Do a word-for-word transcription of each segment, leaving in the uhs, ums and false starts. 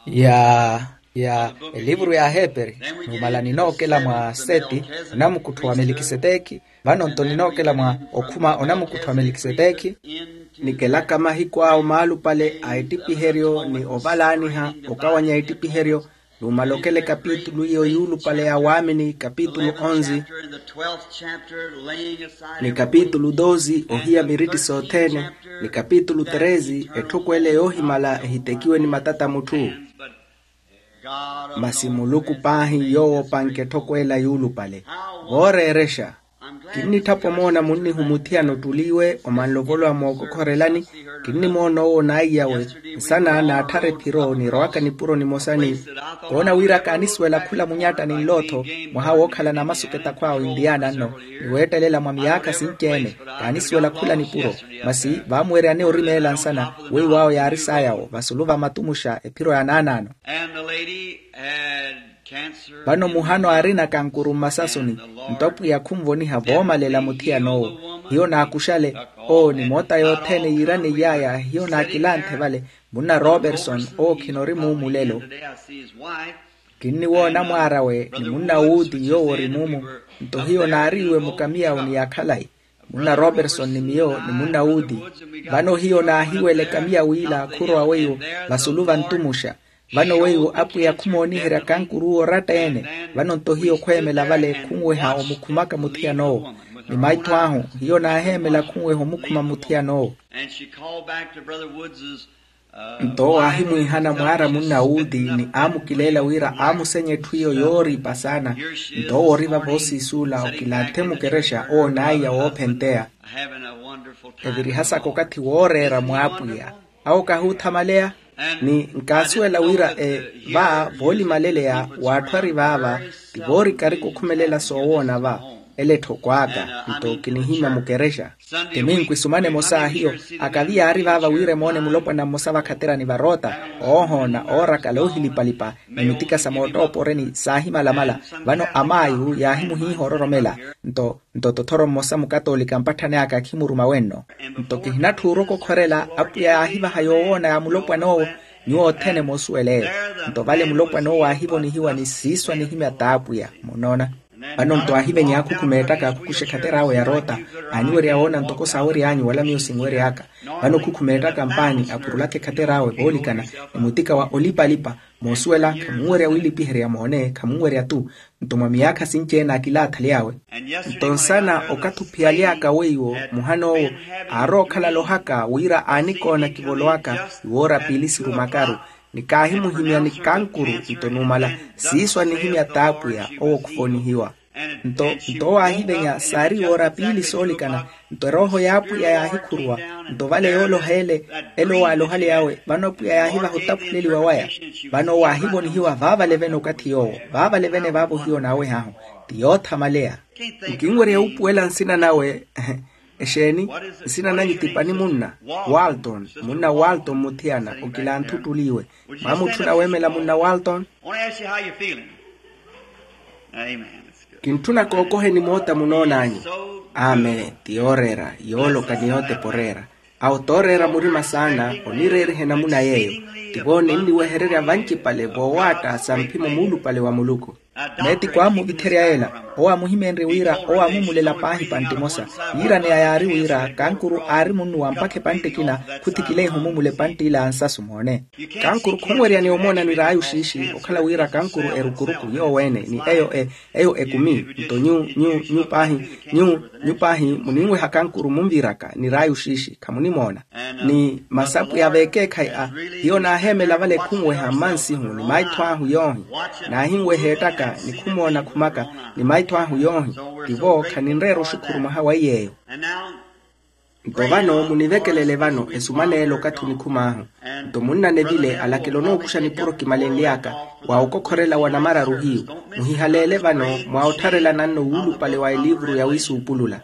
Ya ya elivuru ya aheperi. Numala ninookela mwa seti, onamukuttho wa melikisetekhi. Vano-nto ninookela mwa okhuma onamukuttho wa melikisetekhi. Nikelaka mahiku awo maalupale a ettipiheryo ni ovalaaniha okawanya ettipiheryo. Numala okela ekapitulu iyo yuulupale ya waamini kapitulu onzi, ni kapitulu dosi ohiya miritti sothene, ni kapitulu tresi etthoko ele yoohimala ehitekiwe ni matata mutthu. Masi muluku paahi yoowo opanke etthoko ela yuulupale. Vooreerexa, kinnitthapa omoona munnihumuthiyana ottuli iwe omanlovolowa mookokhorelani. Kinnimoona owo naiyawe nsana naatthara ephiro nirowaka nipuro nimosa ni koona wira kaanisuwela khula munyatta ninlotho mwaha wookhalana masuku etakhwaawe intiyana nno, ni weettelela mwa miyaakha sinci-ene. Kaanisuwela khula nipuro, masi vaamuweryani orimeela nsana weiwo awo yaari saayawo vasulu va matumuxa ephiro ya naanaano. Vano muhano aarina kankuru mmasasuni, nto apwiya khunvoniha voomalela muthiyan'owo. Hiyo naakuxale, owo ni moota yothene yiiraneiy'aya hiyo naakilanthe vale. Munna roberson owo khina ori muumulelo. Kinniwoona mwaar'awe ni munna wuuti yoowo ori muumu. Nto hiyo naariiwe mukamiyawo ni ya khalayi, munna roberson ni miyo ni munna wuuti. Vano hiyo naahiwela ekamiyawo ila khurowa weiwo vasulu va ntumuxa. Vano weiwo apwiya khumooniherya kankuruwo oratta-ene. Vano-nto hiyo khweemela vale khunweha omukhumaka muthiyan'owo. Ni maitho ahu hiyo naaheemela khunweha omukhuma muthiyan'owo. Nto owo aahimwiihana mwaara munna wuuti ni aamukileela wira aamusenya etthu iyo yooriipa saana. Nto owo ori vavo osiisuula okilanthe mukerexa owo naiya woophenteya. Evirihasaka okathi wooreera mwaapwiya. Awo kahuuthamaleya. Ni nkaasuwela wira e va voolimaleleya w'atthu ari vaava ti voorikari kukhumelela soowoona va. Ele etthoko aka nto kinihimya mukerexa. Timinku isumana emosa a hiyo akavi yaari vaava wira emoone mulopwana mmosa vakhaterani varoota, oohoona oorakala oohilipalipa ni mitika sa moottooporeni saahimalamala. Vano amaayu yaahimuhiiha ororomela. Nto nto tothoro mmosa mukatoolika mpatthani aka khimuruma wenno. Nto kihinatthi orokokhorela apwiya yaahivaha yoowoona ya mulopwan'owo. Nyuwo othene moosuweleeyo. Nto vale mulopwan'owo aahivonihiwa ni siiso anihimya t'apwiya. Munoona? Vano-nto aahivenya aakhukhuma ettaka akhukuxa ekhater'awe ya roota. Aaniwerya woona ntoko saawery'anyu wala miyo sinwery'aka. Vano okhukhuma ettaka mpaani apurulaka ekhater'awe voolikana ni mutika wa olipalipa. Moosuwela khamunwerya wiilipiherya moone khamunwerya-tu. Nto mwa miyaakha sinci-ene akilaathaly'awe. Nto nsana okathi ophiyaly'aka weiwo muhan'owo aarowa okhala alohaka wira aanikoona kivolowaka iwoora piili sirumakaru. Ni kaahimuhimya ni kankuru nto numala siiso anihimya t'apwiya owo khuvonihiwa. Nto nto owo aahivenya saari iwoora piili soolikana. Nto erooho y'apwiya yaahikhuruwa. Nto vale yooloha ele ele owo aalohaly'awe vano apwiya yaahivaha ottaphuleliwa waya. Vano owo aahivonihiwa vaavale vene okathi yoowo vaavale vene vaavo hiyo naawehahu ti yoothamaleya. Nkinwerya wuupuwela nsina nawe. Exeeni? Nsina nanyu ti pani munna walton munna walton muthiyana okilanthe ottuli iwe. Mwamutthuna weemela munna walton. Kintthuna kookoheni moota munoon'anyu. Amen ti yooreera yooloka ni yootepa oreera. Awo tooreera murima saana onireeriha enamuna yeeyo. Tivo ninniwehererya vancipale voowaatta sa mphimo muulupale wa muluku. Meeti kwaamuvitherya yeela. Owo aamuhimenrye wira owo aamumulela paahi epantte emosa. Yiiraneya yaari wira kankuru aari munnuwa mpakha epantte ekina. Khuthikileiha omumula epantte ila a nsasu moone. Kankuru khunwerya ni omoona niraayi oxiixi okhala wira kankuru erukuruku yoowo-ene ni eyo e eyo ekumi. Nto nyu nyu nyu paahi nyu nyu paahi muninweha kankuru munviraka niraayi oxiixi khamunimoona. Ni masapu ya veekeekhayi a hiyo naaheemela vale khunweha mmansihu ni maitho ahu yoohi. Naahinweha ettaka ni khumoona khumaka ni maitho ahu yoohi. Tivo khaninreera oxukhuru mwaha wa iy'eyo. Nto vano munivekelele vano esumana ela okathi onikhum'ahu. Nto munnanevile alakela onookuxa nipuro kimalenly'aka wa okokhorela wa namararu hiyu. Muhihaleele vano mwa ottharelana-nno wuulupale wa eliivuru ya wiisuupulula.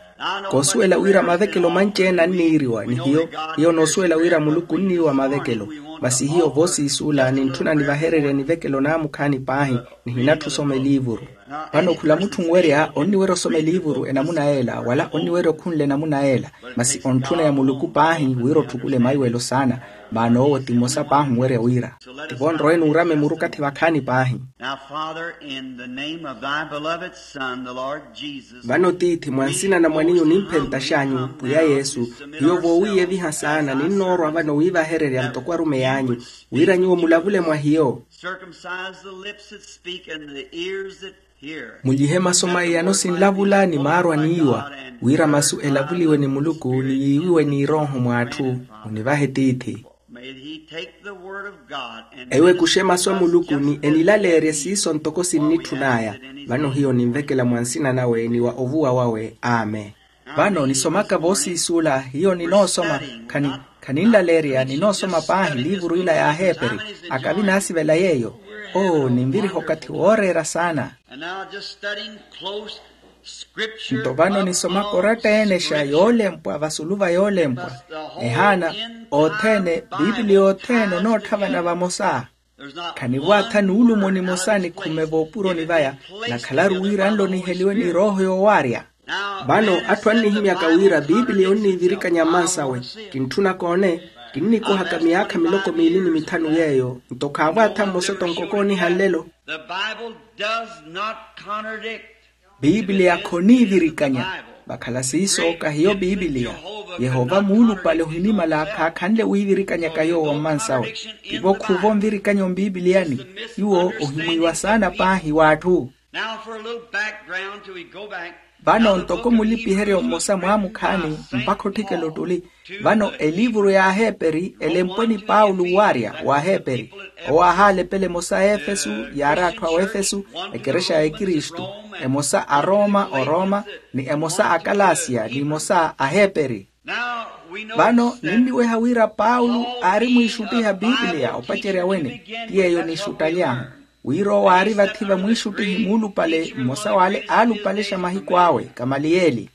Koosuwela wira mavekelo manci-ene anniiriwa ni hiyo. Hiyo noosuwela wira muluku onniiwa mavekelo. Masi hiyo voosiisuula nintthuna nivahererye nivekelo naamukhaani paahi. Nihinatthi osoma eliivuru. Vano khula mutthu onwerya onniwerya osoma eliivuru enamuna yeela wala onniwerya okhunla enamuna yeela. Masi ontthuna ya muluku paahi wira otthukule maiwelo saana. Maana owo ti mmosa paahi onwerya wira Tivo nrowe nuurama emuru okathi vakhaani paahi. Now, Father, in the name of thy beloved Son, the Lord Jesus, vano tiithi mwa nsina na mwaniyu nimphentaxanyu pwiya yesu, hiyo voowiiyeviha saana ninnoorwa vano wiivahererya ntoko arumeyi anyu, wira nyuwo mulavule mwa hiyo. Circumcise the lips that speak and the ears that hear. Mulyihe masu maiyano sinlavula ni maarwa niiwa, wira masu elavuliwe ni muluku ni yiiwiwe n'irooho mw'atthu. Munivahe tiithi. May he take the word of God and ewe kuxe masu a muluku ni enilaleerye siiso ntoko sinnitthun'aya. Vano hiyo ninvekela mwa nsina nawe ni wa ovuwa wawe. Amen. Vano nisomaka voosiisuula hiyo ninoosoma. Khani khaninlaleerya ninoosoma paahi liivuru ila y'aheeperi. Akavi naasivela yeeyo. Oo ninviriha okathi wooreera saana. And now, just studying close scripture. Nto vano nisomaka oratta-enexa yoolempwa vasulu va yoolempwa. Ehaana othene piipiliya othene onoottha vana vamosa. Khanivo atha nuulumo nimosa nikhume voopuroni vaya. Nakhalaru wira nlo niheliwe ni rooho yoowaarya. Vano atthu annihimyaka wira piipiliya onniivirikanya mmansawe. Kintthunaka one. Kinnikohaka miyaakha miloko miili ni mithanu yeeyo nto khaavo atha mmosa tonkoko oniha nlelo. The Bible does not contradict. Piipiliya khoniivirikanya. Vakhala siiso kahiyo piipiliya. Yehova muulupale ohinimala khaakhanle wiivirikanyaka yoowo mmansawe. Tivo khuuva onvirikanya ompipiliyani. Nyuwo ohimwiiwa saana paahi w'atthu. Now for a little background till we go back. Vano ntoko mulipiheryo mmosa mwaamukhaani mpakha otthikela ottuli. Vano eliivuru y'aheeperi elempwe ni paulo waarya w'aheeperi. Owo aahalepela emosa a efesu yaari atthu a wefesu, ekerexa ya ekristu. Emosa a roma orooma, ni emosa a kalasiya ni emosa aheeperi. Vano ninniweha wira paulo aari mwiixuttiha piipiliya opacerya wene. Ti yeeyo niixuttaly'ahu wira owo aari vathi vamwiixuttihi muulupale mmosa w'ale aalupalexa mahiku awe kamaliyeli.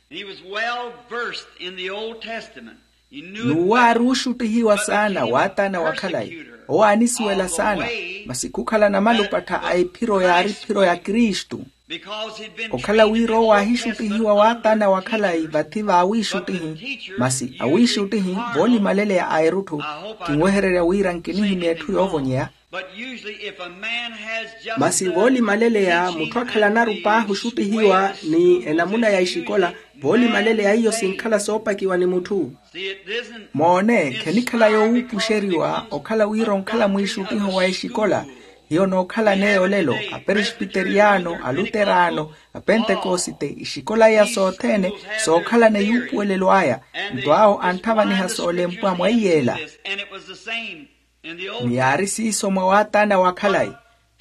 N'uwo aari ooxuttihiwa saana w'ataana wa khalayi. Owo aanisuwela saana. Masi khukhala namalupattha a ephiro yaari phiro ya kristu. Okhala wira owo aahixuttihiwa w'ataana wa khalayi vathi v'awiixuttihi. Masi awiixuttihi voolimaleleya a erutthu. Kinwehererya wira nkinihimya etthu yoovonyeya. Masi voolimaleleya mutthu akhalanaru paahi oxuttihiwa ni enamuna ya exikola. Voolimaleleya iyo sinkhala soopakiwa ni mutthu. Moone khenikhala yoowuupuxeriwa okhala wira onkhala mwiixuttiho wa exikola. Hiyo nookhalana eyo olelo, aperespiteriyano, aluterano, apentekosite exikola iya sothene sookhalana eyuupuwelelo aya. Nto awo antthavaniha soolempwa mwa iyeela. Ni yaari siiso mwa w'ataana wa khalayi.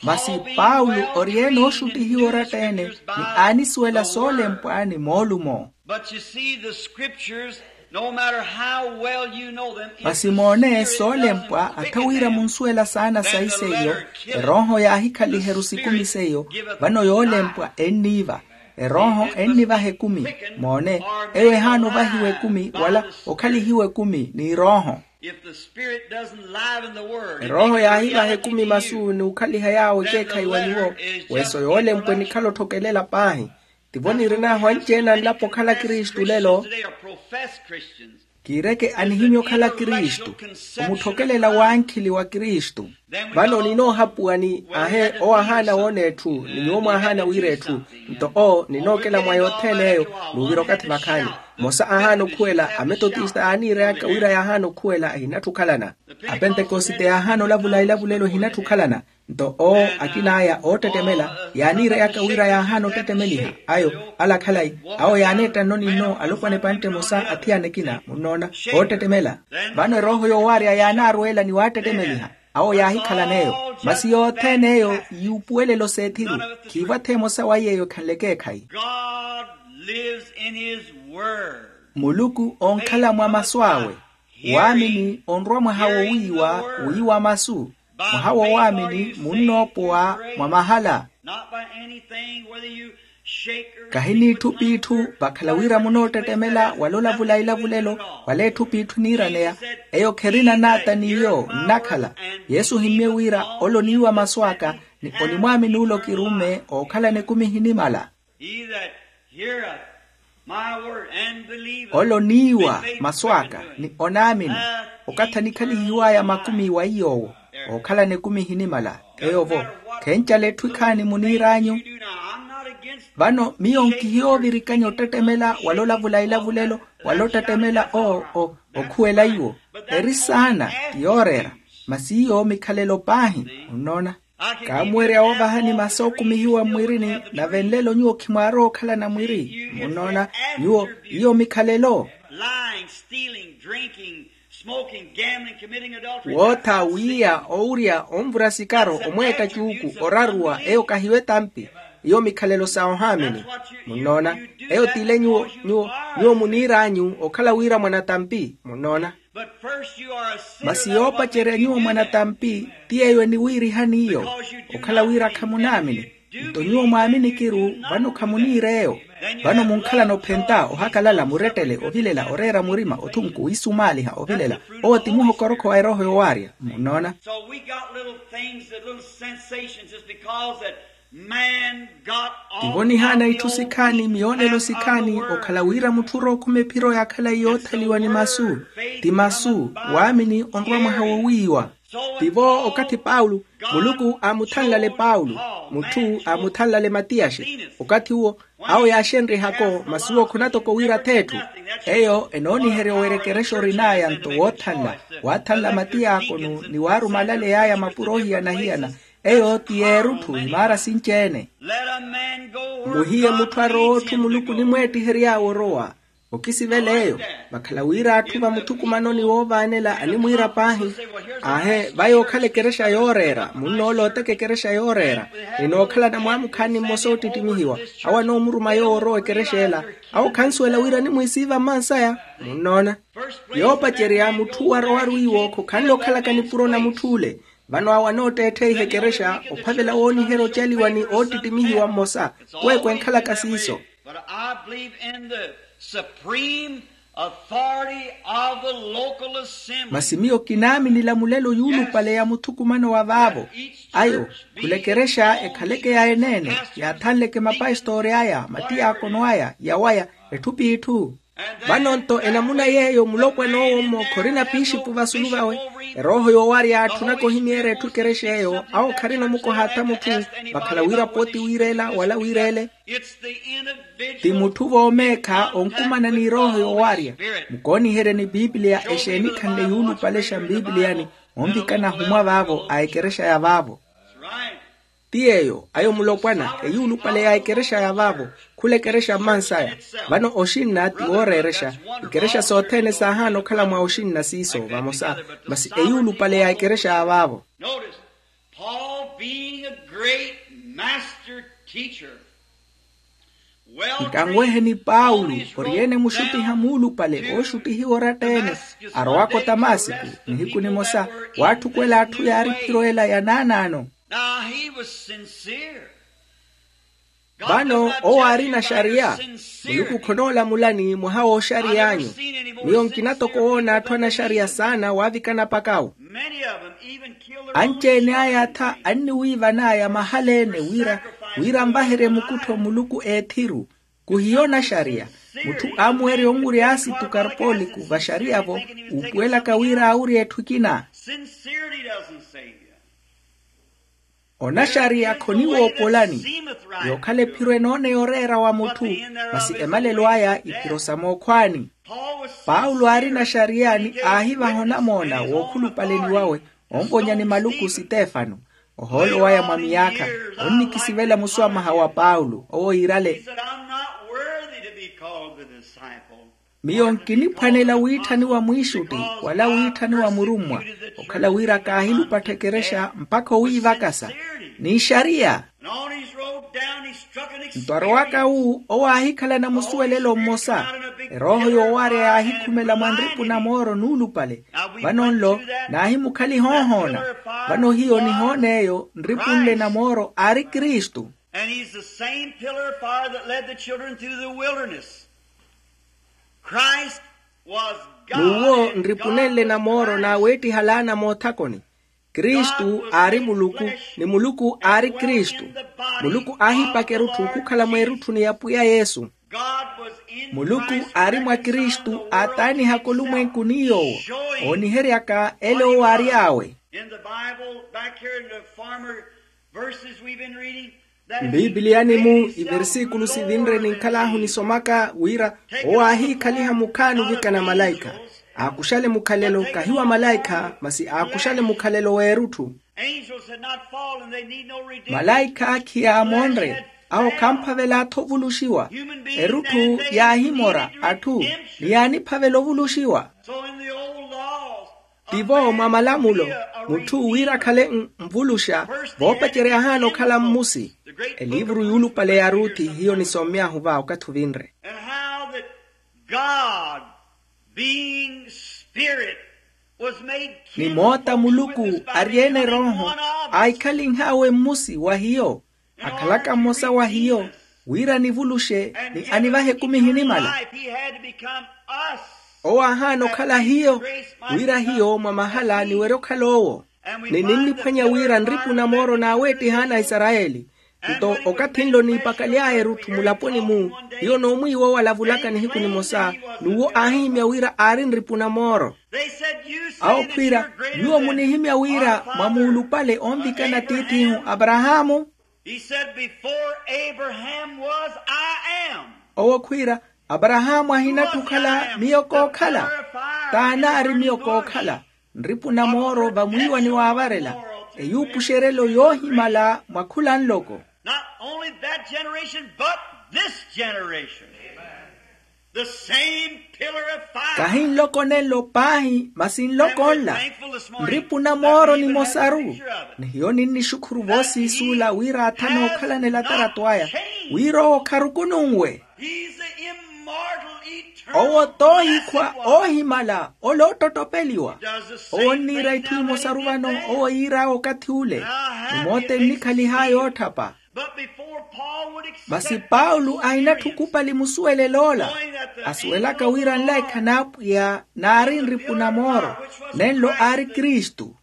Masi paulo ori-ene ooxuttihiwa oratta-ene, ni aanisuwela soolempwa ni moolumo. But you see the scriptures, no matter how well you know them. Masi moone soolempwa attha wira munsuwela saana sayi seiyo. Erooho yaahikhaliheru sikumi seiyo. Vano yoolempwa enniiva. Erooho ennivaha ekumi. Moone, eyo ehaana ovahiwa ekumi wala okhalihiwa ekumi n'irooho. If the spirit doesn't live in the word, erooho yaahivaha ekumi masu n'ukhaliha yaawo ekeekhayi wa nyuwo. Weso yoolempwa enikhala otthokelela paahi. Tivo nirin'ahu anci-ene anlapo okhala kristu lelo. Kiireke anihimya okhala kristu, omutthokelela w'ankhili wa kristu. Vano ninoohapuwa ni ahe owo ahaana woona etthu ni nyuwo mwaahaana wira etthu. Nto owo ninookela mwa yothene eyo. N'uvira okathi vakhaani. Mmosa aahaana okhuwela ametotista yaaniireyaka wira yaahaana okhuwela ehinatthi okhalana. Apentekosite yaahaana olavula elavulelo ehinatthi okhalana. Nto owo akin'aya oottettemela yaaniireyaka wira yaahaana ottettemeliha. Ayo ala khalayi. Awo yaaneetta nno ni nno alopwana epantte emosa athiyana ekina munnoona. Oottettemela. Vano erooho yoowaarya yaanaarweela ni waattettemeliha. Awo yaahikhalana eyo. Masi yothene eyo yuupuwelelo s'ethiru. Khiivo atha emosa wa yeeyo ekhanle ekeekhayi. God lives in his word. Muluku onkhala mwa masu awe. Waamini onrwa mwaha wowiiwa wiiwa masu. Mwaha woowaamini munnoopowa mwa mahala. Not by anything, whether you shake or kahiniitthu piitthu. Vakhala wira munoottettemela wala olavula elavulelo wala etthu piitthu niiraneya. Eyo kherina naata n'iyo nnakhala. Yesu ohimmye wira ole oniiwa masu aka ni onimwaamini ole okirumme ookhalana ekumi ehinimala. He that heareth my word and believeth ole oniiwa masu aka ni onaamini. Okathi anikhalihiw'aya makumi wa iy'owo. Ookhalana ekumi ehinimala. Eyo-vo, khencala etthu ekhaani muniir'anyu. Vano miyo nkihiyoovirikanya ottettemela wala olavula elavulelo, wala ottettemela o- o- okhuwela iwo. Eri saana ti yooreera, masi iyo mikhalelo paahi. Munnoona? Kaamuwerya woovahani masi ookumihiwa mmwirini. Nave nlelo nyuwo khimwaarowa okhalana mwiri. Munnoona? Nyuwo, iyo mikhalelo. Lying, stealing, drinking, smoking, gambling, committing adultery. Wootha, wiiya, owurya, onvura sikaro, omweetta cuuku, oraruwa. Eyo kahiyo etampi. Iyo mikhalelo sa ohaamini. Munnoona? Eyo t'ile nyuwo, nyuwo, nyuwo muniir'anyu okhala wira mwanatampi. Munnoona? Masi yoopacerya nyuwo mwanatampi, ti yeeyo eniwiirihani iyo, okhala wira khamunaamini. Nto nyuwo mwaaminikiru, vano khamuniir'eyo. Vano munkhalana ophenta, ohakalala, murettele, ovilela, oreera murima, othunku, wiisumaaliha, ovilela. Owo ti muhokorokho wa erooho yowaarya. Munnoona? So we got little things, that little sensations, just because that man got off. Tivo nihaana itthu sikhaani, miyoonelo sikhaani, okhala wira mutthu orowa okhuma ephiro yaakhala yoothaliwa ni masu. Ti masu, waamini onrwa mwaha wowiiwa. Tivo okathi paulo, muluku aamuthanlale paulo, mutthu aamuthanlale matiyaxe. Okathi uwo, awo yaaxenrihako masi uwo khunatoko wira atheetthu. Eyo enooniherya owerekerexa orin'aya nto woothanla, waathanla matiyaakono ni waarumalale yaaya mapuro ohiyana-hiyana. Eyo ti yeerutthu imaara sinci-ene. Muhiye mutthu arowa otthu muluku onimweettihery'awe orowa. Okisivela eyo, vakhala wira atthu va muthukumanoni woovaanela animwiira paahi. Aahe, vaya okhala ekerexa yooreera, munnoolooteka ekerexa yooreera, ninookhalana mwaamukhaani mmosa oottittimihiwa. Awo anoomuruma yoowo orowa ekerexa ela. Awo khansuwela wira animwiisiiva mmansaya. Munnoona? Yoopacerya mutthu arowaru iwo khokhanle okhalaka nipuro na mutthu ole. Vano awo anootteettheiha ekerexa ophavela wooniherya ocaliwa ni oottittimihiwa mmosa. Kweekwe enkhalaka siiso. But I believe in the supreme authority of the local assembly. Masi miyo kinaaminila mulelo yuulupale ya muthukumano wa vaavo. Ayo, khula ekerexa ekhaleke ya eneene, yaathanleke mapastoori aya, matiyaakono aya, yawaya, etthu p'itthu. Vano-nto enamuna yeeyo mulopwana owo-mmo khorina pixipu vasulu vawe. Erooho yoowarya atthu onaka ohimyeerya etthu ekerexa eyo, awo kharina omukoha atha mutthu, vakhala wira pooti wiireela wala wiireele. Ti mutthu voomeekha onkumana n'irooho yoowarya. Mukooniherya ni piipiliya exeeni khanle yuulupale xa mpipiliyani, onvikana ahumwa vaavo a ekerexa ya vaavo. Ti yeeyo ayo mulopwana eyuulupale ya ekerexa ya vaavo. Khula ekerexa mmansaya. Vano oxinna ti wooreerexa. Ikerexa sothene saahaana okhala mwa oxinna siiso vamosa. Masi eyuulupale ya ekerexa ya vaavo. Notice, Paul being a great master teacher. Nkanweheni paulo, ori-ene muxuttiha muulupale ooxuttihiwa oratta-ene, arowaka otamasiku nihiku nimosa, waatthukwela atthu yaari ephiro ela ya naanaano. Now he was sincere. Vano owo aarina xariya. Muluku khonoolamulani mwaha w'oxariy'anyu. Miyo nkina toko woona atthu anaxariya saana waavikana pakau. Anci-ene aya atha anniwiivan'aya mahala-ene wira, wira anvaherye mukuttho muluku eethiru. Kuhiyo naxariya. Mutthu aamuwerya onwurya asitu karpoliku vaxariya-vo, uupuwelaka wira aawurye etthu ekina. Onaxariya khoniwoopolani. Yookhala ephiro enooneya oreera wa mutthu, masi emalelo aya iphiro sa mookhwaani. Paulo aarina xariya ni aahivaha onamoona wookhulupaleni wawe, onvonya ni maluku sitefano. Ohoolo waya mwa miyaakha, onnikisivela muswamaha wa paulo owo iirale. Miyo nkiniphwanela wiitthaniwa mwiixutti wala wiitthaniwa murummwa, okhala wira kaahilupattha ekerexa mpakha owiivakasa. N'ixariya. Nto arowaka wu owo aahikhalana musuwelelo mmosa. Erooho yoowarya yaahikhumela mwa nripu na mooro nuulupale. Vano nlo naahimukhaliha ohoona. Vano hiyo nihoon'eyo nripu nle na mooro aari kristu. And he's the same pillar of fire that led the children through the wilderness. Christ was God. N'uwo nripunenle na mooro naaweettiha laana moothakoni. Kristu aari muluku, ni muluku aari kristu. Muluku aahipaka erutthu khukhala mweerutthuni ya pwiya yesu. Muluku aari mwa kristu aataanihaka olumwenku ni yoowo ooniheryaka ele owo aary'awe. In the Bible, back here in the former verses we've been reading, that mbiipiliyani-mu, iversikulu sivinre ninkhal'ahu nisomaka wira owo aahiikhaliha mukhaani ovikana malaikha. Aakuxale mukhalelo kahi wa malaikha masi aakuxale mukhalelo w'erutthu. Angels had not fallen, they need no redeemer. Malaikha khiyaamonre, awo khamphavela-tho ovuluxiwa. Erutthu yaahimora atthu ni yaaniphavela ovuluxiwa. So in the old laws, tivo mwa malamulo, mutthu wira akhale nvuluxa voopacerya ahaana okhala mmusi. Elivuru yuulupale ya ruthi hiyo nisommy'ahu va okathi ovinre. And how that God, being spirit, was made ni moota muluku ari-ene erooho, aahikhalinh'awe mmusi wa hiyo. Akhalaka mmosa wa hiyo, wira anivuluxe ni anivahe ekumi ehinimala. Owo aahaana okhala hiyo, wira hiyo mwa mahala aniwerya okhala owo. Ni ninniphwanya wira nripu na mooro naaweettihaana a isarayeli. Nto okathi nlo niipakaly'aya erutthu mulaponi-mu, hiyo n'omwiiwa owo alavulaka nihiku nimosa, n'uwo aahihimya wira aari nripu na mooro. Awo khwiira, nyuwo munihimya wira mwamuulupale onvikana tiith'ihu aparahaamu. He said, before Abraham was, I am. Owo khwiira, aparahaamu ahinatthu okhala miyo kookhala. T'anaari miyo kookhala. Nripu na mooro vamwiiwa ni waavarela, eyuupuxerelo yoohimala mwa khula nloko. Not only that generation but this generation. The same pillar of fire. Kahi nloko nenlo paahi masi nloko nla. Nripu na mooro nimosaru. Ni hiyo ninnixukhuru voosiisuula wira aathana okhalanela tarato aya, wira owo kharukununwe. Owo t'ohikhwa oohimala ole oottottopeliwa. Owo onniira itthu imosaru vano owo yiir'awe okathi ule. Ni moota ennikhaliha yootthapa. Masi paulo ahinatthu okupali musuwelel'ola, asuwelaka wira nlaikha n'apwiya naari nripu na mooro, nenlo aari kristu.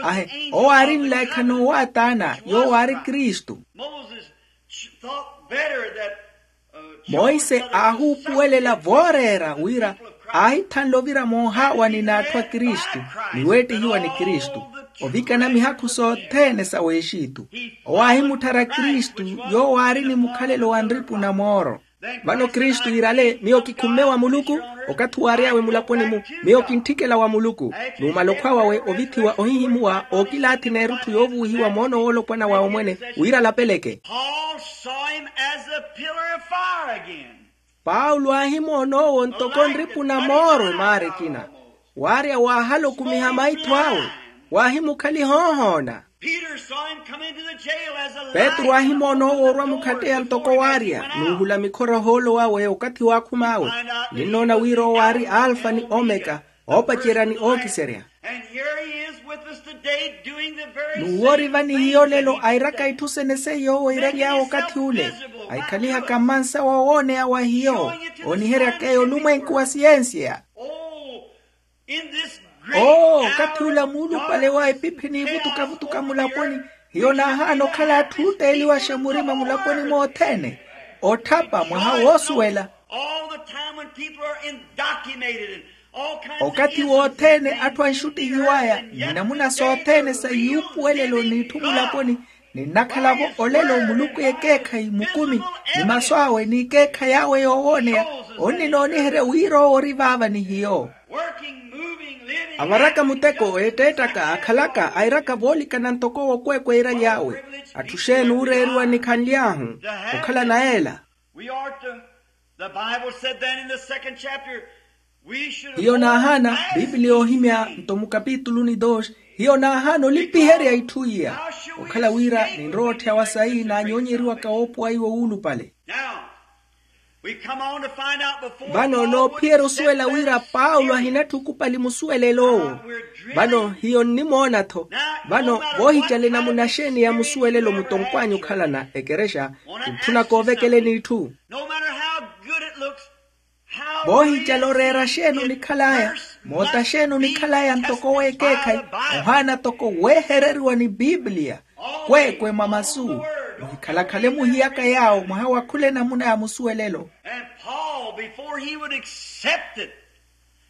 Ahe, owo aari nlaikha n'owataana yoowo aari kristu. Monse aahuupuwelela vooreera wira aahithanle ovira moohaawani n'atthu a kristu, ni weettihiwa ni kristu, ovikana mihakhu sothene sa w'exitu. Owo aahimutthara kristu, yoowo aari ni mukhalelo wa nripu na mooro. Vano kristu iirale miyo kikhumme wa muluku. Okathi waary'awe mulaponi-mu, miyo kintthikela wa muluku. Numala okhwa wawe ovithiwa ohihimuwa ookilaathi n'erutthu yoovuwihiwa moono woolopwana wawe mwene, wira alapeleke. Paul saw him as a pillar of fire again. Paulo aahimoona owo ntoko nripu na mooro emaara ekina. Waarya waahala okumiha maitho awe, waahimukhaliha ohoona. Petru aahimoona owo orwa mukhatteya ntoko waarya n'uhula mikhora ohoolo wawe okathi waakhum'awe. Ninnoona wira owo aari alfa ni omeka, oopacerya ni ookiserya. N'uwo ori vanihiyo olelo airaka itthu sene seiyo owo eiraly'awe okathi ule, ahikhalihaka mmansa wa owooneya wa hiyo, ooniheryak'eyo olumwenku wa siyensiya. Oo, okathi ula muulupale wa epiphi niivutukavutuka mulaponi, hiyo naahaana okhala atthu ooteeliwaxa murima mulaponi mothene, otthapa mwaha woosuwela. Okathi wothene atthu anxuttihiw'aya ni namuna sothene sa yuupuwelelo n'itthu mulaponi, ninnakhala-vo olelo muluku ekeekhayi mukumi, ni masu awe n'ikeekhayi awe yoowooneya. Onninooniherya wira owo ori vaava ni hiyo. Avaraka muteko eetteettaka akhalaka airaka voolikana ntoko wokweekwa eiraly'awe. Atthu xeeni ooreeriwa nikhanly'ahu okhala na ela. We are to, the Bible said then in the second chapter, we should hiyo naahaana bibiliya oohimya nto mukapituluni dos. Hiyo naahaana olipiherya itthu iya, okhala wira ninrowa otthyawa sayi naanyoonyeriwaka woopowa iwo wuulupale. Now, we come on to find out before vano noophiyerya osuwela wira paulo ahinatthu okupali musuwelelo owo. Vano hiyo nnimoona-tho. Vano voohicale namuna xeeni ya musuwelelo mutonkw'anyu okhalana ekerexa, kintthuna koovekeleni itthu. No matter how good it looks, how voohicale oreera xeeni onikhal'aya, moota xeeni onikhal'aya ntoko weekeekhayi, ohaana toko weehereriwa ni bibiliya, kweekwe mwa masu, muhikhalakhale muhiyaka yaawo mwaha wa khula enamuna ya musuwelelo. And Paul, before he would accept it,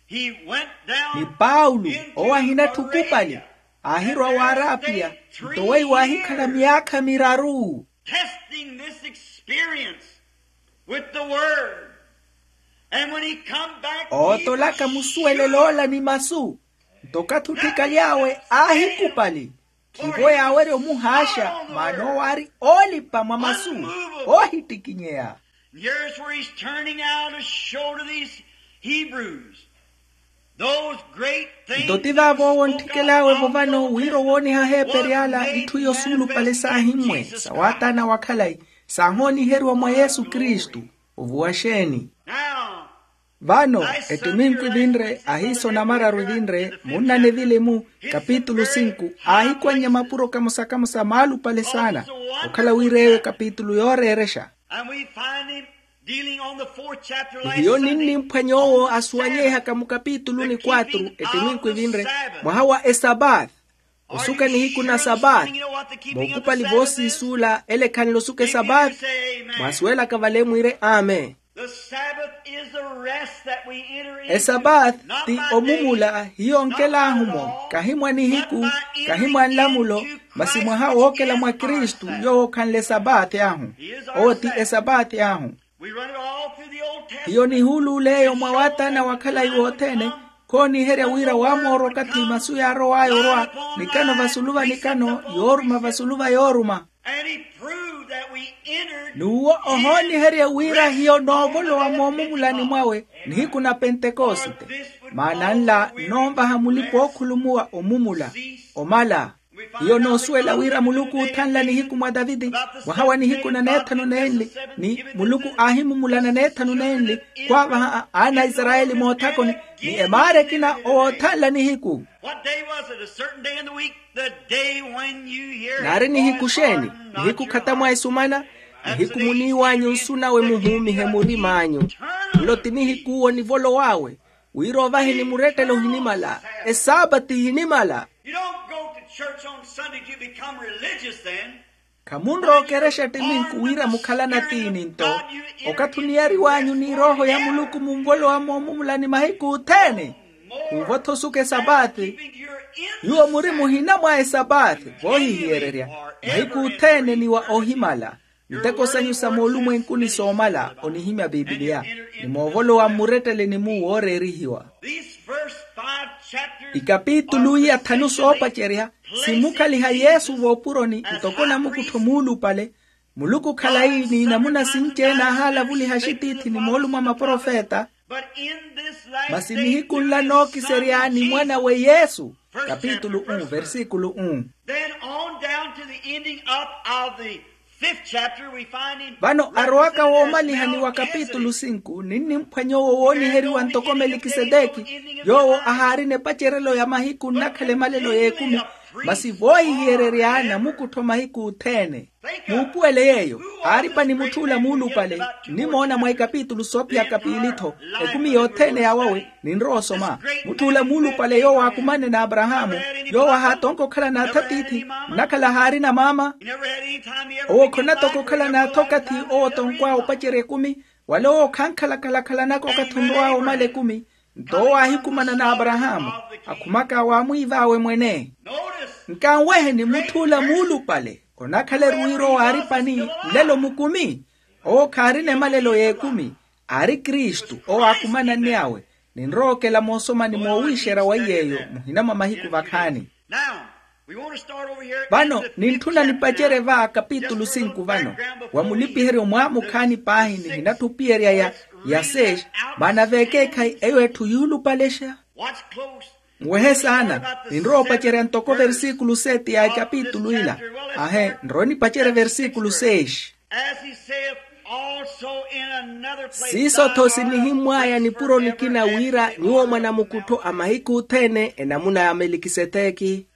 he went down ni paulo owo ahinatthu okupali, Aahirwa w'arapiya, nto weiwo aahikhala myaakha miraru. Testing this experience with the word. And when he come back, ootolaka musuwelelo ola ni masu. Nto okathi otthikalyawe aahikupali. Khivo yaawerya omuhaaxa, maana owo aari oolipa mwa masu, oohittikinyeya. Here's where he's turning out to show to these Hebrews those great things. Nto ti vaavo owo ontthikely'awe-vo vano wira owooniha aheeperi ala itthu iyo suulupale saahimmwe sa waataana wa khalayi, saahooniheriwa mwa yesu kristu. Ovuwa xeeni? Vano ettiminku evinre ahiiso namararu evinre, munna ni vilimu, kapitulu sinku, aahikwannya mapuro kamosa-kamosa maalupale saana. Okhala wira eyo ekapitulu yooreerexa. Nihiyo ninnimphwa nyoowo asuwanyeihaka mukapitulu ni kwatru ettiminku evinre, mwaha wa esapaathi. Osuka nihiku na sabaati. Mookupali voosiisuula ele khanle osuka esabaati. Mwaasuwelaka vale mwiire amen. Esabaati ti omumula hiyo onkelaahu-mo, kahi mwa nihiku, kahi mwa nlamulo, masi mwaha wookela mwa kristu, yoowo khanle esabaati ahu. Owo ti esabaati ahu. Hiyo nihuuluula eyo mwa waataana wa khalayi wothene. Khooniherya wira waamoora okathi masu yaarow'aya orwa, nikano vasulu va nikano, yooruma vasulu va yooruma. N'uwo ohooniherye wira hiyo noovolowa moomumulani mwawe nihiku na pentekosite. Maana nla nnoonvaha mulipa ookhulumuwa omumula, omala. Hiyo noosuwela wira muluku oothanla nihiku mwa taviti, mwaha wa nihiku na neethanu nenli, ni muluku aahimumulana neethanu nenli, khwaavaha aana a isarayeli moothakoni, ni emaara ekina owoothanla nihiku. Naari nihiku xeeni? Nihiku khatamwa esumana. Nihiku muniiw'anyu nsu nawe muhuumihe murim'anyu. Nlo ti nihiku owo nivolow'awe, wira ovahe ni murettelo ohinimala, esaapati ihinimala. Khamunrowa okerexa ettiminku wira mukhalana tiini nto, okathi oniyariw'anyu ni erooho ya muluku munvolowa moomumulani mahiku othene. Khuuvo-tho osuka esapathi, nyuwo muri muhina mwa esapathi voohihiyererya. Mahiku othene ni wa ohimala. Miteko sanyu sa moolumwenkuni soomala onihimya pipiliya, ni moovolowa mmuretteleni-mu wooreerihiwa. Ikapitulu iya thanu soopacerya, simukhaliha yesu voopuroni ntoko namukuttho muulupale. Muluku khalayi ni namuna sinci-ene ahaalavuliha axitiithi ni moolumo a maprofeta. Masi nihiku nla nookiserya ni mwan'awe yesu. Kapitulu um versikulu um. Vano arowaka woomalihani wa kapitulu sinku ninnimphwanya owo wooniheriwa ntoko melikiseteki, yoowo ahaarina epacerelo ya mahiku nnakhala emalelo y'ekumi. Masi voohihiyererya namukuttho mahiku othene. Muupuwele yeeyo, aaripa ni mutth'ula muulupale. Nnimoona mwa ikapitulu soophiyaka piili-tho. Ekumi yothene yaawawe ninrowa osoma. Mutth'ula muulupale yoowo aakumane n'aparahaamu, yoowo ahaatonka okhala n'atha tiithi, nnakhala haarina maama. Owo khonatoka okhala n'atha okathi owo otonk'awe opacerya ekumi. Wala owo khankhalakhala khalanaka okathi onrow'awe omala ekumi. Nto owo aahikumana n'aparahaamu, akhumaka waamwiiv'awe mwene. Nkanweheni mutth'ula muulupale, onakhala eruwiro waaripani nlelo mukumi. Owo khaarina emalelo y'ekumi. Aari kristu owo aakumananny'awe. Ninrowa okela moosomani moowiixerya wa iy'eyo muhina mwa mahiku vakhaani. Vano nintthuna nipacerye va kapitulu sinku vano, wa mulipiheryo mwaamukhaani paahi nihinatthu opiyerya ya ya seis. Maana vekeekhayi eyo etthu yuulupalexa. Nwehe saana. Ninrowa opacerya ntoko versikulu seti ya ekapitulu ila. Ahe, nrowe nipacerye versikulu seis. Siiso-tho sinihimmw'aya nipuro nikina wira nyuwo mwanamukuttho a mahiku othene enamuna ya melikiseteki.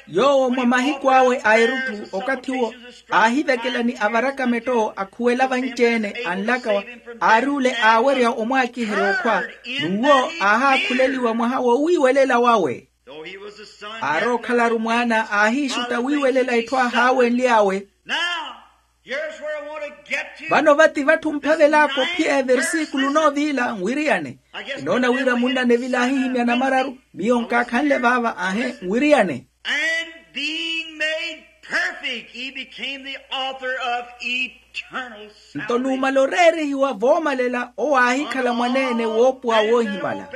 Yoowo mwa mahiku awe a erutthu okathi uwo aahivekela ni avarakametto akhuwela vanci-ene anlaka wa, aari ole aawerya omwaakiherya okhwa. N'uwo aahaakhuleliwa mwaha wowiiwelela wawe. Aari okhalaru mwaana aahiixutta wiiwelela itthu ahaawenly'awe. Vano vati vatthu mphavelaka ophiya eversikulu noovila nwiriyane. Inoona wira munnane vila ahihimya namararu. Miyo nkaakhanle vaava ahe nwiriyane. And being made perfect, he became the author of eternal salvation. Nto numala oreerihiwa voomalela owo aahikhala mwaneene woopuwa woohimala.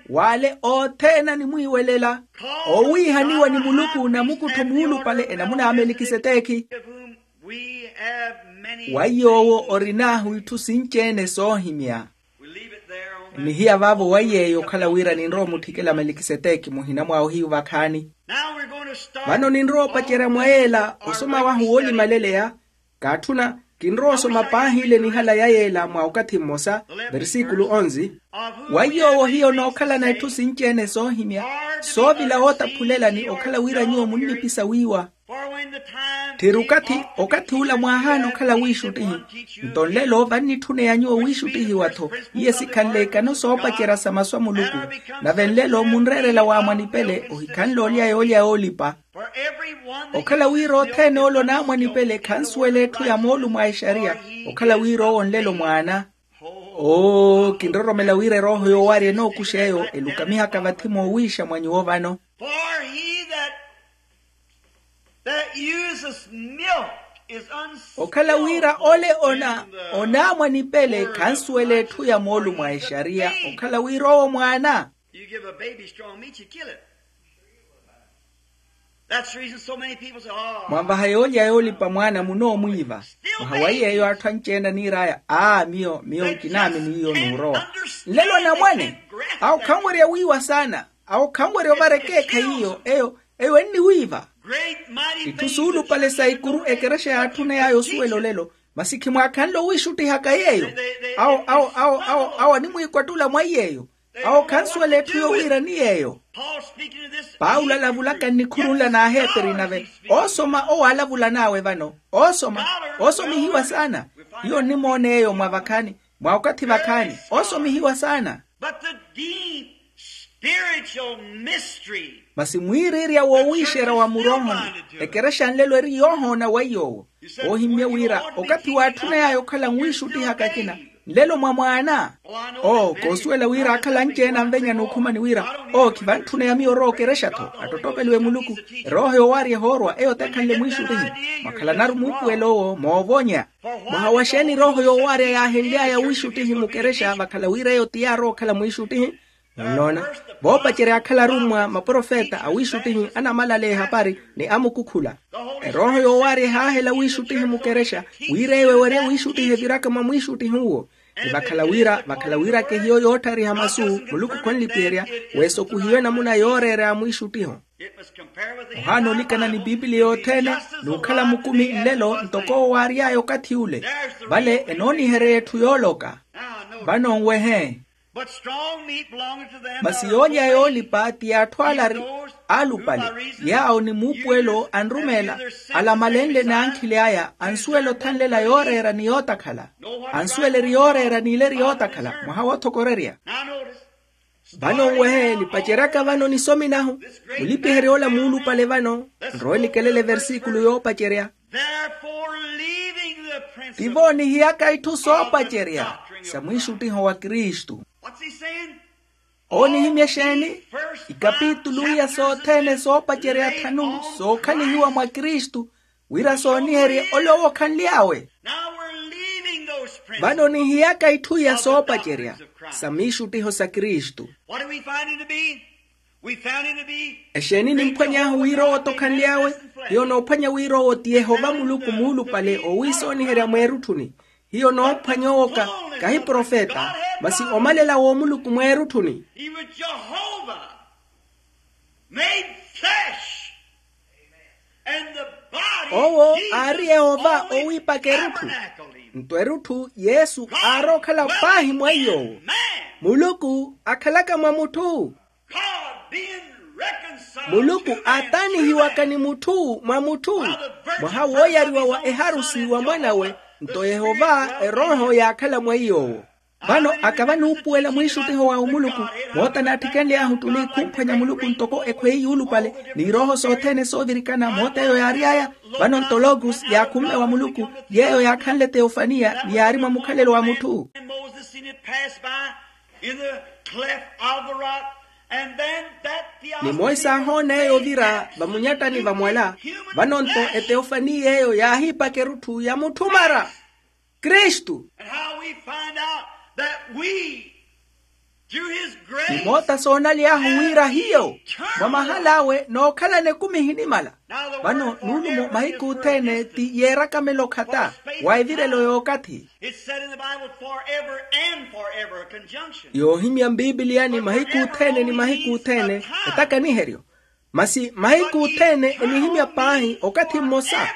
Waale othene animwiiwelela, owiihaniwa ni muluku namukuttho muulupale enamuna ya melikisetekhi. Wa yoowo orin'ahu itthu sinci-ene soohimya. Nihiya vaavo wa yeeyo okhala wira ninrowa omutthikela melikisetekhi muhina mwa ohiyu vakhaani. Vano ninrowa opacerya mwa yeela osoma wahu woolimaleleya. Kaatthuna, kinrowa osoma paahi ile nihala ya yeela mwa okathi mmosa. Versikulu onzi. Wa yoowo hiyo nookhalana itthu sinci-ene soohimya, soovila wootaphulelani okhala wira nyuwo munnipisa wiiwa. Tthiri okathi okathi ula mwaahaana okhala wiixuttihi. Nto nlelo vannitthuna ya nyuwo wiixuttihiwa-tho. Iye sikhanle ekano soopacerya sa masu a muluku. Nave nlelo munreerela waamwanipele ohikhanle olya yoolya yoolipa. Okhala wira othene ole onaamwanipele khansuwela etthu ya moolumo a exariya. Okhala wira owo nlelo mwaana. Oo kinroromela wira erooho yoowarya enookuxa eyo elukamihaka vathi moowiixa mwa nyuwo vano. That uses milk is unskillful. Okhala wira ole ona onaamwanipele khansuwela etthu ya moolumo a exariya okhala wira owo mwaana. You give a baby strong meat, you kill it. That's the reason so many people say, oh. Mwanvaha yoolya yoolipa mwaana munoomwiiva. Mwaha wa yeeyo atthu anci-ene aniir'aya aa miyo miyo nkinaamini iyo nuurowa. Nlelo namwane awo khanwerya wiiwa saana. Awo khanwerya ovara ekeekhayi iyo eyo eyo enniwiiva. Itthu suulupale sa ikuru ekerexa yaatthuney'aya osuwela olelo. Masi khimwaakhanle owiixuttihaka yeeyo. Awo awo awo awo awo animwiikwattula mwa yeeyo. Awo khansuwela etthu yoowiirani yeeyo. Paulo alavulaka nnikhurunla n'aheperi nave oosoma owo aalavulan'awe vano oosoma. Oosomihiwa saana. Hiyo onnimoona eyo mwa vakhaani mwa okathi vakhaani oosomihiwa saana. But the deep spiritual mystery. Masi mwiiriirya woowiixerya wa muroohoni ekerexa nlelo eri yoohoona wa iy'owo. Oohimmye wira okathi waatthuney'aya okhala nwiixuttihaka akina nlelo mwa mwaana. Oo koosuwela wira akhala anci-ene anvenya n'ukhumani wira oo khivantthuneya miyo orowa okerexa-tho attottopeliwe muluku. Erooho yoowaarya ehoorwa eyo tekhanle mwiixuttihi. Mwakhalanaru muupuwelo owo moovonya. Mwaha wa xeeni erooho yoowaarya yaahenly'aya wiixuttihi mukerexa vakhala wira eyo ti yaarowa okhala mwiixuttihi. Nnoona voopacerya akhala arummwa maprofeta awiixuttihi anamalaleya ehapari ni amukukhula. Erooho yoowaarya ehaahela wiixuttihi mukerexa wira eyo ewerye wiixuttihi eviraka mwa mwiixuttihi uwo. Ni vakhala wira vakhala wira kehiyo yootthariha masu muluku khonlipiherya weesokuhiwe namuna yooreera ya mwiixuttiho. Ohaana olikana ni pipiliya yothene n'ukhala mukumi nlelo ntoko owo waary'aya okathi ule. Vale enoonihereya etthu yooloka. Vano nwehe. Masi yoolya yoolipa ti yaatthu alari aalupale yaawo ni muupuwelo anrumeela alamalenle n'ankhili aya ansuwela othanlela yooreera ni yootakhala. Ansuwela eri yooreera n'ileri yootakhala mwaha woothokorerya. Vano nwehe nipaceryaka vano nisomi nahu mulipiherya ola muulupale vano. Nrowe nikelele versikulu yoopacerya. Tivo nihiyaka itthu soopacerya sa mwiixuttiho wa kristu. Owo nihimya exeeni? Ikapitulu iya sothene soopacerya thanu sookhalihiwa mwa kristu wira sooniherye ole owo okhanly'awe. Vano nihiyaka itthu iya soopacerya sa miixuttiho sa kristu. Exeeni nimphwany'ahu wira owo tokhanly'awe? Hiyo noophwanya wira owo ti yehova muluku muulupale oowiisooniherya mweerutthuni. Hiyo noophwanya owoka kahi profeta masi omalela w'omuluku mweerutthuni. Owo aari yehova owiipaka erutthu. Nto erutthu yesu aarookhala paahi mwa iy'owo. Muluku akhalaka mwa mutthu. Muluku aataanihiwaka ni mutthu mwa mutthu mwaha wooyariwa wa eharusi wa mwan'awe. Nto yehova erooho yaakhala mwa iy'owo. Vano akava nuupuwela mwiixuttiho wa omuluku, moota naatthikenly'ahu ttuli khumphwanya muluku ntoko ekhweyi yuulupale, n'irooho sothene soovirikana moota eyo yaary'aya. Vano nto logos yaakhumme wa muluku, yeeyo yaakhanle teofaniya ni yaari mwa mukhalelo wa mutthu. Ni monse aahoona eyo ovira vamunyattani va mwala. Vano nto eteofaniya eyo yaahiipaka erutthu ya mutthu mara, kristu. Ni moota soonaly'ahu wira hiyo mwa mahal'awe nookhalana ekumi ehinimala. Vano nuulumo mahiku othene ti yeerakamela okhata wa evirelo y'okathi. Yoohimya mpipiliyani mahiku othene ni mahiku othene. Etakaniheryo. Masi mahiku othene enihimya paahi okathi mmosa.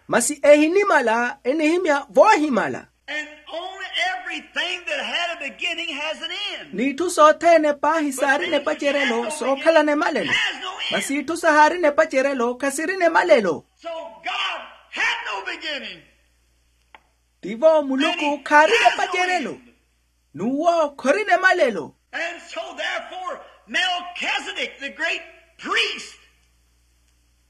Masi ehinimala enihimya voohimala. N'itthu sothene paahi saarina epacerelo sookhalana emalelo. Masi itthu sahaarina epacerelo khasirina emalelo. Tivo muluku khaarina epacerelo. N'uwo khorina emalelo. And so therefore Melchizedek, the great priest,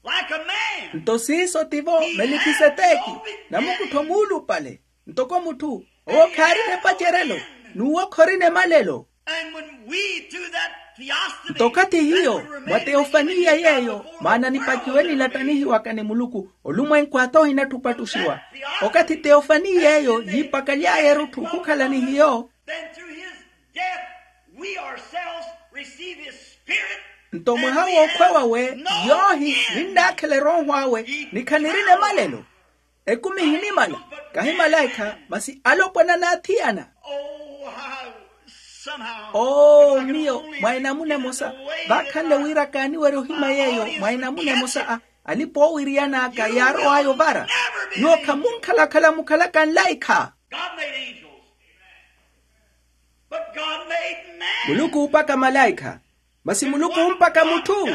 like a man. Nto siiso tivo melikiseteki, namukuttho muulupale ntoko mutthu. Owo khaarina epacerelo. N'uwo khorina emalelo. Nto okathi hiyo mwa teofaniya yeeyo maana nipakiwe nilattanihiwaka ni muluku, olumwenku ata ohinatthi opattuxiwa. Okathi teofaniya eyo yiipakaly'aya erutthu khukhala ni hiyo. Nto mwaha w'okhwa wawe yoohi ninnaakhela erooho awe ni khanirina emalelo. Ekumi ehinimala, kahi malaikha masi alopwana n'athiyana. Oo miyo mwa enamuna emosa, vaakhanle wira kaaniwerya ohimya yeeyo mwa enamuna emosa a alipa oowiriyan'aka yaarow'aya ovara. Nyuwo khamunkhalakhala mukhalaka nlaikha. Muluku oopaka malaikha. Masi muluku ompaka mutthu.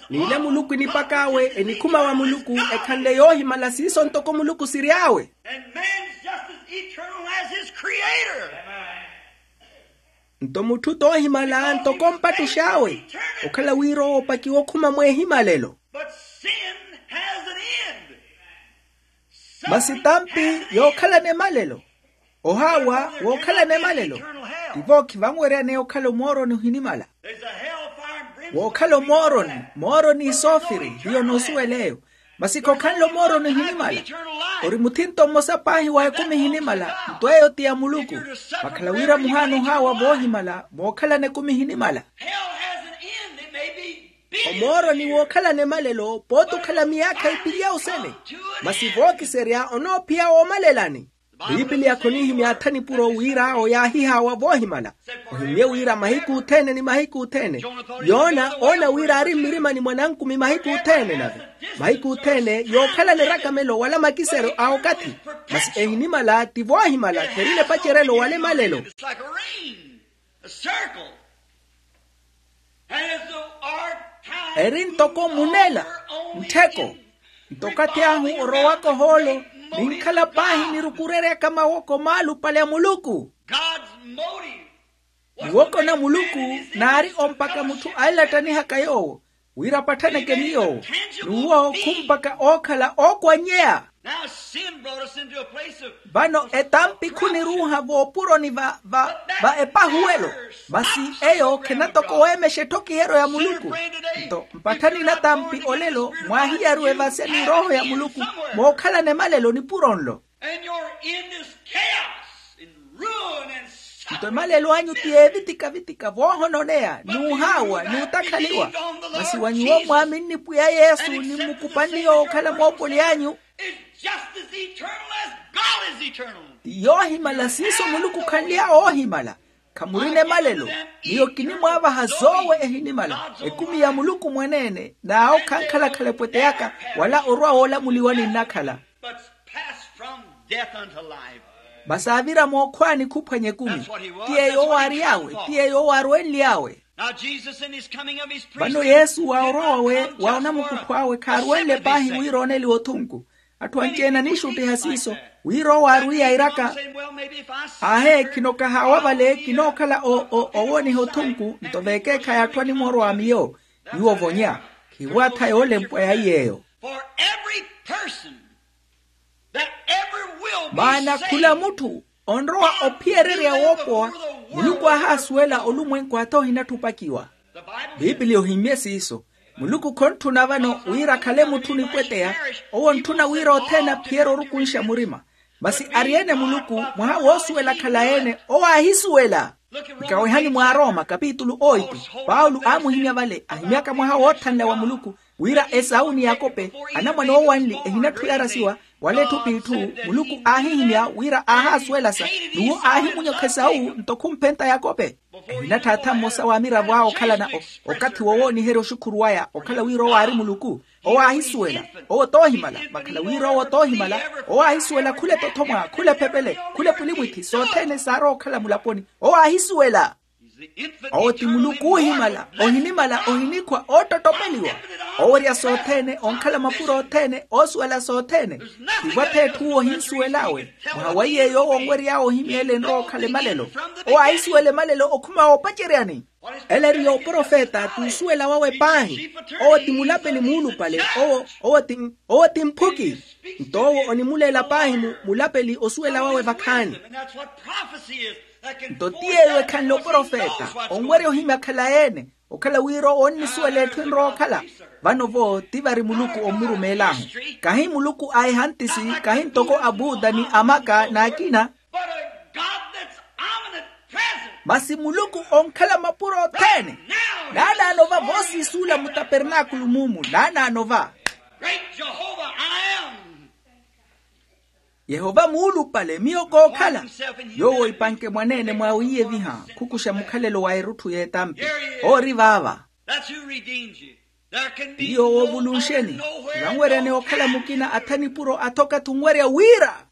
N'ile muluku enipak'awe enikhuma wa muluku ekhanle yoohimala siiso ntoko muluku siry'awe. Nto mutthu t'ohimala ntoko mpattux'awe. Okhala wira owo opakiwa okhuma mweehimalelo. Masi tampi yookhalana emalelo. Ohaawa wookhalana emalelo. Tivo khivanweryaneya okhala omooroni ohinimala. Wookhala omooroni, mooroni isoofiri hiyo noosuwela eyo. Masi khokhanle omooroni ohinimala. Ori muthinto mmosa paahi wa ekumi ehinimala. Nto eyo ti ya muluku. Vakhala wira muhaana ohaawa voohimala mookhalana ekumi ehinimala. Omooroni wookhalana emalelo pooti okhala miyaakha ipiri ya osene. Masi vookiserya onoophiya woomalelani. Piipiliya khoniihimya atha nipuro wira awo yaahihaawa voohimala. Ohimye wira mahiku othene ni mahiku othene. Yoona oona wira aari mmirimani mwa nankumi mahiku othene nave mahiku othene yookhalana erakamelo wala makiseryo a okathi. Masi ehinimala ti voohimala kherina epacerelo wala emalelo. Eri ntoko munela nttheko. Nto okathi ahu orowaka ohoolo ninkhala paahi nirukureryaka mawoko maalupale a muluku. Muwoko na muluku naari ompaka mutthu ailattanihaka yoowo wira apattaneke ni yoowo. N'uwo khumpaka ookhala ookwanyeya. Vano etampi khuniruuha voopuroni va va va epahuwelo. Masi eyo khenatokowa emexa etthokihero ya muluku. Nto mpatthani natampi olelo mwaahiyaruwa evasya ni erooho ya muluku mookhalana emalelo nipuro nlo. Nto emalelo anyu ti eevitika-vitika voohononeya n'uhaawa n'utakhaliwa. Masi wa nyuwo mwaaminni pwiya yesu ni mmukupanniye okhala moopoli anyu. Ti yoohimala siiso muluku khanly'awe oohimala. Khamurina emalelo. Miyo kinimwaavaha zoowe ehinimala ekumi ya muluku mwaneene n'awo khankhalakhala epwete yaka wala orwa woolamuliwa ninnakhala. Masi aavira mookhwaani khuphwanya ekumi. Ti yeeyo owo aary'awe ti yeeyo owo aarwenly'awe. Vano yesu wa orowawe wa onamukuttho awe khaarwenle paahi wira ooneliwa othunku. Atthu anci-ene aniixuttiha siiso, wira owo aarwiya airaka. Aahe, khinokahaawa vale, kinookhala owooniha otthunku nto veekeekhayi atthu animorwa a miyo. Nyuwo ovonya, khiwaatha yoolempwa ya iy'eyo. Maana khula mutthu onrowa ophiyererya woopowa, muluku aahaasuwela olumwenku ata ohinatthi opakiwa. Pipiliya ohimmye siiso. Muluku khontthuna vano wira akhale mutthu onipweteya. Owo ontthuna wira othene aphiyere orukunxa murima. Masi ari-ene muluku, mwaha woosuwela khalayi-ene owo aahisuwela. Nkawehani mwa arooma kapitulu oitu. Paulo aamuhimya vale ahimyaka mwaha woothanla wa muluku, wira esau ni yakope, anamwane oowanli ehinatthi oyarasiwa, wala etthu p'itthu. Muluku aahihimya wira aahaasuwelasa, n'uwo aahimunyokha esau nto khumphenta yakope. Ehinatthaattha mmosa wa amiravo awe okhalana okathi wowooniherya oxukhuru waya okhala wira owo aari muluku. Owo aahisuwela. Owo t'ohimala, vakhala wira owo t'ohimala. Owo aahisuwela khula etothomwa, khula ephepele, khula epulimwithi sothene saarowa okhala mulaponi. Owo aahisuwela. Owo ti muluku oohimala, ohinimala, ohinikhwa oottottopeliwa. Owerya sothene, onkhala mapuro othene, oosuwela sothene. Tivo atheetthu owo ohinsuwel'awe. Mwaha wa iy'eyo owo onwery'awe ohimya ele enrowa okhala emalelo. Owo aahisuwela emalelo okhuma woopaceryani. Ele eri yooprofeta t'usuwela wawe paahi. Owo ti mulapeli muulupale. Owo ti mphuki. Nto owo onimuleela paahi mulapeli osuwela wawe vakhaani. Nto ti yeeyo ekhanle oprofeta, onwerya ohimya khalayi-ene. Okhala wira owo onnisuwela etthu enrowa okhala. Vano-vo ti vari muluku ommurumeel'ahu. Kahi muluku a ehantisi, kahi ntoko abuda ni amaka n'akina. Masi muluku onkhala mapuro othene. Naanaano va voosiisuula mutapernaakulu muumu naanaano va. Yehova muulupale miyo kookhala. Yoowo ipanke mwaneene mwawe iyeviha khukuxa mukhalelo wa erutthu y'etampi. Oori vaava. Iyo woovuluxeni. Vanweryani okhala mukina atha nipuro athoka thunwerya wira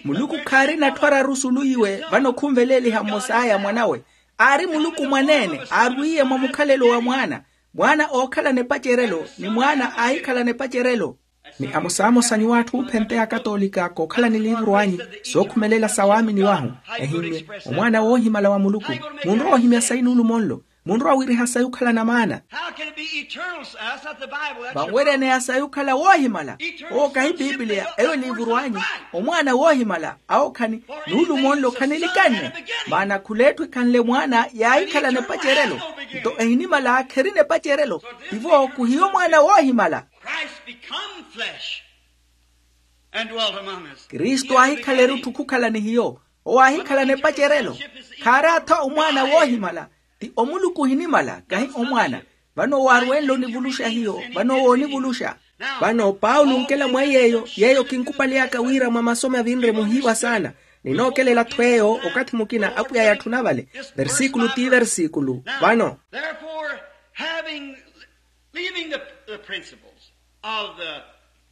muluku khaarina atthu araru suluyiwe. Vano khunveleeliha mmos'aya mwanawe. Aari muluku mwaneene aarwiiye mwa mukhalelo wa mwaana. Mwaana ookhalana epacerelo ni mwaana aahikhalana epacerelo. Ni amosamosa nyuw'atthu oophenteya akatoolika kookhala ni liivuru anyu sookhumelela sa waamini wahu. Ehimmye omwaana woohimala wa muluku. Munrowa ohimya sayi nuulumo nlo. Munrowa wiiriha sayi okhalana maana. Vanweryaneya sayi okhala woohimala. Owo kahi pipiliya eyo eliivuru anyu. Omwaana woohimala awo khani nuulumo nlo khanilikanne. Maana khul'etthu ekhanle mwaana yaahikhalana epacerelo. Nto ehinimala kherina epacerelo. Tivo khuhiyo mwaana woohimala. Kristu aahikhala erutthu khukhala ni hiyo. Owo aahikhalana epacerelo. Khaari atha omwaana woohimala. Ti omuluku ohinimala kahi omwaana. Vano owo arwenle onivuluxa hiyo. Vano owo onivuluxa. Vano paulo onkela mwa yeeyo yeeyo kinkupaliyaka wira mwa masomi avinre muhiiwa saana. Ninookelela-tho eyo okathi mukina apwiya yatthuna vale. Versikulu ti versikulu vano. Leaving the, the principles of the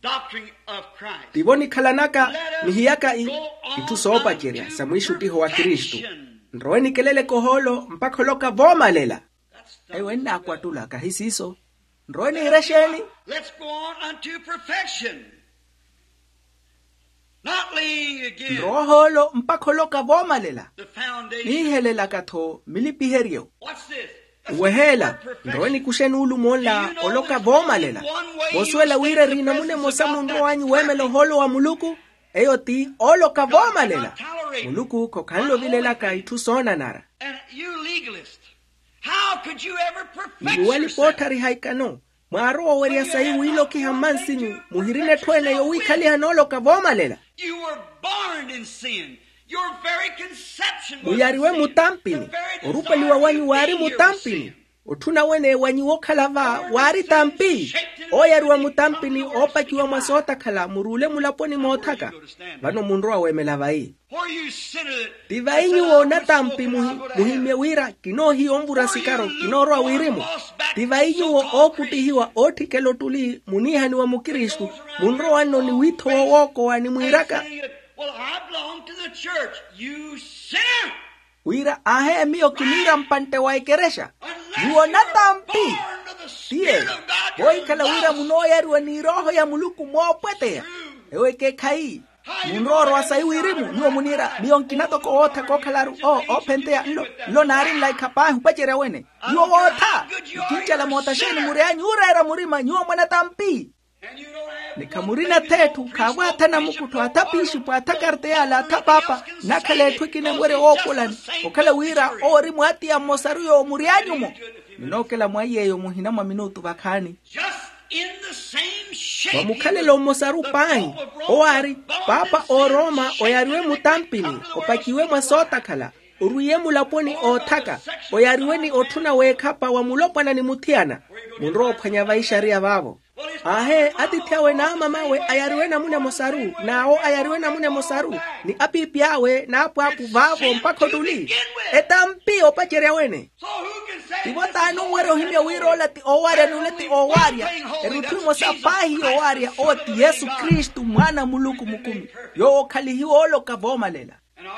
doctrine of Christ. Tivo nikhalanaka nihiyaka itthu soopacerya sa mwiixuttiho wa kristu. Nrowe nikeleleke ohoolo mpakha oloka voomalela. Eyo ennaakwattula kahi siiso. Nrowe niire exeeni? Let's go on unto perfection. Not laying again. Nrowe ohoolo mpakha oloka voomalela. Niihelelaka-tho milipiheryo. Oweheela. Nrowe nikuxe nuulumo nla oloka voomalela. Voosuwela wira eri namuna emosa munrowanyu weemela ohoolo wa muluku. Eyo ti oloka voomalela. Muluku khokhanle ovilelaka itthu soonanara. Ni muwalipa ootthariha ikano. Mwaarowa owerya sayi wiilokiha mmansinyu muhirina etthu ene yowiikhaliha nooloka voomalela. Muyariwe mutampini. Orupaliwa wanyu waari mutampini. Otthuna wene wa nyuwo okhala va waari tampi. Ooyariwa mutampini oopakiwa mwa sootakhala muruule mulaponi moothaka. Vano munrowa weemela vayi. Ti vayi nyuwo natampi muhimye wira kinoohiya onvura sikaro kinoorowa wirimu. Ti vayi nyuwo ookuttihiwa ootthikela ottuli muniihaniwa mukristu. Munrowa nno ni wiithowa owookowa ni mwiiraka. Wira aahe miyo kiniira mpantte wa ekerexa. Nyuwo natampi. Ti yeeyo, voohikhala wira munooyariwa ni erooho ya muluku moopweteya. Ewo ekekhayi. Munrowa orowa sayi wirimu nyuwo muniira miyo nkina toko wootthaka okhalaru o oophenteya nlo nlo naarinla ikhapaahi opacerya wene. Nyuwo wootha, nikincela moota xeeni muri anyu ooreera murima nyuwo mwanatampi. Ni khamurina theetthu khaavwaatha namukuttho atha piixipo atha karteyaala atha paapa. Nakhala etthu ekina enwerya woopolani okhala wira owo ori mwaatiya mmosaru yoowo muri anyu-mo. Ninookela mwa iy'eyo muhina mwa minutu vakhaani. Vamukhalelo mmosaru paahi, owo aari paapa oorooma oyariwe mutampini opakiwe mwa sootakhala, orwiye mulaponi oothaka, oyariwe ni otthuna w'ekhapa wa mulopwana ni muthiyana. Munrowa ophwanya vaixariya vaavo. Aahe, atiithi awe n'amamawe ayariwe namuna emosaru n'awo ayariwe namuna emosaru, ni apiipi awe n'apwaapu vaavo mpakha ottuli. Etampi opacerya wene. Tivo t'ani onwerya ohimya wira ola ti oowarya n'ule ti oowarya. Erutthu emosa paahi yoowarya owo ti yesu kristu mwaana a muluku mukumi, yoowo okhalihiwa ooloka voomalela.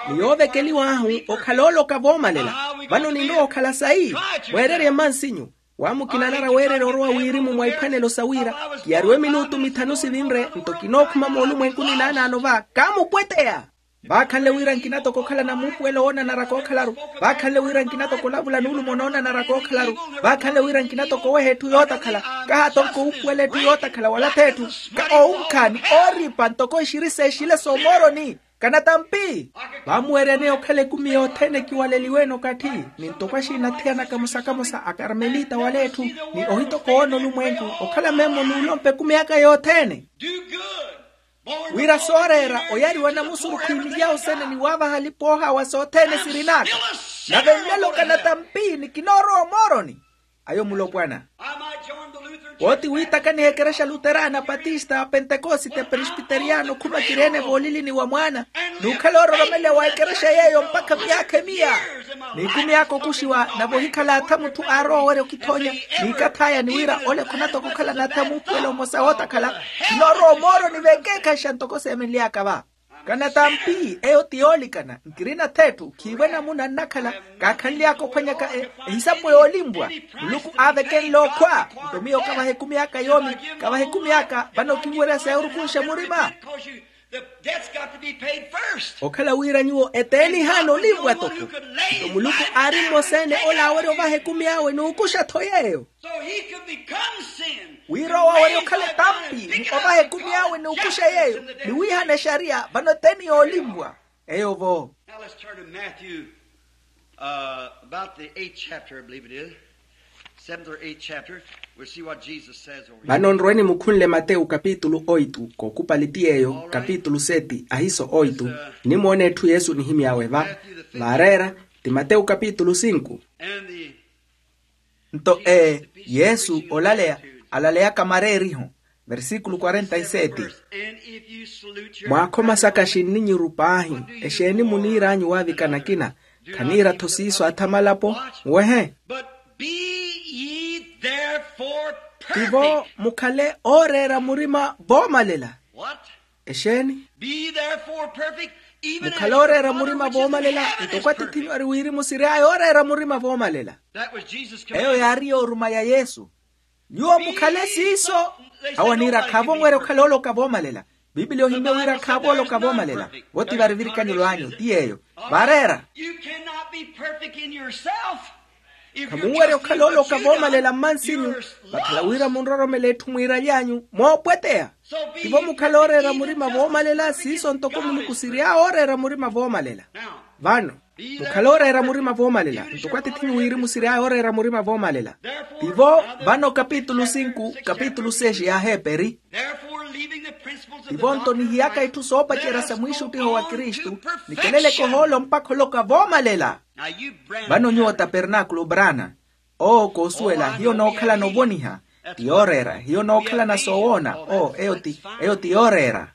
Ni yoovekeliw'ahu okhala ooloka voomalela. Vano ninrowa okhala sayi, mweererye mmansinyu. Wa mukina anarwa weererya orowa wirimu mwa iphwanelo sa wira kiyariwe minutu mithanu sivinre nto kinookhuma moolumwenkuni naanaano va kaamupweteya. Vaakhanle wira nkina toko okhala namuupuwelo woonanara kookhalaru. Vaakhanle wira nkina toko olavula nuulumo noonanara kookhalaru. Vaakhanle wira nkina toko oweha etthu yootakhala. Kaha tonko uupuwela etthu yootakhala wala t'etthu ka owunkha ni ooripa ntoko exirisa exile s'omooroni. Kanatampi. Vaamuweeryaneya okhala ekumi yothene ekiwaleliwe-ene okatthi, ni ntoko axiina athiyanaka musa kamusa akarmelita wala etthu, ni ohitokowa onolumwenku okhala memmo n'ulompa ekumi aka yothene. Wira sooreera oyariwa namusurukhu imilyahu sene ni waavaha alipa oohaawa sothene sirin'aka. Nave nlelo kanatampi ni kinoorowa omooroni. Ayo mulopwana. Wooti wiitakaniha ekerexa luterana patista pentekosite presbiteriyano khuma kireene voolilini wa mwaana, n'ukhala oororomeleya wa ekerexa yeeyo mpakha myaakha emiya. N'ikumi aka okuxiwa nave ohikhala atha mutthu aarowa owerya okithonya n'ikath'aya ni wira ole khunatoko okhala n'atha muupuwelo mmosa wootakhala. Kinoorowa omooroni vekeekhaxa ntoko seemenly'aka va. Kanatampi eyo ti yoolikana nkirina th'etthu khiivo enamuna nnakhala. Kaakhanly'aka ophwanyaka ehisapo yoolimpwa. Muluku aavekenle okhwa. Nto miyo kavaha ekumi aka yoomi. Kavaha ekumi aka vano kinwerya seerukunxa murima. Okhala wira nyuwo eteeni ehaana olimpwa toko. Nto muluku aari mmosa-ene ole aawerya ovaha ekumi awe n'ukuxa-tho yeeyo. Wira owo awerya okhala etampi ni ovaha ekumi awe n'ukuxa yeeyo ni wiihana exariya vano eteeni yoolimpwa. Eyo vo. Now let's turn to Matthew, uh, about the eighth chapter, I believe it is. Seventh or eighth chapter. We'll see what Jesus says over here. Vano nroweni mukhunle matewu kapitulu oitu kookupali ti yeeyo kapitulu seti ahiso oitu. Nimoona etthu yesu onihimy'awe va. Vaareera ti matewu kapitulu sinku. And the nto ee yesu olaleya alaleyaka mareeriho. Versikulu quarenta y sete. Mwaakhoma saka xinninyiru paahi? Exeeni muniir'anyu waavika nakina? Khaniira-tho siiso atha malapo? Nwehe. Tivo mukhale ooreera murima voomalela. Exeeni? Mukhale ooreera murima voomalela ntoko atithinyu ari wirimu siry'aya ooreera murima voomalela. Eyo yaari yooruma ya yesu. Nyuwo mukhale siiso. Awo aniira khaavo onwerya okhala ooloka voomalela. Piipiliya ohimmye wira khaavo ooloka voomalela. Vo ti vari virikanyelo anyu ti yeeyo. Vaareera. Khamunwerya okhala ooloka voomalela mmansinyu. Vakhala wira munroromele etthu mwiiraly'anyu moopweteya. Tivo mukhale ooreera murima voomalela siiso ntoko muluku siry'awe ooreera murima voomalela. Vano mukhale ooreera murima voomalela ntoko atithinyu wirimu siry'aya ooreera murima voomalela. Tivo vano kapitulu sinku kapitulu seis ya aheeperi. Tivo nto nihiyaka itthu soopacerya sa mwiixuttiho wa kristu, nikeleleke ohoolo mpakha oloka voomalela. Vano nyuwo tapernaakulu brana. Owo koosuwela hiyo nookhalana ovoniha. Ti yooreera hiyo nookhalana soowoona. Oo eyo ti eyo ti yooreera.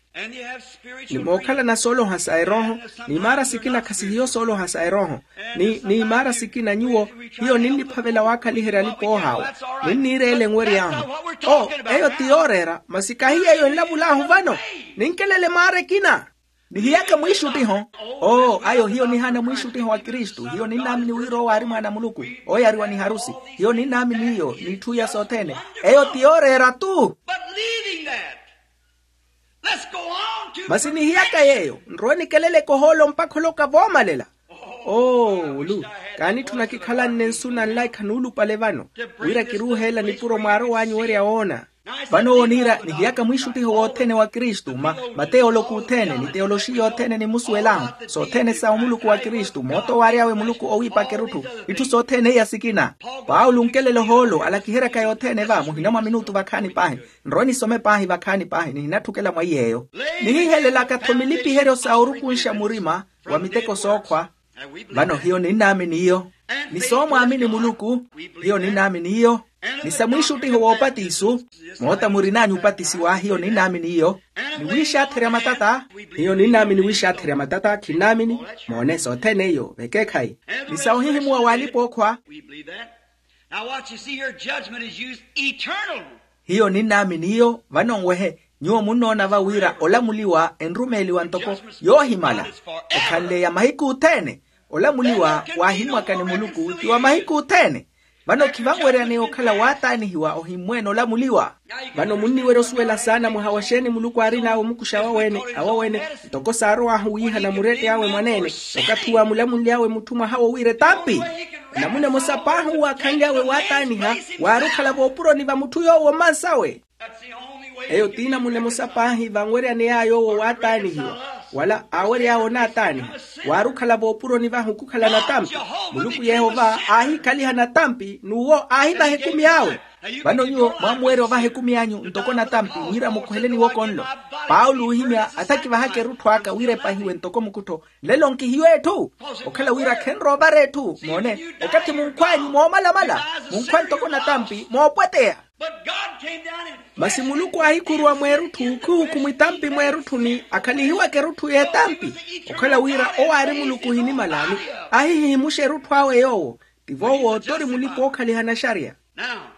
Ni mookhalana sooloha sa erooho. Ni imaara sikina khasihiyo sooloha sa erooho. Ni ni imaara sikina nyuwo hiyo ninniphavela waakhaliherya alipa oohaawa. Ninniireela enwery'ahu. Oo eyo ti yooreera masi kahi yeeyo enlavul'ahu vano. Ninkelele maara ekina. Nihiyaka mwiixuttiho. Oo ayo hiyo nihaana mwiixuttiho wa kristu hiyo ninnaamini wira owo aari mwaana a muluku, ooyariwa ni harusi. Hiyo ninnaamini iyo n'itthu iya sothene. Eyo ti yooreera-tu. Masi nihiyaka yeeyo nrowe nikeleleke ohoolo mpakha oloka voomalela. Oo ulu. Kaanitthuna kikhalanne nsu na nlaikha nuulupale vano wira kiruuheela nipuro mwaarow'anyu werya woona. Vano owo niira nihiyaka mwiixuttiho wothene wa kristu ma mateyoloki othene ni teyoloxiya othene nimusuwelahu sothene sa omuluku wa kristu moota owaary'awe muluku owiipaka erutthu. Itthu sothene iya sikina. Paulo onkelela ohoolo alakiheryaka yothene va muhina mwa minutu vakhaani paahi. Nrowe nisome paahi vakhaani paahi nihinatthukela mwa iy'eyo. Nihihelelaka-tho milipiheryo sa orukunxa murima wa miteko sookhwa. Vano hiyo ninnaamini iyo. Ni soomwaamini muluku. Hiyo ninnaamini iyo. Ni sa mwiixuttiho woopatiso. Moota murin'anyu opatisiwa hiyo ninnaamini iyo. Ni wiixaatherya matata. Hiyo ninnaamini wiixaatherya matata khinnaamini. Moone sothene iyo vekeekhayi. Ni sa ohihimuwa w'alipa-ookhwa. Now what you see here, judgment is used eternal. Hiyo ninnaamini iyo vano nwehe. Nyuwo munnoona va wira olamuliwa enrumeeliwa ntoko yoohimala. Okhanleya mahiku othene olamuliwa waahimwaka ni muluku ti wa mahiku othene. Vano khivanweryaneya okhala waataanihiwa ohimmweene olamuliwa. Vano munniwerya osuwela saana mwaha wa xeeni muluku aarin'awe omukuxa awaweene awaweene ntoko saarow'ahu wiihana murettey'awe mwaneene. Okathi uwo aamulamuly'awe mutthu mwaha wo wira etampi. Namuna emosa paahi owo aakhanly'awe waataaniha waari okhala voopuroni va mutthu yoowo mmansawe. Eyo ti namuna emosa paahi vanweryaney'aya owo waataanihiwa wala aawery'awe onaataaniha. Waari okhala voopuroni vahu khukhala natampi. Muluku yehova aahikhaliha natampi n'uwo aahivaha ekumi awe. Vano nyuwo mwaamuwerya ovaha ekumi anyu ntoko natampi wira mukhuhele niwoko nlo. Paulo oohimya atthakivahaka erutthu aka wira epahiwe ntoko mukuttho. Nlelo nkihiyo etthu okhala wira khenroovara etthu moone. Okathi munkhw'anyu moomalamala munkhwa ntoko natampi moopweteya. Masi muluku aahikhuruwa mweerutthu khuhukhumwa etampi mweerutthuni akhalihiwaka erutthu y'etampi. Okhala wira owo aari muluku ohinimala ni ahihihimuxa erutthu awe yoowo. Tivo owo tori mulipa ookhaliha naxariya.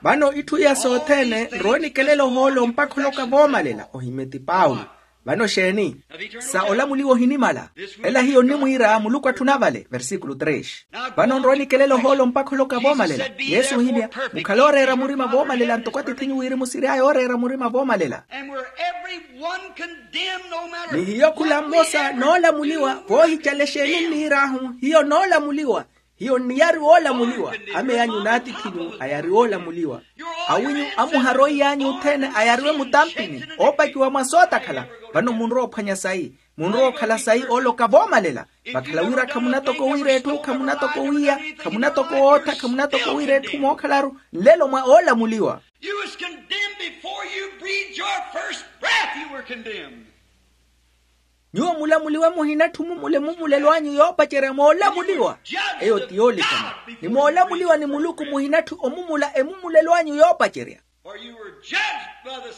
Vano itthu iya sothene nrowe nikelela ohoolo mpakha oloka voomalela ohimye ti paulo. Vano xeeni? Sa olamuliwa ohinimala. Ela hiyo nnimwiira muluku atthuna vale versículo tres. Vano nrowe nikelela ohoolo mpakha oloka voomalela. Yesu ohimya mukhale ooreera murima voomalela ntoko atith'inyu wirimu siry'aya ooreera murima voomalela. Ni hiyo khula mmosa noolamuliwa voohicale xeeni nniir'ahu hiyo noolamuliwa. Hiyo nniyari woolamuliwa. Ameyanyu n'atith'inyu ayari woolamuliwa. Awinyu amuharoiy'anyu othene ayariwe mutampini oopakiwa mwa sootakhala. Vano munrowa ophwanya sayi. Munrowa okhala sayi ooloka voomalela. Vakhala wira khamunatoko wiira etthu khamunatoko wiiya khamunatoko wootha khamunatoko wiira etthu mookhalaru nlelo mwa oolamuliwa. You was condemned before you breathed your first breath, you were condemned. Nyuwo mulamuliwe muhinatthi omumula emumulelo anyu yoopacerya moolamuliwa. Eyo ti yoolikana ni moolamuliwa ni muluku muhinatthi omumula emumulelo anyu yoopacerya.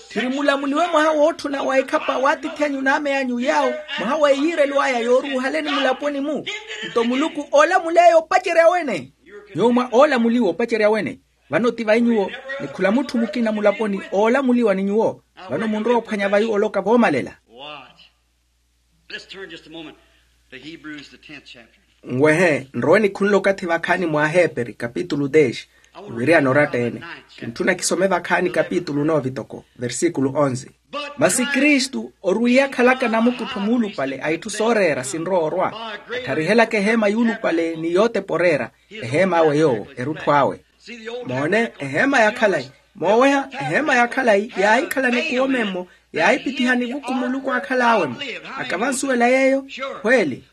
Tthiri mulamuliwe mwaha wootthuna wa ekhapa w'atiithi anyu n'ame anyu yaawo mwaha wa eyiirelo aya yooruuhaleni mulaponi-mu. Nto muluku oolamuleya opacerya wene. Nyuwo mwa oolamuliwa opacerya wene. Vano ti vai nyuwo ni khula mutthu mukina mulaponi oolamuliwa ni nyuwo. Vano munrowa ophwanya vai oloka voomalela. What? Let's turn just a moment to Hebrews, the tenth chapter. Nwehe nrowe nikhunle okathi vakhaani mwa aheeperi kapitulu dez. Niwiriyana oratta-ene. Kintthuna kisome vakhaani kapitulu nove toko versículo onze. Masi kristu orwiiya akhalaka namukuttho muulupale a itthu sooreera sinrowa orwa. Attharihelaka eheema yuulupale ni yootepa oreera eheem'awe yoowo erutthu awe. Moone eheema ya khalayi. Mooweha eheema ya khalayi yaahikhala nikuwo memmo. Yaahipithiha nivuku muluku aakhal'awe-mo. Akavansuwela yeeyo? Khweeli.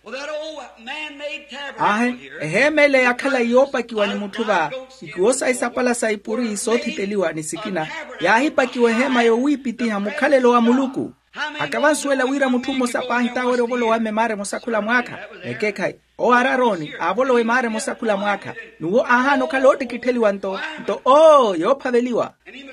Aahe. Eheema ele ya khalayi yoopakiwa ni mutthu va ikuwo sayi sapala sa ipuri soothiteliwa ni sikina. Yaahipakiwa eheema yowiipithiha mukhalelo wa muluku. Akavansuwela wira mutthu mmosa paahi t'awerya ovolowa mme maara emosa khula mwaakha. Ekeekhayi owo aari arooni aavolowa emaara emosa khula mwaakha. N'uwo aahaana okhala oottikittheliwa nto nto oo yoophaveliwa. Ni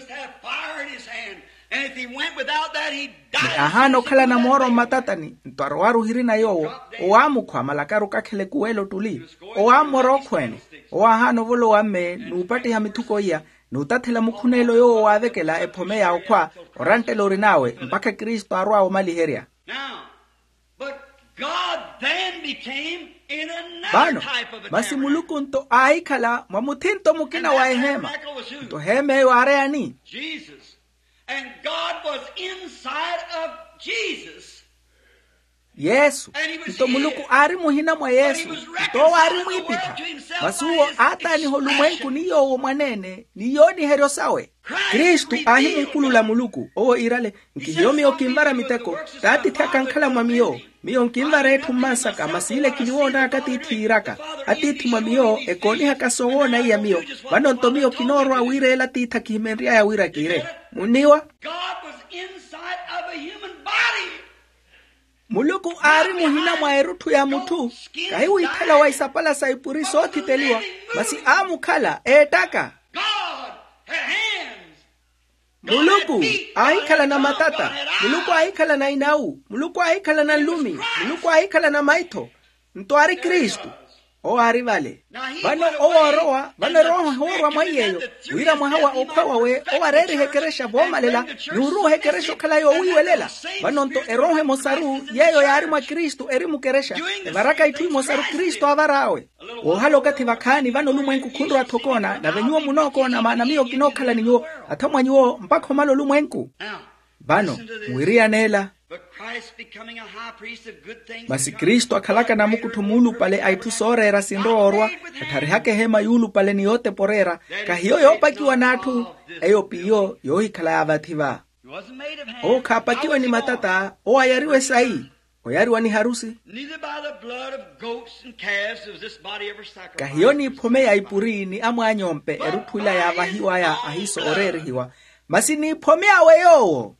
aahaana okhalana mooro mmatatani nto arowaru ohirina yoowo. Owaamukhwa malakaru kakhela ekuwela ottuli. Owaammora okhweene. Owaahaana ovolowa mme n'upattiha mithuko iya n'utathela mukhuneelo yoowo waavekela ephome ya okhwa. Oranttela orin'awe mpakha kristu aarw'awe omaliherya. Vano masi muluku nto aahikhala mwa muthinto mukina wa eheema. Nto eheema eyo aari ani? Jesus. And God was inside of Jesus. Yesu. Nto muluku aari muhina mwa yesu. Nto owo aari mwiipitha. Masi uwo aataaniha olumwenku ni yoowo mwaneene ni yooniheryo sawe. Kristu aahimuupulula muluku owo iirale, nkihiyo miyo kinvara miteko. T'atiithi akankhala mwa miyo. Miyo nkinvara etthu mmansaka masi ile kiniwoonaka atiithi yiiraka. Atiithi mwa miyo ekoonihaka soowoona iya miyo. Vano nto miyo kinoorowa wira ele atiithi akihimenry'aya wira kiire. Munniwa? God was inside of a human body. Muluku aari muhina mwa erutthu ya mutthu. Kahi wiithela wa isapala sa ipuri soothiteliwa, masi aamukhala eettaka. God had hands. Muluku aahikhalana matata. Muluku aahikhalana inawu. Muluku aahikhalana nlumi. Muluku aahikhalana maitho. Nto aari kristu. Owo aari vale. Vano owo oorowa vano erooho ehoorwa mwa iy'eyo, wira mwaha wa okhwa wawe owo areeriha ekerexa voomalela, ni oruuha ekerexa okhala yoowiiwelela. Vano nto erooho emosaru yeeyo yaari mwa kristu eri mukerexa, evaraka itthu imosaru kristu aavar'awe. Woohala okathi vakhaani vano olumwenku khunrowa-tho okoona nave nyuwo munookoona maana miyo kinookhala ni nyuwo, atha mwa nyuwo mpakha omala olumwenku. Vano mwiriyana ela. Masi kristu akhalaka namukuttho muulupale a itthu sooreera sinrowa orwa, attharihaka eheema yuulupale ni yootepa oreera. Kahiyo yoopakiwa n'atthu. Eyo p'iyo yoohikhalaya vathi va. Owo khaapakiwe ni matata owo ayariwe sayi. Oyariwa ni harusi. Kahiyo niiphome ya ipuri ni amwaany'ompe erutthu ila yaavahiw'aya ahiiso ooreerihiwa. Masi niiphome awe yoowo.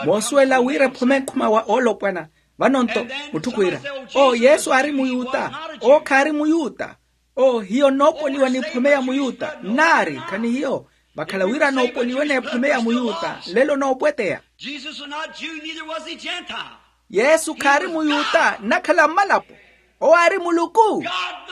Moosuwela wira ephome nkhuma wa oolopwana. Vano nto mutthu khwiira, oo yesu aari muyuta. Oo khaari muyuta. Oo hiyo nnoopoliwa n'ephome ya muyuta nnaari khanihiyo. Vakhala wira noopoliwe n'ephome ya muyuta nlelo noopweteya. Jesus was not Jew, neither was he Gentile. Yesu khaari muyuta nnakhala mmalapo. Owo aari muluku.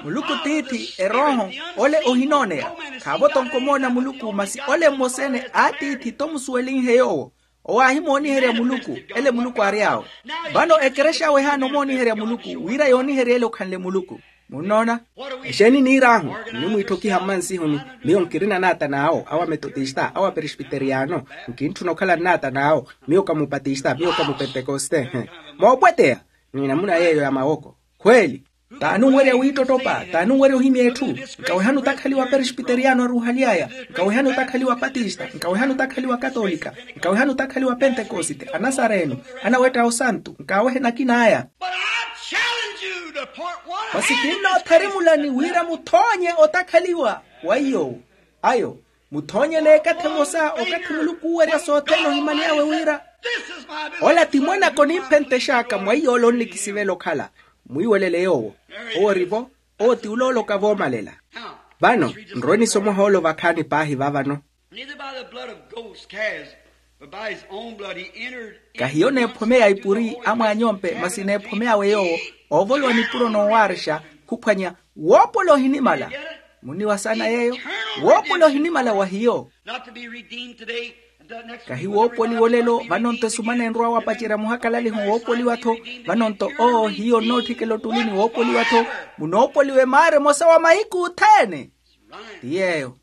Muluku tiithi erooho. Ole ohinooneya. Khaavo-tho nkomoona muluku masi ole mmosa-ene a tiithi tomusuwelinhe yoowo. Owo aahimooniherya muluku. Ele muluku aary'awe. Vano ekerexa awe ehaana omooniherya muluku wira yooniherye ele okhanle muluku. Munnoona? Exeeni niir'ahu? Nnimwiitthokiha mmansihuni. Miyo nkirina naata n'awo awa metotista awa perespiteriyano. Nkintthuna okhala nnaata n'awo. Miyo ka mupatista miyo ka mupentekoste. Moopweteya. Ni namuna yeeyo ya mawoko. Khweeli. T'anunwerya wiittotopa t'anunwerya ohimya etthu. Nkawehani otakhaliwa perespiteriyano aruuhaly'aya. Nkawehani otakhaliwa patista nkawehani otakhaliwa katolika. Nkawehani otakhaliwa pentekosite anasareno. Anawetta osantu nkawehe nakin'aya. Masi kinnootharimulani wira muthoonye otakhaliwa wa iy'owo. Ayo muthoonye n'ekathi emosa okathi muluku uuwerya sothene ohimaly'awe wira ola ti mwanaka onimphentex'aka mwa iy'ola onnikisivela okhala. Mwiiwelele yoowo. Owo ori-vo. Owo ti ula ooloka voomalela. Vano nrowe nisomoha oolo vakhaani paahi va vano. Kahiyo n'ephome ya ipuri amwaany'ompe masi n'ephome awe yoowo oovolowa nipuro noowaarexa khuphwanya. Woopola ohinimala. Muniwasana yeeyo. Woopola ohinimala wa hiyo. Kahi woopoliwa olelo vano-nto esumana enrowa wapacerya muhakalaliho woopoliwa-tho. Vano-nto oo hiyo nnootthikela ottulini woopoliwa-tho. Munoopoliwa emaara emosa wa mahiku othene. Ti yeeyo.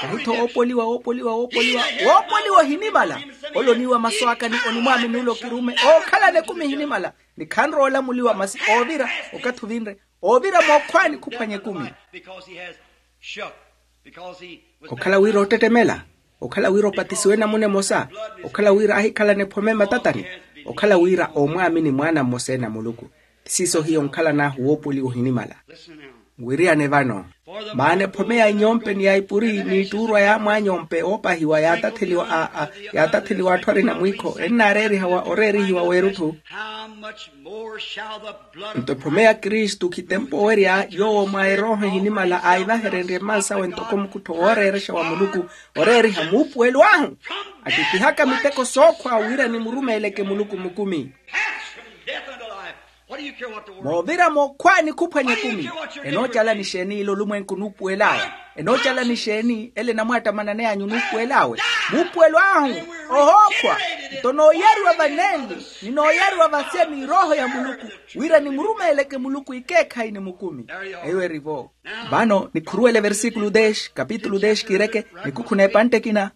Kahi-tho woopoliwa woopoliwa woopoliwa woopoliwa ohinimala. Ole oniiwa masu aka ni onimwaamini ole okiruume ookhalana ekumi ehinimala. Ni khanrowa olamuliwa masi oovira okathi ovinre oovira mookhwaani khuphwanya ekumi. Okhala wira oottettemela. Okhala wira opatisiwe namuna emosa. Okhala wira ahikhalana ephome matatani. Okhala wira oomwaamini mwaana mmosa-ene a muluku. Ti siiso hiyo onkhalan'ahu woopoliwa ohinimala. Nwiriyane vano. Maana ephome ya inyompe ni ya ipuri n'ittuurwa ya amwaanyompe oopahiwa yaatatheliwa a a yaatatheliwa atthu arina mwiikho ennaareerihawa oreerihiwa w'erutthu. Nto ephome ya kristu khitempo owerya yoowo mwa erooho ehinimala aahivaherenrye mmansawe ntoko mukuttho wooreerexa wa muluku. Oreeriha muupuwelo ahu attittihaka miteko sookhwa wira nimurumeeleke muluku mukumi. Moovira mookhwaani khuphwanya ekumi. Enoocalani exeeni ile olumwenku nuupuwel'aya? Enoocalani exeeni ele enamwaattamananey'anyu nuupuwel'awe? Muupuwelo ahu ohookhwa. Nto nooyariwa vanenli, ni nooyariwa vasya ni erooho ya muluku, wira nimurumeeleke muluku ekeekhayi ni mukumi. Eyo eri-vo. Vano nikhuruwele versikulu dez kapitulu dez kiireke, nikukhu n'epantte ekina.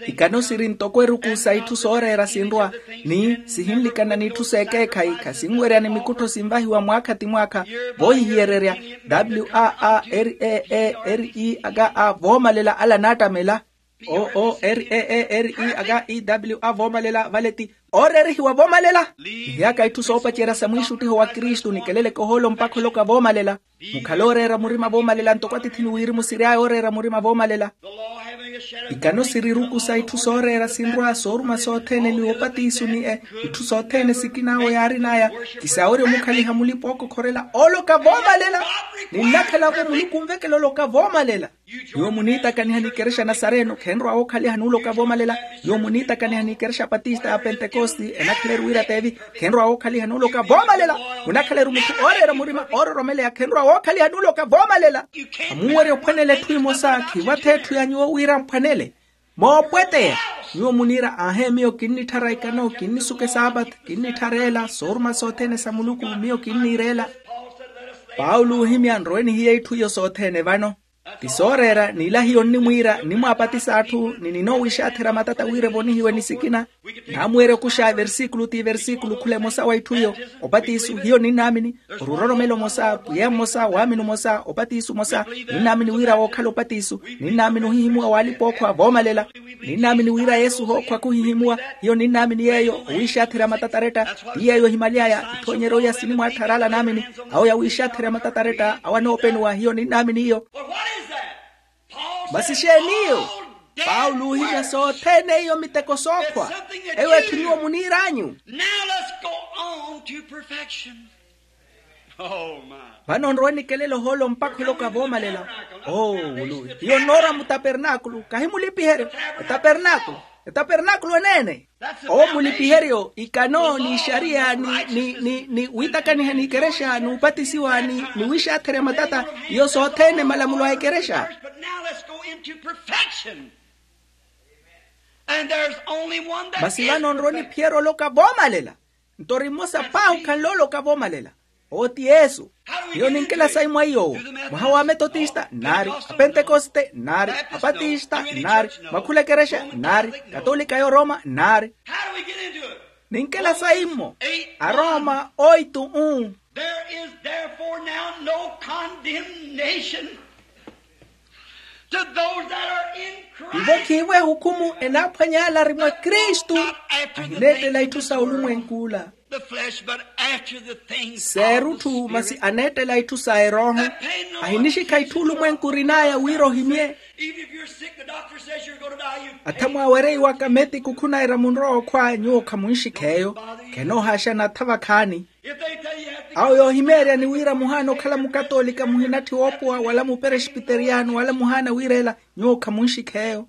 Ikano siri ntoko eruku sa itthu sooreera sinrwa, ni sihinlikana n'itthu s'ekeekhayi khasinwerya ni mikuttho sinvahiwa mwaakha ti mwaakha, voohihiyererya, w a a r e e r e a ka a voomalela ala naattamela. O o r e e r e a ka e w a voomalela vale ti ooreerihiwa voomalela. Nihiyaaka itthu soopacerya sa mwiixuttiho wa kristu nikeleleke ohoolo mpakha oloka voomalela. Mukhale ooreera murima voomalela ntoko atiithi ni wirimu siry'aya ooreera murima voomalela. Ikano siri eruku sa itthu sooreera sinrwa sooruma sothene ni opatisu ni e itthu sothene sikin'awo yaarin'aya. Kisaawerya omukhaliha mulipa ookokhorela oloka voomalela. Ninnakhala-vo muluku onvekela oloka voomalela. Nyuwo muniitakaniha n'ikerexa nasareno khenrwa wookhaliha n'uloka voomalela. Nyuwo muniitakaniha n'ikerexa patista ya pentekosti enakhala-ru wira teevi khenrwa wookhaliha n'uloka voomalela. Munakhala-ru mutthu ooreera murima oororomeleya khenrwa wookhaliha n'uloka voomalela. Khamunwerya ophwanela etthu emosa khivatha etthu ya nyuwo wira mphwanele. Moopweteya, nyuwo muniira aahe miyo kinnitthara ikano kinnisuka esaapatha kinnitthara ela sooruma sothene sa muluku miyo kinniira ela. Paulo oohimya nrowe nihiye itthu iyo sothene vano. Ti sooreera n'ila hiyo nnimwiira nnimwaapatisa atthu ni ninoowiixaatherya matata wira evonihiwe ni sikina. Naamuweerya okuxa versikulu ti versikulu khula emosa wa itthu iyo. Opatisu hiyo ninnaamini. Oruroromelo omosa pwiya mmosa waamini omosa opatisu omosa. Ninnaamini wira wookhala opatisu. Ninnaamini ohihimuwa w'alipa-ookhwa voomalela. Ninnaamini wira yesu hookhwa khuhihimuwa. Hiyo ninnaamini yeeyo owiixaatherya matata aretta. Ti yeeyo ehimaly'aya itthoonyeryo iya sinimwaattha araala naamini. Awo yawiixaatherya matata aretta awo anoopenuwa hiyo ninnaamini iyo. Masi xeeni iyo? Paulo oohimya sothene iyo miteko sookhwa. Eyo etthu nyuwo muniir'anyu. Now let's go on to perfection. Vano nrowe nikelela ohoolo mpakha oloka voomalela. Oo wulu hiyo nnoora mutapernaakulu kahi mulipiheryo. Etapernaakulu etapernaakulu eneene. Owo mulipiheryo ikano ni ixariya ni ni ni wiitakaniha n'ikerexa n'upatisiwa ni wiixaatherya matata. Iyo sothene malamulo a ikerexa. Masi vano nrowe niphiyerya oloka voomalela. Nto ori mmosa paahi okhanle oloka voomalela. Owo ti yesu. Hiyo ninkela sayi mwa iy'owo? Mwaha wa metotista nnaari. Apentekoste nnaari. Apatista nnaari. Mwakhula ekerexa nnaari. Katolika y'oroma nnaari. Ninkela sayi mmo? Aroma oitu un. There is therefore now no condemnation to those that are in Christ. Ivo khiivo ehukhumu enaaphwanya ala ari mwa kristu. Ahineettela itthu sa olumwenk'ula. Seerutthu masi aneettela itthu sa erooho. Ahinixikha itthu olumwenku orin'aya wira ohimye. Atha mwaawereiwaka metiko khunaira munrowa okhwa nyuwo khamunxikha eyo. Khenoohaaxana atha vakhaani. Awo yoohimeeryani wira muhaana okhala mukatoolika muhinatthi woopowa wala muperespiteriyano wala muhaana wiira ela nyuwo khamunxikha eyo.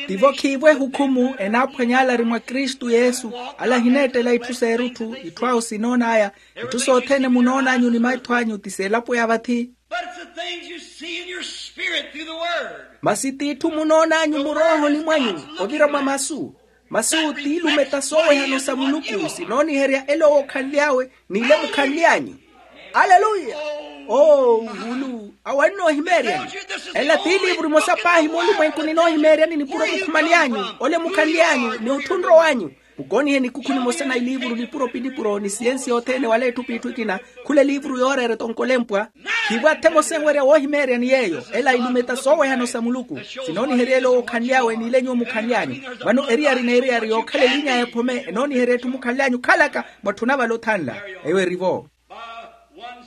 Tivo khiivo ehukhumu enaaphwanya ala ari mwa kristu yesu. Ala ahineettela itthu s'erutthu itthu awo sinoon'aya. Itthu sothene munoon'anyu ni maitho anyu ti s'elapo ya vathi. Masi t'itthu munoon'anyu muroohoni mwanyu ovira mwa masu. Masu t'iilumeta soowehano sa muluku sinooniherya ela owo okhanly'awe n'ile mukhanly'anyu. Aleluya. Oo wulu awo annoohimeeryani. Ela t'iiliivuru emosa paahi moolumwenkuni enoohimeeryani nipuro mukhumaly'anyu ole mukhanly'anyu ni otthunro w'anyu. Mukoonihe nikukhu nimosa na iliivuru nipuro pinipuro ni siyensi yothene wala etthu p'itthu ekina. Khula eliivuru yooreera etonkolempwa. Khiivo atha emosa ewerya woohimeeryani yeeyo ela ilumeta soowehano sa muluku. Sinooniherya ela owo okhanly'awe n'ile nyuwo mukhanly'anyu. Vano eriyari n'eriyari yookhala eliiny'aya ephome enooniherya etthu mukhanly'anyu khalaka mwatthu navala othanla. Eyo erivo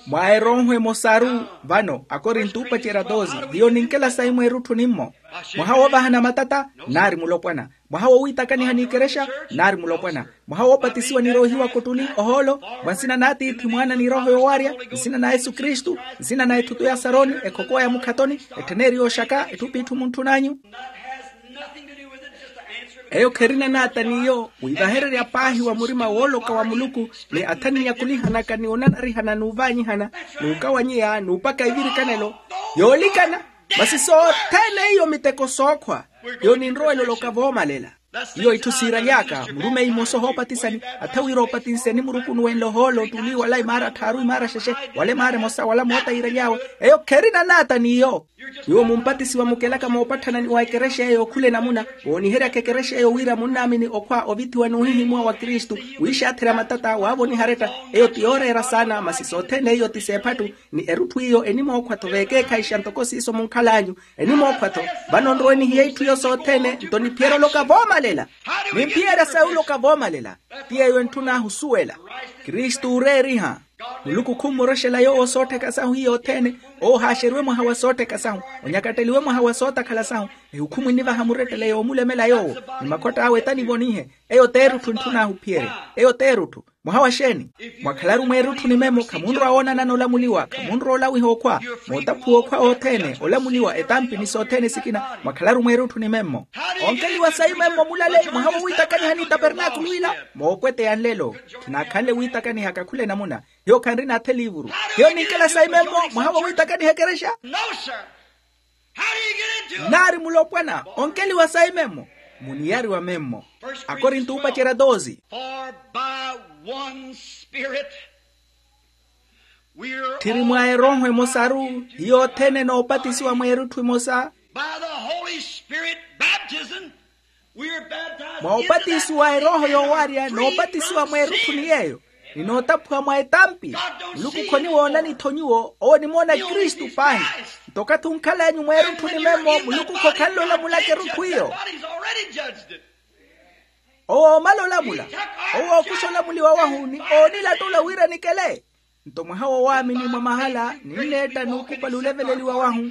mwa erooho emosaru. Vano akorinto oopacerya toosi hiyo ninkela sayi mweerutthu nimmo. Mwaha woovahana matata nnaari mulopwana. Mwaha wowiitakaniha n'ikerexa nnaari mulopwana. Mwaha woopatisiwa ni roohiwa kuttuni ohoolo mwa nsina n'atiithi mwaana ni rooho yoowarya. Nsina na yesu kristu. Nsina na ethutu ya saroni ekhokowa ya mukhatoni. Ettheneeri yooxaka etthu p'itthu muntthun'anyu. Eyo kherina naata n'iyo wiivahererya paahi wa murima wooloka wa muluku ni atha ninyakulihanaka ni onanarihana n'uvaanyihana n'ukawanyeya n'upaka ivirikanelo yoolikana. Masi sothene iyo miteko sookhwa. Hiyo ninrowela oloka voomalela. Hiyo itthu siiraly'aka murumeyi mmosa ohoopatisani, atha wira opatinseni muruku onuwenle ohoolo tuli wala imaara tthaaru imaara xexe, wala imaara emosa wala moota yiiraly'awe. Eyo kherina naata n'iyo. Nyuwo mumpatisiwa mukelaka moopatthana ni wa ekerexa eyo khula enamuna, wooniheryaka ekerexa eyo wira munnaamini okhwa ovithiwa n'uhihimuwa wa kristu, wiixaatherya matata waavoniha aretta. Eyo ti yooreera saana masi sothene iyo ti seephattu. Ni erutthu iyo enimookhwa-tho veekeekhayixa ntoko siiso munkhal'anyu. Enimookhwa-tho. Vano nrowe nihiye itthu iyo sothene nto niphiyerya oloka voomalela. Nimphiyerya sayi oloka voomalela. Ti yeeyo entthun'ahu osuwela. Kristu ooreeriha. Muluku khummoroxela yoowo soottheka sahu hiyo othene. Owo haaxeriwe mwaha wa soottheka sahu. Onyakatteliwe mwaha wa sootakhala sahu. Ehukhumu enivaha murettele yoomulemela yoowo. Ni makhott'awe etanivonihe. Eyo t'erutthu entthun'ahu ophiyerya. Eyo t'erutthu. Mwaha wa xeeni? Mwakhalaru mweerutthu ni memmo khamunrowa woonanana olamuliwa khamunrowa olawiha okhwa. Mootaphuwa okhwa othene olamuliwa etampi ni sothene sikina. Mwakhalaru mweerutthu ni memmo. Onkeliwa sayi memmo mulale mwaha wowiitakaniha ni tapernaakulu ila. Moopweteya nlelo. Khinaakhanle wiitakanihaka khula enamuna. Hiyo khanrina athe liivuru. Hiyo ninkela sayi memmo mwaha wowiitakaniha ekerexa. Nnaari mulopwana onkeliwa sayi memmo. Muniyariwa memmo. Akorinto uupacerya doze. Tthiri mwa erooho emosaru. Hiyo othene noopatisiwa mweerutthu emosa. Mwa opatisiwa erooho yoowarya noopatisiwa mweerutthu ni yeeyo. Ni nootaphuwa mwa etampi. Muluku khoniwoonani-tho nyuwo owo onimoona kristu paahi. Nto okathi onkhal'anyu mweerutthu ni memmo muluku khokhanle olamulaka erutthu iyo. Owo oomala olamula. Owo ookuxa olamuliwa wahu ni oonilattula wira nikele. Nto mwaha wowaamini mwa mahala ninneetta n'ukupali oleveleliwa wahu.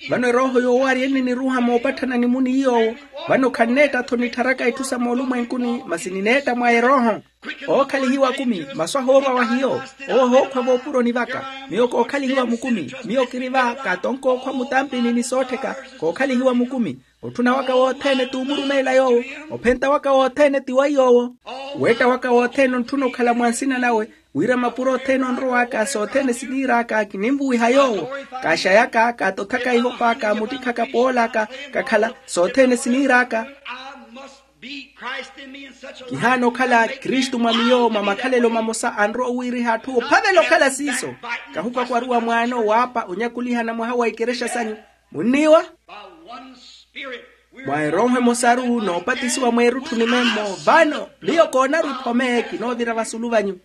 Vano erooho yoowarya enniniruha moopatthana ni muniyoowo. Vano khanneetta-tho nittharaka itthu sa moolumwenkuni masi nineetta mwa erooho. Ookhalihiwa akumi masu ahoorwa wa hiyo. Owo ohookhwa voopuroni vaka. Miyo kookhalihiwa mukumi. Miyo kiri va kaatonka okhwa mutampini ni soottheka. Kookhalihiwa mukumi. Otthuna waka wothene t'umurumeela yoowo. Ophenta waka wothene ti wa yoowo. Weetta waka wothene ontthuna okhala mwa nsina nawe. Wira mapuro othene onrow'aka sothene siniir'aka kininvuwiha yoowo. Kaaxayaka kaatothaka ihopa kaamuttikhaka pool'aka. Kakhala sothene siniir'aka. Kihaana okhala kristu mwa miyo mwa makhalelo mamosa anrowa owiiriha atthu ophavela okhala siiso. Kahukwakwariwa mwaano waapa onyakulihana mwaha wa ikerexa sanyu. Munniiwa. Mwa erooho emosaru noopatisiwa mweerutthu ni memmo vano miyo koonaru ephome kinoovira vasulu vanyu.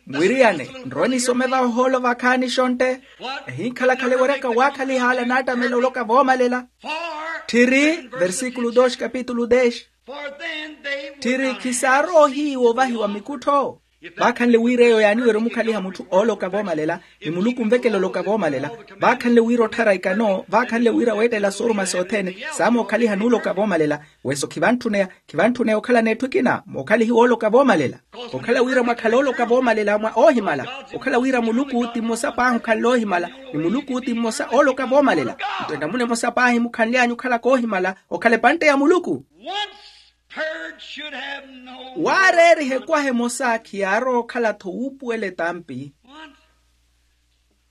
Mwiriyane nrowe nisome vahoolo vakhaani xontte. Ehinkhalakhala eweryaka waakhaliha ala naattamela oloka voomalela. Tthiri versíkulu dos kapitulu des. Tthiri khisaarowa ohiiwa ovahiwa mikuttho. Vaakhanle wira eyo yaaniwerya omukhaliha mutthu ooloka voomalela ni muluku onvekela oloka voomalela. Vaakhanle wira otthara ikano vaakhanle wira weettela sooruma sothene. Saamookhaliha n'uloka voomalela. Weso khivantthuneya. Khivantthuneya okhala n'etthu ekina mookhalihiwa ooloka voomalela. Okhala wira mwakhala ooloka voomalela mwa oohimala. Okhala wira muluku ti mmosa paahi okhanle oohimala ni muluku ti mmosa ooloka voomalela. Nto enamuna emosa paahi mukhanly'anyu okhalaka oohimala okhala epantte ya muluku. Waareeriha ekwaha emosa khiyaarowa okhala-tho wuupuwela etampi.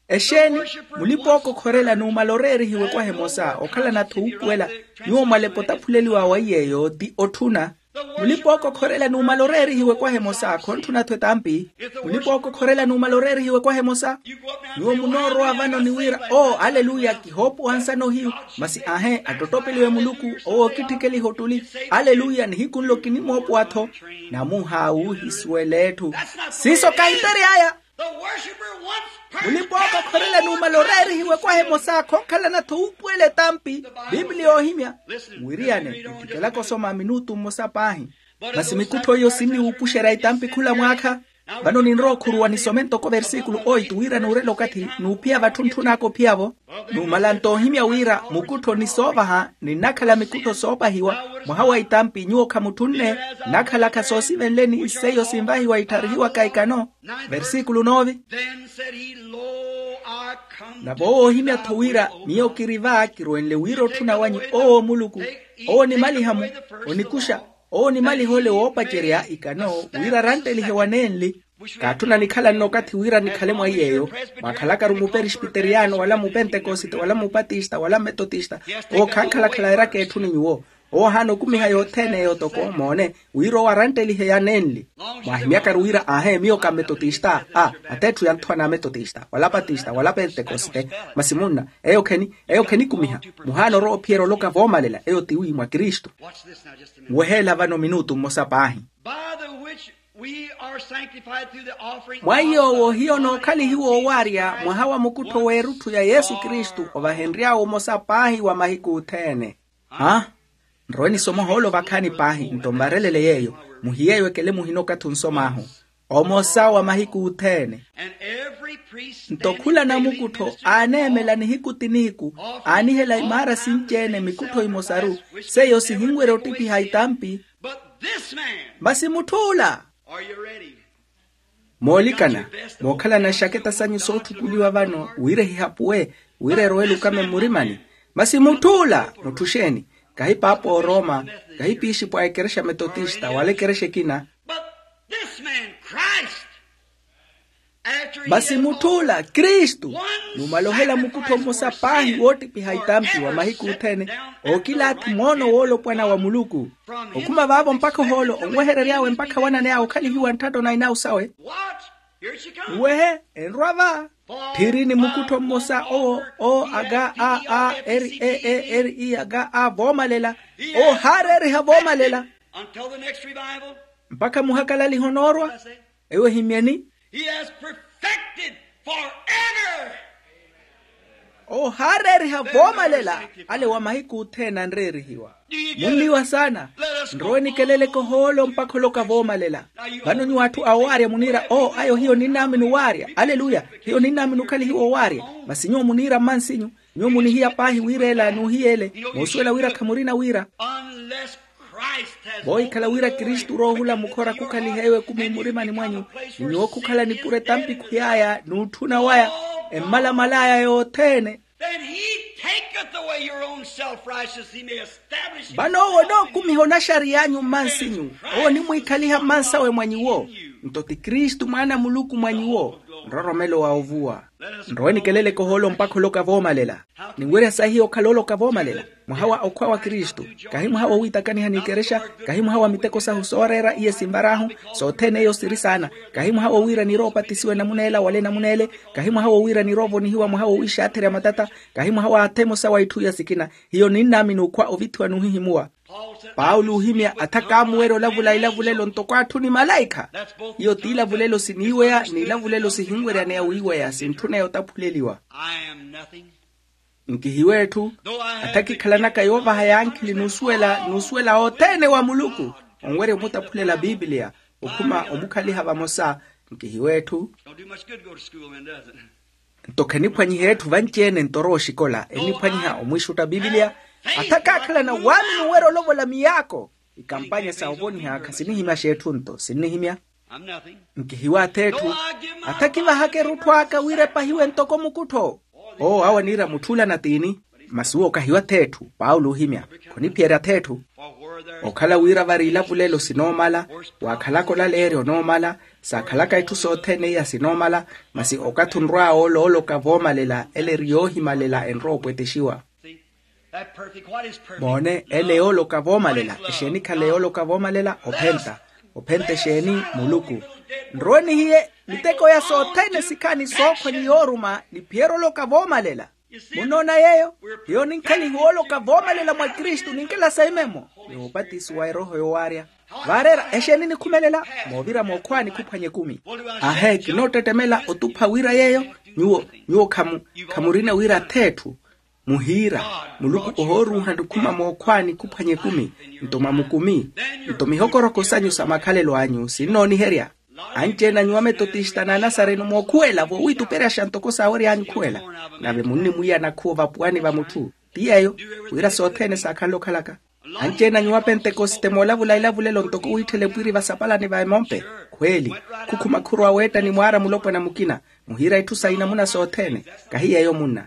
Exeeni? Mulipa ookokhorela numala oreerihiwa ekwaha emosa okhalana-tho wuupuwela. Nyuwo mwalepa otaphuleliwa wa iy'eyo ti otthuna. Mulipa ookokhorela numala oreerihiwa ekwaha emosa khontthuna-tho etampi. Mulipa ookokhorela numala oreerihiwa ekwaha emosa. Nyuwo munoorowa vano ni wira oo aleluya kihoopuwa nsana ohiyu. Masi aahe attottopeliwe muluku owo ookitthikeliha ottuli. Aleluya nihiku nlo kinimoopuwa-tho. Namuha wuuhisuwela etthu. Siiso kahipery'aya. Mulipa ookokhorela numala oreerihiwa ekwaha emosa khonkhalana-tho wuupuwela etampi. Pipiliya oohimya. Wiriyane nittikelaka osoma minutu mmosa paahi. Masi mikuttho iyo sinniwuupuxerya itampi khula mwaakha. Vano ninrowa okhuruwa nisome ntoko versíkulu oito wira nuurela okathi nuuphiya vatthu ntthun'aka ophiya-vo. Numala nto ohimya wira mukuttho ni soovaha ninnakhala mikuttho soopahiwa. Mwaha wa itampi nyuwo khamutthunne nnakhalaka soosivenleni seiyo sinvahiwa ittharihiwaka ikano. Versíkulu nove. Nave owo oohimya-tho wira miyo kiri va kirwenle wira otthuna wanyu owo muluku. Owo onimaliha-mu onikuxa. Owo onimaliha ole woopacerya ikano wira aranttelihe wanenli. Kaatthuna nikhala nno okathi wira nikhale mwa iy'eyo, mwaakhalakaru muperisipiteriyano wala mupentekosite wala mupatista wala mmetotista. Owo khankhalakhala eraka etthu ni nyuwo. Owo ahaana okumiha yothene eyo toko moone, wira owo aranttelihe ya nenli. Mwaahimyakaru wira aahe miyo ka mmetotista a, atetthu ya nthwana a mmetotista wala patista wala pentekosite. Masi munna, eyo kheni eyo khenikumiha. Muhaana orowa ophiyerya oloka voomalela eyo tiwi mwa kristu. Nweheela vano minutu mmosa paahi. By the which we are sanctified through the offering. Mwa iy'owo hiyo nookhalihiwa owaarya mwaha wa mukuttho w'erutthu ya yesu kristu ovahenry'awe omosa paahi wa mahiku othene. Ha? Nrowe nisoma ohoolo vakhaani paahi nto mvarelele yeeyo. Muhiyeeyo ekele muhina okathi onsom'ahu. Omosa wa mahiku othene. Nto khula namukuttho aaneemela nihiku ti nihiku, aanihela imaara sinci-ene mikuttho imosaru, seiyo sihinwerya ottipiha itampi. Masi mutth'ula. Moolikana, mookhalana axaketa sanyu sootthukuliwa vano wira ehihapuwe, wira erowele okame mmurimani. Masi mutth'ula mutth'uxeeni? Kahi paapa ooroma, kahi piixipo a ekerexa metotista wala ekerexa ekina. Masi mutth'ula kristu numala ohela mukuttho mmosa paahi woottipiha itampi wa mahiku othene, ookilaathi moono woolopwana wa muluku. Okhuma vaavo mpakha ohoolo onweherery'awe mpakha wananey'awe okhalihiwa ntthatto na inawu sawe. Nwehe, enrwa va. Tthiri ni mukuttho mmosa owo o aga a a eri e e eri i aga a voomalela. Owo haareeriha voomalela. Mpakha muhakalaliho noorwa. Eyo ehimyeni. Owo haareeriha voomalela. Ale wa mahiku othene anreerihiwa. Munniwa saana. Nrowe nikeleleke ohoolo mpakha oloka voomalela. Vano nyuwo atthu a owaarya muniira oo ayo hiyo ninnaamini owaarya aleluya. Hiyo ninnaamini okhalihiwa owaarya. Masi nyuwo muniira mmansinyu. Nyuwo munihiya paahi wira ela n'uhiya ele. Moosuwela wira khamurina wira. Voohikhala wira kristu roohula mukhora khukhaliha ewo ekumi mmurimani mwanyu, ni nyuwo khukhala nipuro etampi khuy'aya n'utthuna waya, emmalamal'aya yothene. Vano owo onookumiha onaxariy'anyu mmansinyu. Owo onimwiikhaliha mmansawe mwa nyuwo. Nto ti kristu mwaana a muluku mwa nyuwo. Nroromelo wa ovuwa. Nrowe nikeleleke ohoolo mpakha oloka voomalela. Ninwerya sahiya okhala oloka voomalela. Mwaha wa okhwa wa kristu. Kahi mwaha wowiitakaniha n'ikerexa. Kahi mwaha wa miteko sahu sooreera iye sinvar'ahu. Sothene eyo siri saana. Kahi mwaha wowiira niroopatisiwa enamun'ela wala enamun'ele. Kahi mwaha wowiira niroovonihiwa mwaha wowiixaatherya matata. Kahi mwaha wa athemosa wa itthu iya sikina. Hiyo ninnaamini okhwa ovithiwa n'uhihimuwa. Paulo oohimya atha kaamuwerya olavula ilavulelo ntoko atthu ni malaikha. Iyo t'ilavulelo siniiweya n'ilavulelo sihinweryaneya wiiweya sintthuneya otaphuleliwa. Nkihiwa etthu. Atha kikhalanaka yoovaha yankhili n'usuwela othene wa muluku, onwerya omutaphulela bibiliya, okhuma omukhaliha vamosa. Nkihiwa etthu. Nto kheniphwanyiha etthu vanci-ene nto orowa oxikola enniphwanyiha omwiixutta bibiliya. Atha kaakhalana waamini owerya olovola miyaako. Ikampanya sa ovoniha khasinihimya x'etthu nto sinnihimya. Nkihiwa ath'etthu. Atha kivahaka erutthu aka wira epahiwe ntoko mukuttho. Owo awo aniira mutth'ula na tiini? Masi uwo kahiwa ath'etthu paulo oohimya. Khoniphiyerya ath'etthu. Okhala wira vari ilavulelo sinoomala, waakhalaka olaleerya onoomala, saakhalaka itthu sothene iya sinoomala. Masi okathi onrw'awe olooloka voomalela ele eri yoohimalela enrowa opwetexiwa. Moone ele yooloka voomalela exeeni ekhale yooloka voomalela ophenta. Ophenta exeeni? Muluku. Nrowe nihiye miteko ya sothene sikhaani sookhwa ni yooruma niphiyerya oloka voomalela. Munnoona yeeyo? Hiyo ninkhalihiwa oloka voomalela mwa kristu ninkela saimemo. Ni opatisiwa erooho yowaarya. Vaareera exeeni nikhumelela? Moovira mookhwaani khuphwanya ekumi. Ahe kinoottettemela otupha wira yeeyo. Nyuwo nyuwo khamurina wira ath'etthu. Muhiira muluku ohooruuha nikhuma mookhwaani khuphwanya ekumi, nto mwa mukumi. Nto mihokoroko sanyu sa makhalelo anyu sinnooniherya. Anci-ene a nyuwo a metotista n'anasareno mookhuwela voowituperyaxa ntoko saawery'anyu okhuwela. Nave munnimwiya nakhuwo vapuwani va mutthu. Ti yeeyo wira sothene saakhanle okhalaka. Anci-ene a nyuwo a pentekosite moolavula ilavulelo ntoko wiitthela epwiri vasapalani va emompe. Khweeli. Khukhuma khurwa weetta ni mwaara mulopwana mukina. Muhiira itthu sa inamuna sothene. Kahi yeeyo munna.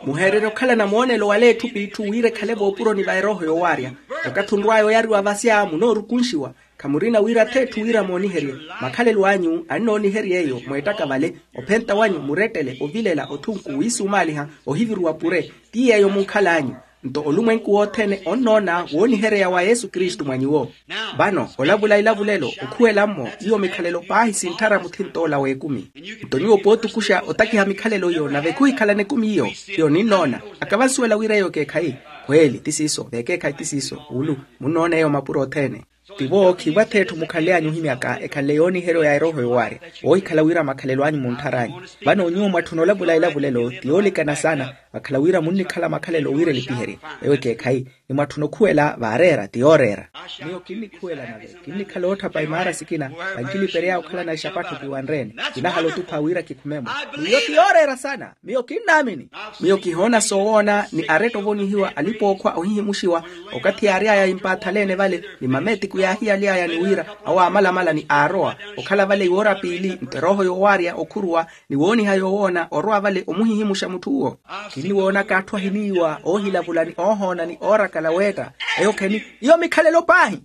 Muheererye okhalana moonelo wala etthu p'itthu wira ekhale voopuroni va erooho yowaarya. Wakathi onrw'aya oyariwa vasya munoorukunxiwa. Khamurina wira ath'etthu wira mooniherye. Makhalelo anyu annoonihery'eyo mweettaka vale, ophenta wanyu murettele ovilela othunku wiisumaaliha ohiviruwa pure. Ti yeeyo munkhal'anyu. Nto olumwenku wothene onnoona woonihereya wa yesu kristu mwa nyuwo. Vano olavula ilavulelo okhuwela-mmo iyo mikhalelo paahi sintthara muthint'ola w'ekumi. Nto nyuwo pootukuxa otakiha mikhalelo iyo nave khuhikhalana ekumi iyo. Iyo ninnoona. Akavansuwela wira eyo ekeekhayi. Khweeli ti siiso veekeekhayi ti siiso wulu. Munnoona eyo mapuro othene. Tivo khiivo ath'etthu mukhanly'anyu ohimyaka ekhanle yooniheryo ya erooho yowaarya. Woohikhala wira makhalelo anyu muntthara anyu. Vano nyuwo mwatthuna olavula elavulelo ti yoolikana saana. Vakhala wira munnikhala makhalelo wira elipiherye. Eyo ekeekhayi. Ni mwatthuna okhuwela vaareera ti yooreera. Miyo kinnikhuwela nave kinnikhala ootthapa imaara sikina. Vankilipery'aya okhalana exapattho kiwanreene. Kinahala otupha wira kikhumemo. Miyo ti yooreera saana. Miyo kinnaamini. Miyo kihoona soowoona ni aretta ovonihiwa alipa-ookhwa ohihimuxiwa. Okathi yaary'aya yimpaathaleene vale ni mameetiku yaahiyaly'aya ni wira awo aamalamala ni aarowa. Okhala vale iwoora piili nto erooho yoowaarya okhuruwa ni wooniha yoowoona orwa vale omuhihimuxa mutth'uwo. Kinniwoonaka atthu ahiniiwa oohilavula ni oohoona ni oorakala weetta. Eyo kheni iyo mikhalelo paahi.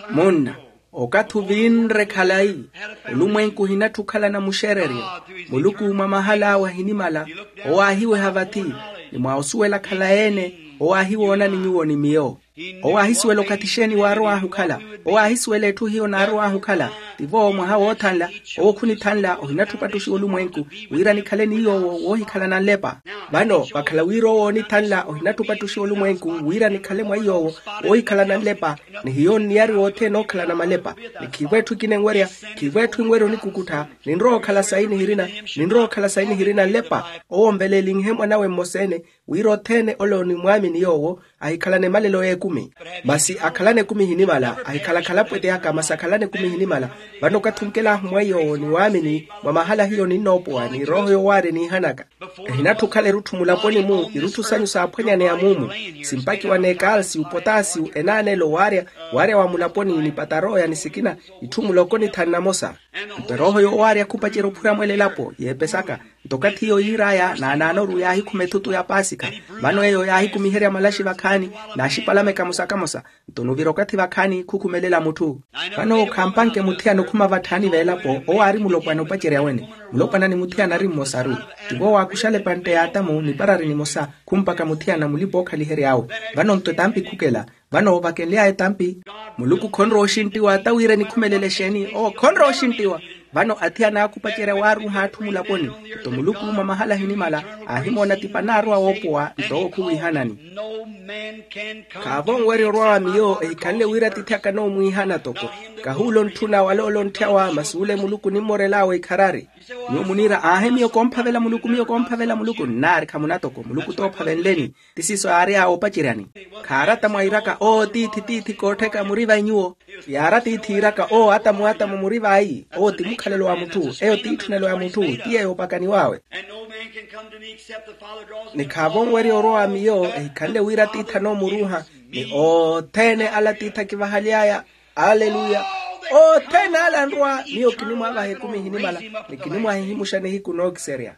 Munna, okathi ovinre khalayi, olumwenku ohinatthu okhalana muxereryo. Muluku mwa mahal'awe ahinimala. Owo aahiweha vathi. Ni mwa osuwela khalayi-ene. Owo aahiwoona ni nyuwo ni miyo. Owo aahisuwela okathi exeeni waarow'ahu okhala. Owo aahisuwela etthu hiyo naarow'ahu okhala. Tivo mwaha woothanla. Owo khunithanla ohinatthu opattuxiwa olumwenku wira nikhale ni yoowo woohikhalana nlepa. Vano vakhala wira owo onithanla ohinatthu opattuxiwa olumwenku wira nikhale mwa yoowo woohikhalana nlepa. Ni hiyo nniyariwa othene ookhalana malepa. Ni khiivo etthu ekina enwerya. Khiivo etthu enwerya onikukuttha. Ninrowa okhala sayi nihirina. Ninrowa okhala sayi nihirina nlepa. Owo onvelelinhe mwanawe mmosa-ene wira othene ole onimwaamini yoowo ahikhalana emalelo y'ekumi. Masi akhalana ekumi ehinimala ahikhala khalaphwete yaka masi akhalana ekumi ehinimala. Vano okathi onkel'ahu mwa yoowo ni waamini mwa mahala hiyo ninnoopowa ni erooho yowaarya eniihanaka. Ehinatthu okhala erutthu mulaponi-mu irutthu sanyu saaphwanyaneya muumu. Simpakiwa n'ekalsiyu potasiyu enaanelo waarya waarya wa mulaponi ni pataroya ni sikina itthu muloko ni thanu namosa. Nto erooho yowaarya khupacerya ophura mwela elapo yeepesaka. Nto okathi iyo yiir'aya naanaanoru yaahikhuma ethutu ya paasikha. Vano eyo yaahikumiherya malaxi vakhaani naaxipalameka mosa kamosa. Nto nuvira okathi vakhaani khukhumelela mutthu. Vano khampanke muthiyana okhuma vatthaani veelapo owo aari mulopwana opacerya wene. Mulopwana ni muthiyana ari mmosaru. Tivo waakuxala epantte y'atamu niparari nimosa khumpaka muthiyana mulipa-ookhalihery'awe. Vano nto etampi khukela. Vano vakenly'aya etampi. Muluku khonrowa oxinttiwa ata wira enikhumelele exeeni owo khonrowa oxinttiwa. Vano athiyana aakhupacerya waaruuha atthu mulaponi. Nto muluku mwa mahala ahinimala aahimoona tipa naarowa woopowa nto owo khuwiihanani. Khaavo onwerya orwa wa miyo ehikhanle wira atiithi akana omwiihana toko. Kahuula ontthuna wala ole ontthyawa masi ole muluku nimmorel'awe ikharari. Nyuwo muniira aahe miyo koomphavela muluku miyo koomphavela muluku nnaari khamuna toko muluku toophavenleni. Ti siiso yaary'awe opaceryani. Khaarata mwairaka oo tiithi tiithi koottheka muri vai nyuwo. Yaara tiithi iiraka oo atamu atamu muri vai oo ti mukhalelo wa mutthu eyo ti itthunelo ya mutthu ti yeeyo opakaniw'awe. Ni khaavo onwerya orwa wa miyo ehikhanle wira atiithi anoomuruuha ni othene ala atiithi akivahaly'aya. Aleluya. Othene ala anrwa miyo kinimwaavaha ekumi ehinimala ni kinimwahihimuxa nihiku nookiserya.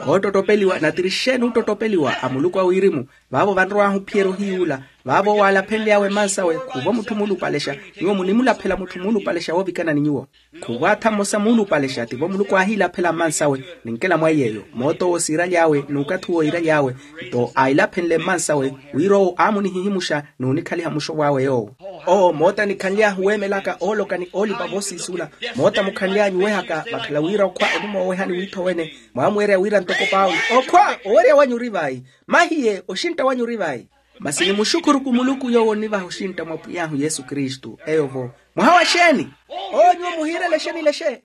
Oottottopeliwa natirixeeni ottottopeliwa a muluku a wirimu. Vaavo vanrow'ahu ophiyerya ohiyuula. Vaavo owo aalaphenly'awe mmansawe khuuvo mutthu muulupalexa. Nyuwo munimulaphela mutthu muulupalexa woovikana ni nyuwo. Khuuvo atha mmosa muulupalexa tivo muluku aahiilaphela mmansawe. Ninkela mwa iy'eyo moot'owo siiraly'awe n'ukathi uwo iiraly'awe. Nto aahilaphenle mmansawe wira owo aamunihihimuxa n'unikhaliha muxov'awe yoowo. Owo moota nikhanly'ahu weemelaka ooloka ni oolipa voosiisula. Moota mukhanly'anyu owehaka vakhala wira okhwa onimoowehani wiithowene. Mwaamweerya wira ntoko paulo okhwa owerya wanyu ori vai? Mahiye oxintta wanyu ori vai? Masi nimuxukhuruku muluku yoowo onnivaha oxintta mwa pwiy'ahu yesu kristu eyo-vo. Mwaha wa xeeni? Owo nyuwo muhiirela exeeni lexe.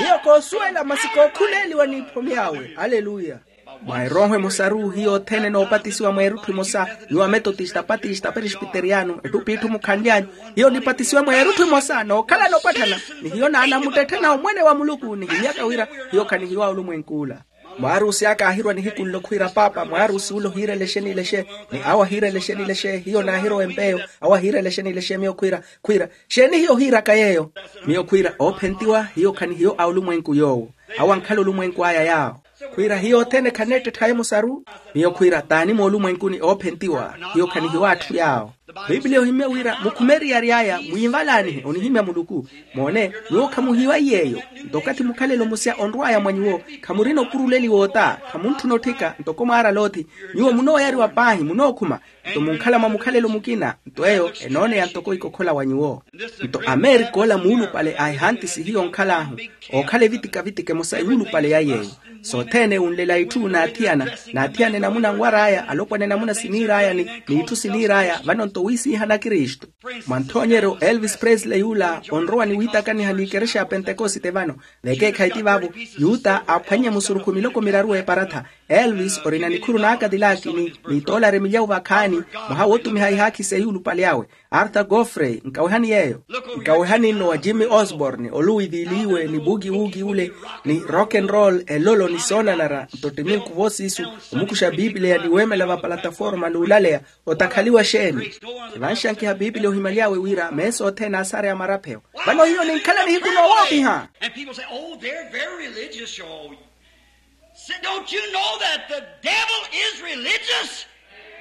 Miyo koosuwela masi kookhuleeliwa n'iphomi awe aleluya. Mwa erooho emosaru hiyo othene noopatisiwa mwa erutthu emosa. Nyuwo ametotista patista perespiteriyano etthu p'itthu mukhanly'anyu. Hiyo nipatisiwa mwa erutthu emosa nookhalana opatthana. Ni hiyo naanamuttetthena omwene wa muluku nihimyaka wira hiyo khanihiwa olumwenk'ula. Mwaarusi aka aahirwa nihiku nlo khwiira paapa mwaarusi ule ohiirela exeeni lexe. Ni awo ahiirela exeeni lexe hiyo naahirowa empeyo. Awo ahiirela exeeni lexe miyo khwiira khwiira. Xeeni hiyo ohiiraka yeeyo? Miyo khwiira oophentiwa hiyo khanihiyo a olumwenku yoowo. Awo ankhala olumwenku aya yaawo. Khwiira hiyo othene khaneettetthaye musaru. Miyo khwiira t'ani moolumwenkuni oophentiwa, hiyo khanihiwa atthu yaawo. Pipiliya ohimye wira mukhume eriyari aya mwiivalaanihe onihimya muluku. Moone, nyuwo khamuhiwa iy'eyo. Nto okathi mukhalelo musya onrw'aya mwa nyuwo, khamurina opuruleliwa ota, khamuntthuna otthika ntoko mwaara loothi. Nyuwo munooyariwa paahi munookhuma. Nto munkhala mwa mukhalelo mukina nto eyo enooneya ntoko ikokhola wa nyuwo. Nto amerika ola muulupale a ehantisi hiyo onkhal'ahu, ookhala evitikavitike emosa yuulupale ya yeeyo. Sothene unlela itthu naathiyana, naathiyana enamuna nwar'aya alopwana enamuna siniir'aya ni n'itthu siniir'aya vano nto wiisiihana kristu. Mwa nthoonyeryo elvis presley yula onrowa ni wiitakaniha n'ikerexa ya pentekosite vano. Vekeekhayi ti vaavo, yuta aaphwannye musurukhu miloko miraru eparatha. Elvis orina nikhuru n'akatilaki ni nitoolari milyawu vakhaani. Mwaha wootumiha ihaakhi seyulupale awe, arthur goffrey nkawehani yeeyo. Nkawehani nno wa jimmy osborne oluwiviliwe ni buki wuki ule, ni rock and roll elolo ni soonanara nto ttiminku voosiisu. Omukuxa biipiliya ni weemela vapalataforma n'ulaleya otakhaliwa xeeni? Evanxankiha biipiliya ohimaly'awe wira meesa othene aasareya marapheyo. Vano hiyo ninkhala nihiku noowoopiha. And people say, oh, they're very religious, you. Don't you know that the devil is religious?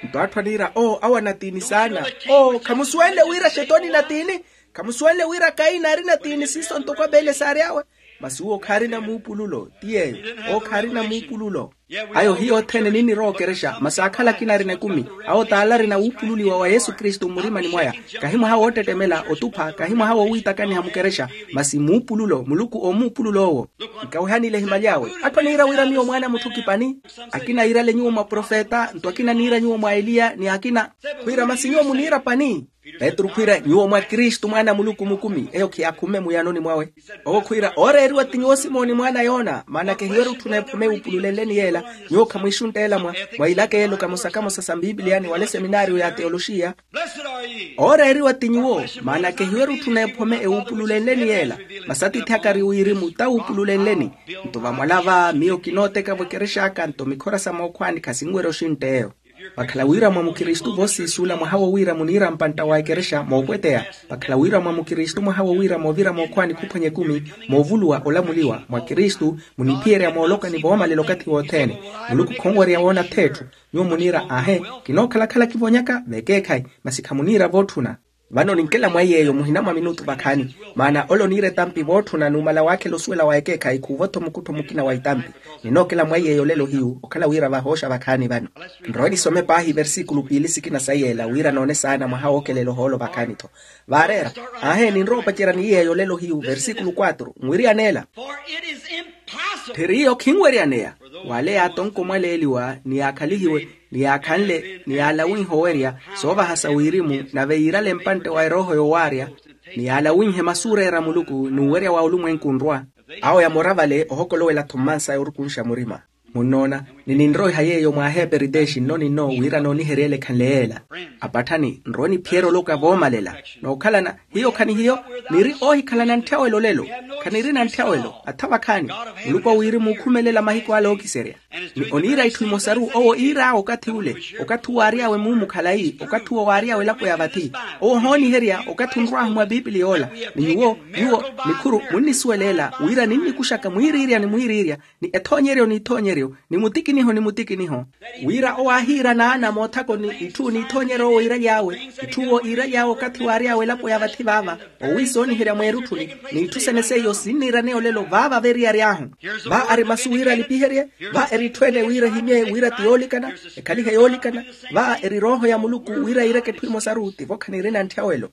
Nto atthu aniira oo awo anatiini saana. Oo khamusuwenle wira xetoni natiini? Khamusuwenle wira kaina ari natiini siiso ntoko abeele saary'awe? Masi uwo khaarina muupululo ti yeeyo. Oo khaarina muupululo. Ayo hiyo othene ninnirowa okerexa masi akhala akina arina ekumi. Awo t'ala arina wuupululiwa wa yesu kristu mmurimani mwaya. Kahi mwaha woottettemela otupha kahi mwaha woowiitakaniha mukerexa. Masi muupululo muluku oomuupulula owo. Nkawehani ile ehimaly'awe. Atthu aniira wira miyo mwaana a mutthu kipani. Akina yiirale nyuwo mwa profeta nto akina aniira nyuwo mwa eliya ni akina. Khwiira masi nyuwo muniira pani? Petru khwiira nyuwo mwa kristu mwaana a muluku mukumi eyo khiyaakhunme muyanoni mwawe. Owo khwiira ooreeriwa ti nyuwo simoni mwaana a yona maana kehiwerya otthuna ephome ewuupululenleni yeela. Nyuwo khamwiixuntta ela mwa ilaka eelo kamosa kamosa sa mbiipiliyani wala eseminaariyo ya teyoloxiya. Ooreeriwa ti nyuwo maana kehiwerya otthuna ephome ewuupululenleni yeela. Masi atiithi aka ari wirimu ta wuupululenleni. Nto vamwala va miyo kinooteka-vo ekerex'aka nto mikhora sa mookhwaani khasinwerya oxintta eyo. Vakhala wira mwa mukristu voosiisula mwaha wo wira muniira mpantta wa ekerexa moopweteya. Vakhala wira mwa mukristu mwaha wo wira moovira mookhwaani khuphwanya ekumi, moovuluwa olamuliwa mwa kristu, muniphiyerya mooloka ni voomalela okathi wothene. Muluku khonwerya woona atheetthu. Nyuwo muniira ahe, kinookhala-khala kivonyaka vekeekhayi. Masi khamuniira vootthuna. Vano ninkela mwa iy'eyo muhina mwa minutu vakhaani. Maana ole oniira etampi vootthuna numala waakhela osuwela wa ekeekhayi khuuvo-tho mukuttho mukina wa itampi. Ninookela mwa iy'eyo olelo hiyu okhala wira vahooxa vakhaani vano. Nrowe nisome paahi versikulu piili sikina sa yeela wira noone saana mwaha wookelela ohoolo vakhaani-tho. Vaareera, aahe ninrowa opacerya ni iy'eyo olelo hiyu versikulu kwatru nwiryaneela. Tthiriyo khinweryaneya. Wale yaatonka omwaleeliwa ni yaakhalihiwe ni yaakhanle ni yaalawinhe owerya soovahasa wirimu, nave yiirale mpantte wa erooho yoowaarya ni yaalawinhe masuureera a muluku n'uwerya wa olumwenku onrwa. Awo yamora vale ohokolowela-tho mmansa yoorukunxa murima. Munnoona, ni ninroiha yeeyo mwa aheeperiteexi nno ninno wira nooniheryele ekhanle yeela. Apatthani nrowe niphiyerya oloka voomalela. Nookhalana hiyo khanihiyo, niri oohikhalana ntthawelo olelo. Khanirina ntthawelo atha vakhaani. Muluku a wirimu ookhumelela mahiku ale ookiserya. Ni oniira itthu imosaru owo iir'awe okathi ule, okathi uwo aary'awe mumu khalayi okathi uwo waary'awe elapo ya vathi. Owo ohooniherya okathi onrw'ahu mwa piipili yoola. Ni nyuwo nyuwo nikhuru munnisuweleela wira ninnikuxaka mwiiriirya ni mwiiriirya, ni ethoonyeryo n'ithoonyeryo ni mutikiniho ni mutikiniho. Wira owo aahiira naana moothako ni itthu n'ithoonyeryo owo iiraly'awe. Itthu owo iiraly'awe okathi waary'awe elapo ya vathi vaava. Owiisooniherya mweerutthuni. N'itthu sene seiyo sinniiraneya olelo vaava veeriyaryahu. Va ari masu wira alipiherye. Va eri itthu ene wira ehimye wira ti yoolikana, ekhalihe yoolikana. Va eri erooho ya muluku wira yiireke etthu emosaru tivo khanirina ntthawelo.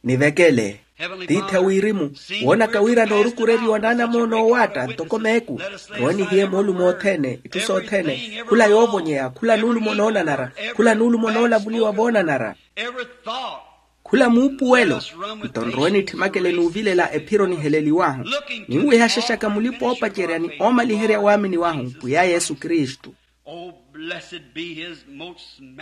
Nivekele. Tiithi a wirimu, woonaka wira noorukureriwa naanamoona oowaatta ntoko meeku. Nrowe nihiye moolumo othene itthu sothene, khula yoovonyeya khula nuulumo noonanara, khula nuulumo noolavuliwa voonanara. Khula muupuwelo. Nto nrowe nitthimakele n'uvilela ephiro niheleliwahu, ninwehaxaxaka mulipa oopacerya ni oomaliherya waamini wahu pwiya yesu kristu.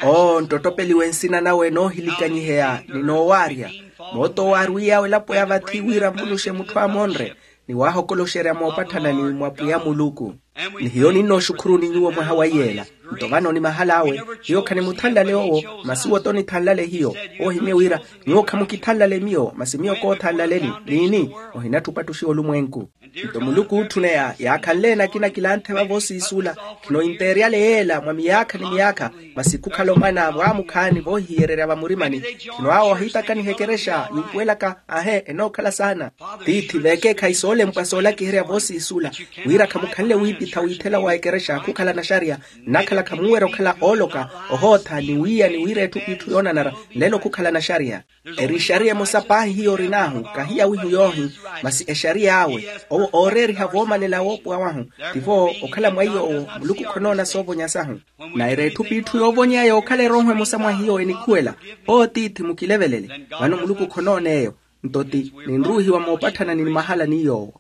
Oo nttottopeliwe nsina nawe noohilikanyiheya ni noowaarya. Mootoowaarwiyawe elapo ya vathi wira mvuluxe mutthu amonre, ni waahokoloxerya moopatthana ni mwa pwiya muluku. Ni hiyo ninnooxukhuruni nyuwo mwaha wa iyeela. Nto vano ni mahal'awe, hiyo khanimuthanlale owo, masi owo t'onithanlale hiyo. Oohimye wira, nyuwo khamukithanlale miyo masi miyo koothanlaleni. Niini? Ohinatthi opattuxiwa olumwenku. Nto muluku ootthuneya yaakhanle nakina kilanthe vavo siisu ola. Khino inteeryale yeela mwa miyaakha ni miyaakha, masi khukhala omwana vwaamukhaani voohihiyererya vamurimani. Khino awo ahiitakaniha ekerexa yumpuwelaka, ahe enookhala saana. Tiithi veekeekhayi soolempwa soolakiherya voosiisula, wira khamukhanle wiipitha wiithela wa ekerexa khukhala naxariya. Nnakhala khamuwerya okhala ooloka, ohootha ni wiiya ni wira etthu p'itthu yoonanara, nlelo khukhala naxariya. Eri exariya emosa paahi hiyo orin'ahu, kahiya wihu yoohi, masi exariya awe. Owo ooreeriha voomalela woopowa wahu. Tivo okhala mwa iy'owo muluku khonoona soovonya sahu. Naira etthu p'itthu yoovonyeya yookhala erooho emosa mwa hiyo enikhuwela. Owo tiithi mukilevelele. Vano muluku khonoona eyo. Nto ti ninruuhiwa moopatthana ni mahala ni yoowo.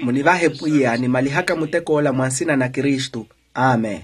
Munivahe pwiya nimalihaka mutek'ola mwa nsina na kristu. Amen.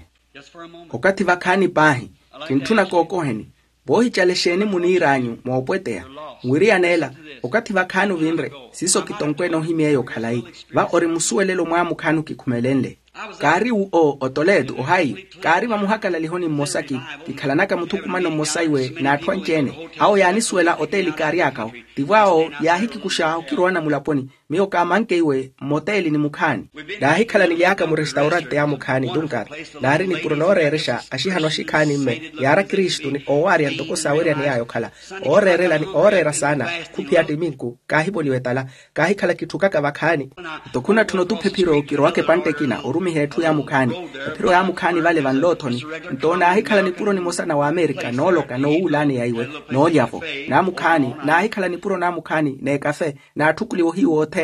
Okathi vakhaani paahi, kintthuna kookoheni. Voohicala exeeni muniir'anyu moopweteya? Nwiriyan'ela, okathi vakhaani ovinre, siiso kitonkweene ohimyeeyo khalayi. Va ori musuwelelo mwaamukhaani okikhumelenle. Kaari wo otoleto ohaiyo. Kaari vamuhakalalikho ni mmosaki. Kikhalanaka muthukumano mmosa iwe n'atthu anci-ene. Awo yaanisuwela oteeli kaary'akawo. Tivo awo yaahikikuxa okirowana mulaponi. Miyo kaamanke iwe mmoteeli ni mukhaani. Naahikhala nily'aka murestaurante y'amukhaani tunkaata. Naari nipuro nooreerexa axihano axikhaani mme. Yaara kristu ni oowaarya ntoko saaweryaney'aya okhala. Ooreerela ni ooreera saana. Khuphiya ttiminku kaahivoliwa etala. Kaahikhala kitthukaka vakhaani. Nto khunatthuna otupha ephiro kirowaka epantte ekina orumiha etthu y'amukhaani. Ephiro y'amukhaani vale vanloothoni. Nto naahikhala nipuro nimosa na w'amerika nooloka noowuulaani ya iwe. Noolya-vo n'amukhaani. Naahikhala nipuro n'amukhaani n'ekafe. Naatthukuliwa ohiyu othene.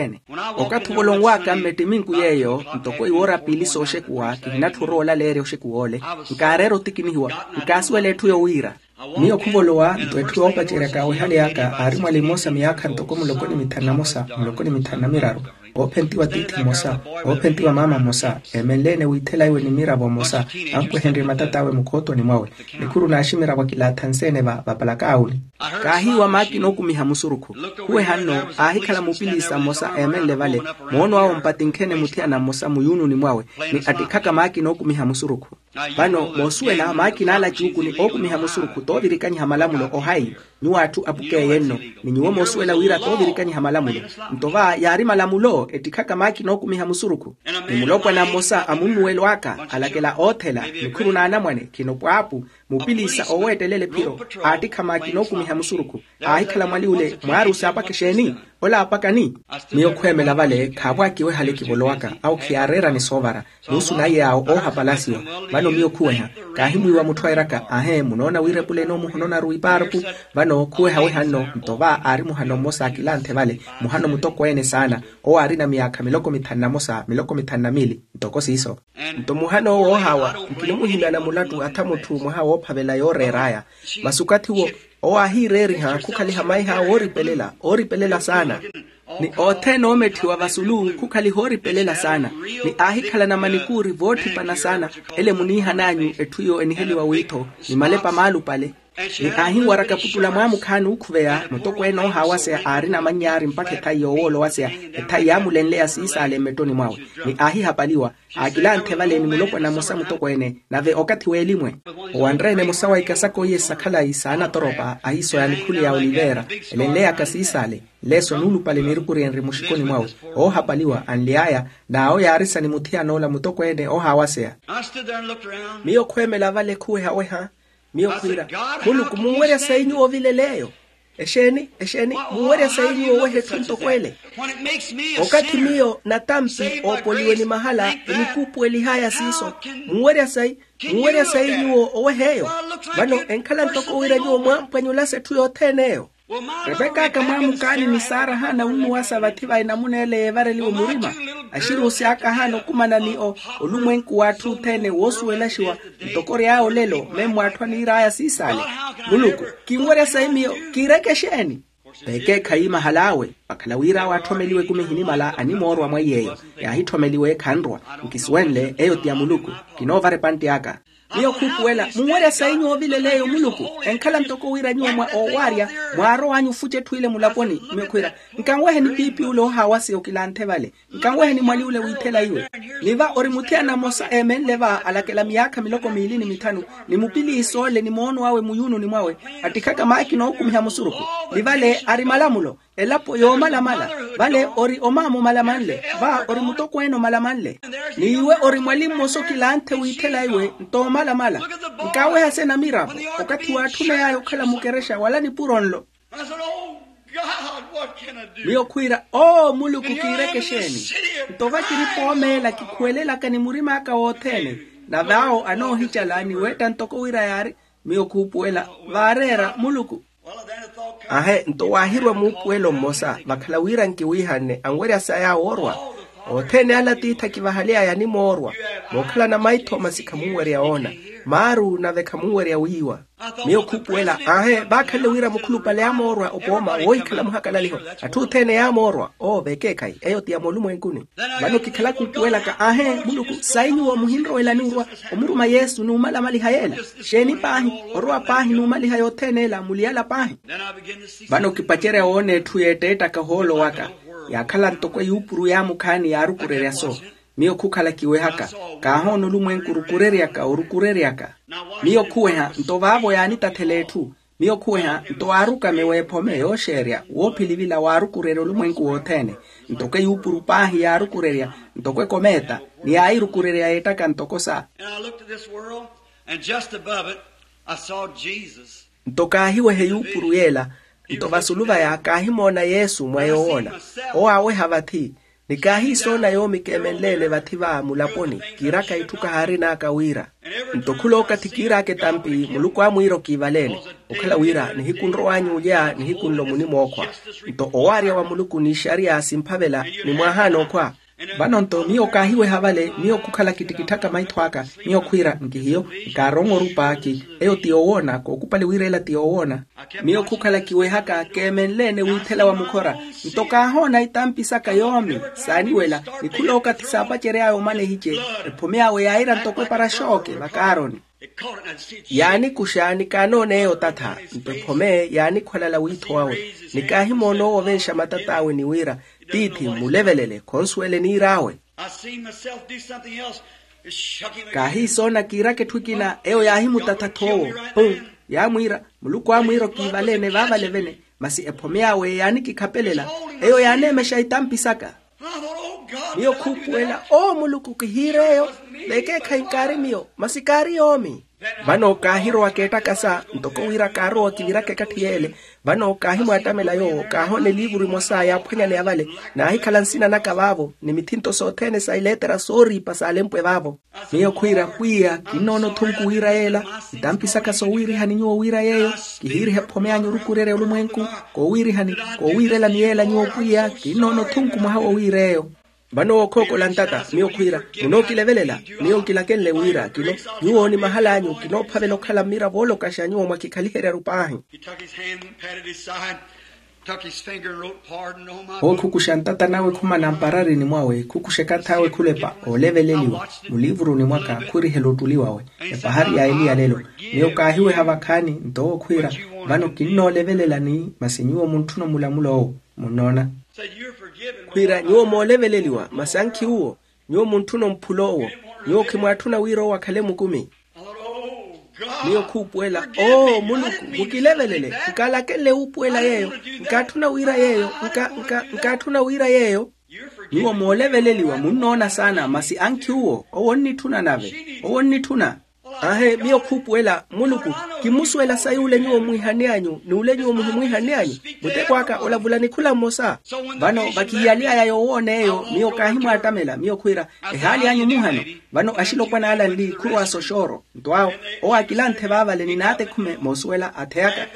Okathi ovola onwaaka mmettiminku yeeyo ntoko iwoora piili sooxekuwa kihinatthu oroola leerya oxekuwa ole. Nkaareera otikinihiwa. Nkaasuwela etthu yowiira. Miyo khuvolowa nto etthu yoopaceryaka awehale aka aari mwali mmosa miyaakha ntoko muloko ni mithanu na mosa muloko ni mithanu na miraru. Oophentiwa tiithi mmosa. Oophentiwa maama mmosa. Eemenle-ene wiithela iwe ni miravo mmosa. Ampwehenrye matat'awe mukhootoni mwawe. Nikhuru n'aximiravo akilaatha nsi-ene va vapalaka awuni. Kaahiiwa maakina ookumiha musurukhu. Khuweha nno aahikhala mupiliisa mmosa eemenle vale. Moono awe ompatinkhene muthiyana mmosa muyuununi mwawe ni attikhaka maakina ookumiha musurukhu. Vano moosuwela maakina ala cuuku ni ookumiha musurukhu toovirikanyiha malamulo ohaiyo. Nyuwo atthu apukeeye nno. Ni nyuwo moosuwela wira toovirikanyiha malamulo. Nto va yaari malamulo ettikhaka maakina ookumiha musurukhu. Ni mulopwana mmosa a munnuwelo aka alakela oothela. Nikhuru n'anamwane khino pwaapu. Mupiliisa ooweettelela ephiro aattikha maakina ookumiha musurukhu. Aahikhala mwali ole mwaari osaapaka exeeni? Ole aapakani? Miyo khuhemela vale khaavo akiwehale kivolowaka. Awo khiyaareerani soovara. Muusu naye awo oohapalasiwa. Vano miyo khuweha. Kaahimwiiwa mutthu airaka ahe munoona wira epuleni omuhononaru ipaarku. Vano khuwehaweha nno nto va aari muhano mmosa akilanthe vale. Muhano mutokweene saana. Owo aarina miyaakha miloko mithanu na mosa miloko mithanu na miili. Ntoko siiso. Nto muhana owo woohaawa nkinimuhimyana mulattu atha mutthu mwaha woophavela yooreer'aya. Masi okathi wo owo aahiireeriha khukhaliha maiha wooripelela ooripelela saana. Ni othene oometthiwa vasulu khukhaliha ooripelela saana. Ni aahikhalana manikuuri voottipana saana. Ele muniihan'anyu etthu iyo eniheliwa wiitho ni malepa maalupale. Ni aahinwaraka putula mwaamukhaani ookhuveya mutokweene oohaawaseya aarina amanyaari mpakha ethayi yoowoolowaseya. Ethayi yaamulenleya siisaale mmettoni mwawe. Ni aahihapaliwa aakilanthe vale ni mulopwana mmosa mutokweene. Nave okathi w'elimwe owanre-ene mmosa wa ikasaka iye sa khalayi saanatoropa ahiisoya nikhuli ya oliveera. Elenleyaka siisaale nleeso nuulupale niirukuri enri muxikoni mwawe. Oohapaliwa anly'aya. N'awo yaarisa ni muthiyan'ola mutokweene oohaawaseya. Miyo khweemela vale khuwehaweha. Miyo khwiira, muluku munwerya sayi nyuwo ovilel'eyo? Exeeni exeeni munwerya sayi nyuwo oweha etthu ntoko ele? Okathi miyo natampi oopoliwe ni mahala enikuupuwelih'aya siiso. Munwerya sayi munwerya sayi nyuwo oweh'eyo? Vano enkhala ntoko wira nyuwo mwaampwanyulasa etthu yothene eyo. Repek'aka mwaamukaani ni saara ahaana wunnuwasa vathi va enamuna ele yeevareliwe murima. Axiri osi aka ahaana okumana ni olumwenku w'atthu othene woosuwelaxiwa. Ntoko ory'aya olelo memmo atthu aniir'aya siisaale. Muluku kinwerya sayi miyo kiireke exeeni? Veekeekhayi mahal'awe vakhala wira awo atthomeliwe ekumi ehinimala animoorwa mwa iy'eyo. Yaahitthomeliwe khanrwa. Nkisuwenle eyo ti ya muluku. Kinoovara epantte aka. Miyo khuupuwela munwerya sayi nyuwo ovilel'eyo muluku? Enkhala ntoko wira nyuwo mwa oowaarya mwaarow'anyu ofuca etthu ile mulaponi. Miyo khwiira, nkanweheni piipi ule oohaawaseya okilanthe vale. Nkanweheni mwali ule wiithela iwe. Ni va ori muthiyana mmosa eemenle va alakela miyaakha miloko miili ni mithanu. Ni mupiliisa ole ni moono awe muyuununi mwawe attikhaka maakina ookumiha musurukhu. Ni vale ari malamulo, elapo yoomalamala. Vale ori omaama omalamanle, va ori mutokweene omalamanle. N'iwe ori mwali mmosa okilanthe wiithela iwe ntoomalamala. Nkaaweha sena miravo okathi waatthuney'aya okhala mukerexa wala nipuro nlo. Miyo khwiira oo muluku kiireke exeeni? Nto vakiri poomeela kikhuwelelaka ni murim'aka wothene. Nave awo anoohicala ni weetta ntoko wira yaari. Miyo khuupuwela vaareera muluku. Ahe nto waahirwa muupuwelo mmosa vakhala wira nkiwiihanne anwerya saya woorwa. Othene ala tiithi akivahaly'aya animoorwa. Mookhalana maitho masi khamunwerya woona. Maaru nave khamunwerya wiiwa. Miyo khuupuwela aahe vaakhanle wira mukhulupale yaamoorwa opooma woohikhala muhakalaliho. Atthu othene yaamoorwa oo vekeekhayi eyo ti ya moolumwenkuni. Vano kikhala khuupuwelaka aahe muluku sayi nyuwo muhinrowelani orwa omuruma yesu n'umalamaliha yeela? Xeeni paahi orowa paahi n'umaliha yothene ela muliyala paahi. Vano kipacerya woona etthu yeetteettaka ohoolo waka yaakhala ntoko eyuupuru yaamukhaani yaarukurerya so. Miyo khukhala kiwehaka kaahoona olumwenku orukureryaka orukureryaka. Miyo khuweha nto vaavo yaanitathela etthu. Miyo khuweha nto aarukame w'ephome yooxeerya woophilivila waarukurerya olumwenku wothene. Ntoko eyuupuru paahi yaarukurerya ntoko ekomeeta ni yaayirukurerya yeettaka ntoko sa. And I looked at this world, and just above it I saw Jesus. Nto kaahiweha eyuupuru yeela nto vasulu vaya kaahimoona yesu mwa yoowoona. Owo aaweha vathi ni kaahiisoona yoomi keemenleene vathi va mulaponi kiiraka itthu kahaarin'aka wira. Nto khulookathi kiiraka etampi muluku amwiira okiivaleene. Okhala wira nihiku nrow'anyu olya nihiku nlo munimookhwa. Nto owaarya wa muluku n'ixariya simphavela ni mwaahaana okhwa. Vano nto miyo kaahiweha vale miyo khukhala kittikitthaka maitho aka. Miyo khwiira nkihiyo nkaarowa orupa ki eyo ti yoowoona kookupali wira ela ti yoowoona. Miyo khukhala kiwehaka keemenleene wiithela wa mukhora. Nto kaahoona itampi saka yoomi saaniwela ni khulookathi saapacery'aya omana ehice. Ephome awe yaayira ntoko epara xooke vakaaroni. Yaanikuxa ni kaanoona eyo tatha. Nto ephome yaanikhwalala wiitho wawe ni kaahimoona owo ovenxa matat'awe ni wira tiithi mmulevelele khonsuwele niir'awe. Kaahiisoona kiiraka etthu ekina eyo yaahimutatha-tho owo. Pum. Yaamwiira muluku aamwiira okiivaleene vaavale vene. Masi ephome awe yaanikikhapelela eyo yaaneemexa itampi saka. Miyo khuupuwela oo muluku kihiir'eyo. Vekeekhayi nkaari miyo masi kaari yoomi. Vano kaahirowaka ettakasa ntoko wira kaarowa kiviraka ekatthi yeele. Vano kaahimwaattamela yoowo kaahoona eliivuru emosa yaaphwanyaneya vale naahikhala nsina naka vaavo ni mithinto sothene sa ileetera sooriipa saalempwe vaavo. Miyo khwiira pwiya kinnoona othunku wira yeela. Itampi saka soowiirihani nyuwo wira yeeyo. Kihiiriha ephome anyu orukurerya olumwenku koowiirihani koowiirelani yeela nyuwo pwiya kinnoona othunku mwaha wowiir'eyo. Vano wookhookola ntata miyo khwiira munookilevelela. Miyo nkilakenle wira kino nyuwo ni mahal'anyu kinoophavela okhala mmira voolokaxa nyuwo mwakikhaliheryaru paahi. Ookhukuxa ntata nawe khumana mpararini mwawe khukuxa ekath'awe khulepa ooleveleliwa muliivuruni mwaka khurihela ottuli wawe. Epahari ya eliya lelo miyo kaahiweha vakhaani nto owo khwiira vano kinnoolevelelani masi nyuwo muntthuna omulamul'owo. Munnoona khwiira nyuwo mooleveleliwa masi ankhi uwo. Nyuwo muntthuna omphul'owo. Nyuwo khimwaatthuna wira owo akhale mukumi. Miyo khuupuwela oo muluku mukilevelele. Nkalakenle wuupuwela yeeyo. Nkaatthuna wira yeeyo nka nka nkaatthuna wira yeeyo. Nyuwo mooleveleliwa munnoona saana masi ankhi uwo owo onnitthuna nave. Owo onnitthuna. Aahe miyo khuupuwela muluku kimmusuwela sayi ule nyuwo mwiihanne anyu ni ule nyuwo muhimwiihanne anyu. Muteko aka olavula nikhula mmosa. Vano vakihiyaly'aya yoowoon'eyo miyo kaahimwaattamela miyo khwiira ehaali anyu muhano. Vano axilopwana ala nli khurowa soxooro. Nto awo owo akilanthe vaavale ni naatekhume moosuwela atheyaka.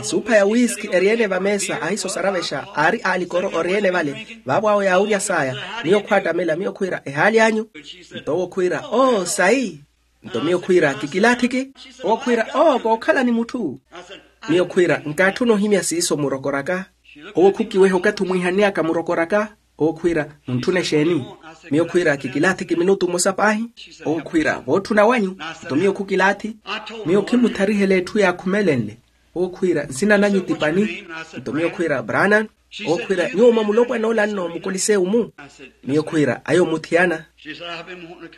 Esuupha ya wiiski eri-ene vameesa ahisosaravexa aari aalikoro ori-ene vale. Vaavo awo yaawurya saaya miyo khwaattamela miyo khwiira ehaali anyu. Nto owo khwiira oo sayi. Nto miyo khwiira kikilaathiki. Owo khwiira oo kookhala ni mutthu. Miyo khwiira nkaatthuna ohimya siiso murokoraka. Owo khukiweha okathi omwiihanne aka murokoraka. Owo khwiira muntthuna exeeni? Miyo khwiira kikilaathiki minutu mmosa paahi. Owo khwiira vootthuna wanyu. Nto miyo khukilaathi. Miyo khimutharihela etthu yaakhumelenle. Owo khwiira nsina nanyu ti pani? Nto miyo khwiira branan. Owo khwiira nyuwo mwa mulopwana ola nno mukoliseu-mu? Miyo khwiira ayo muthiyana.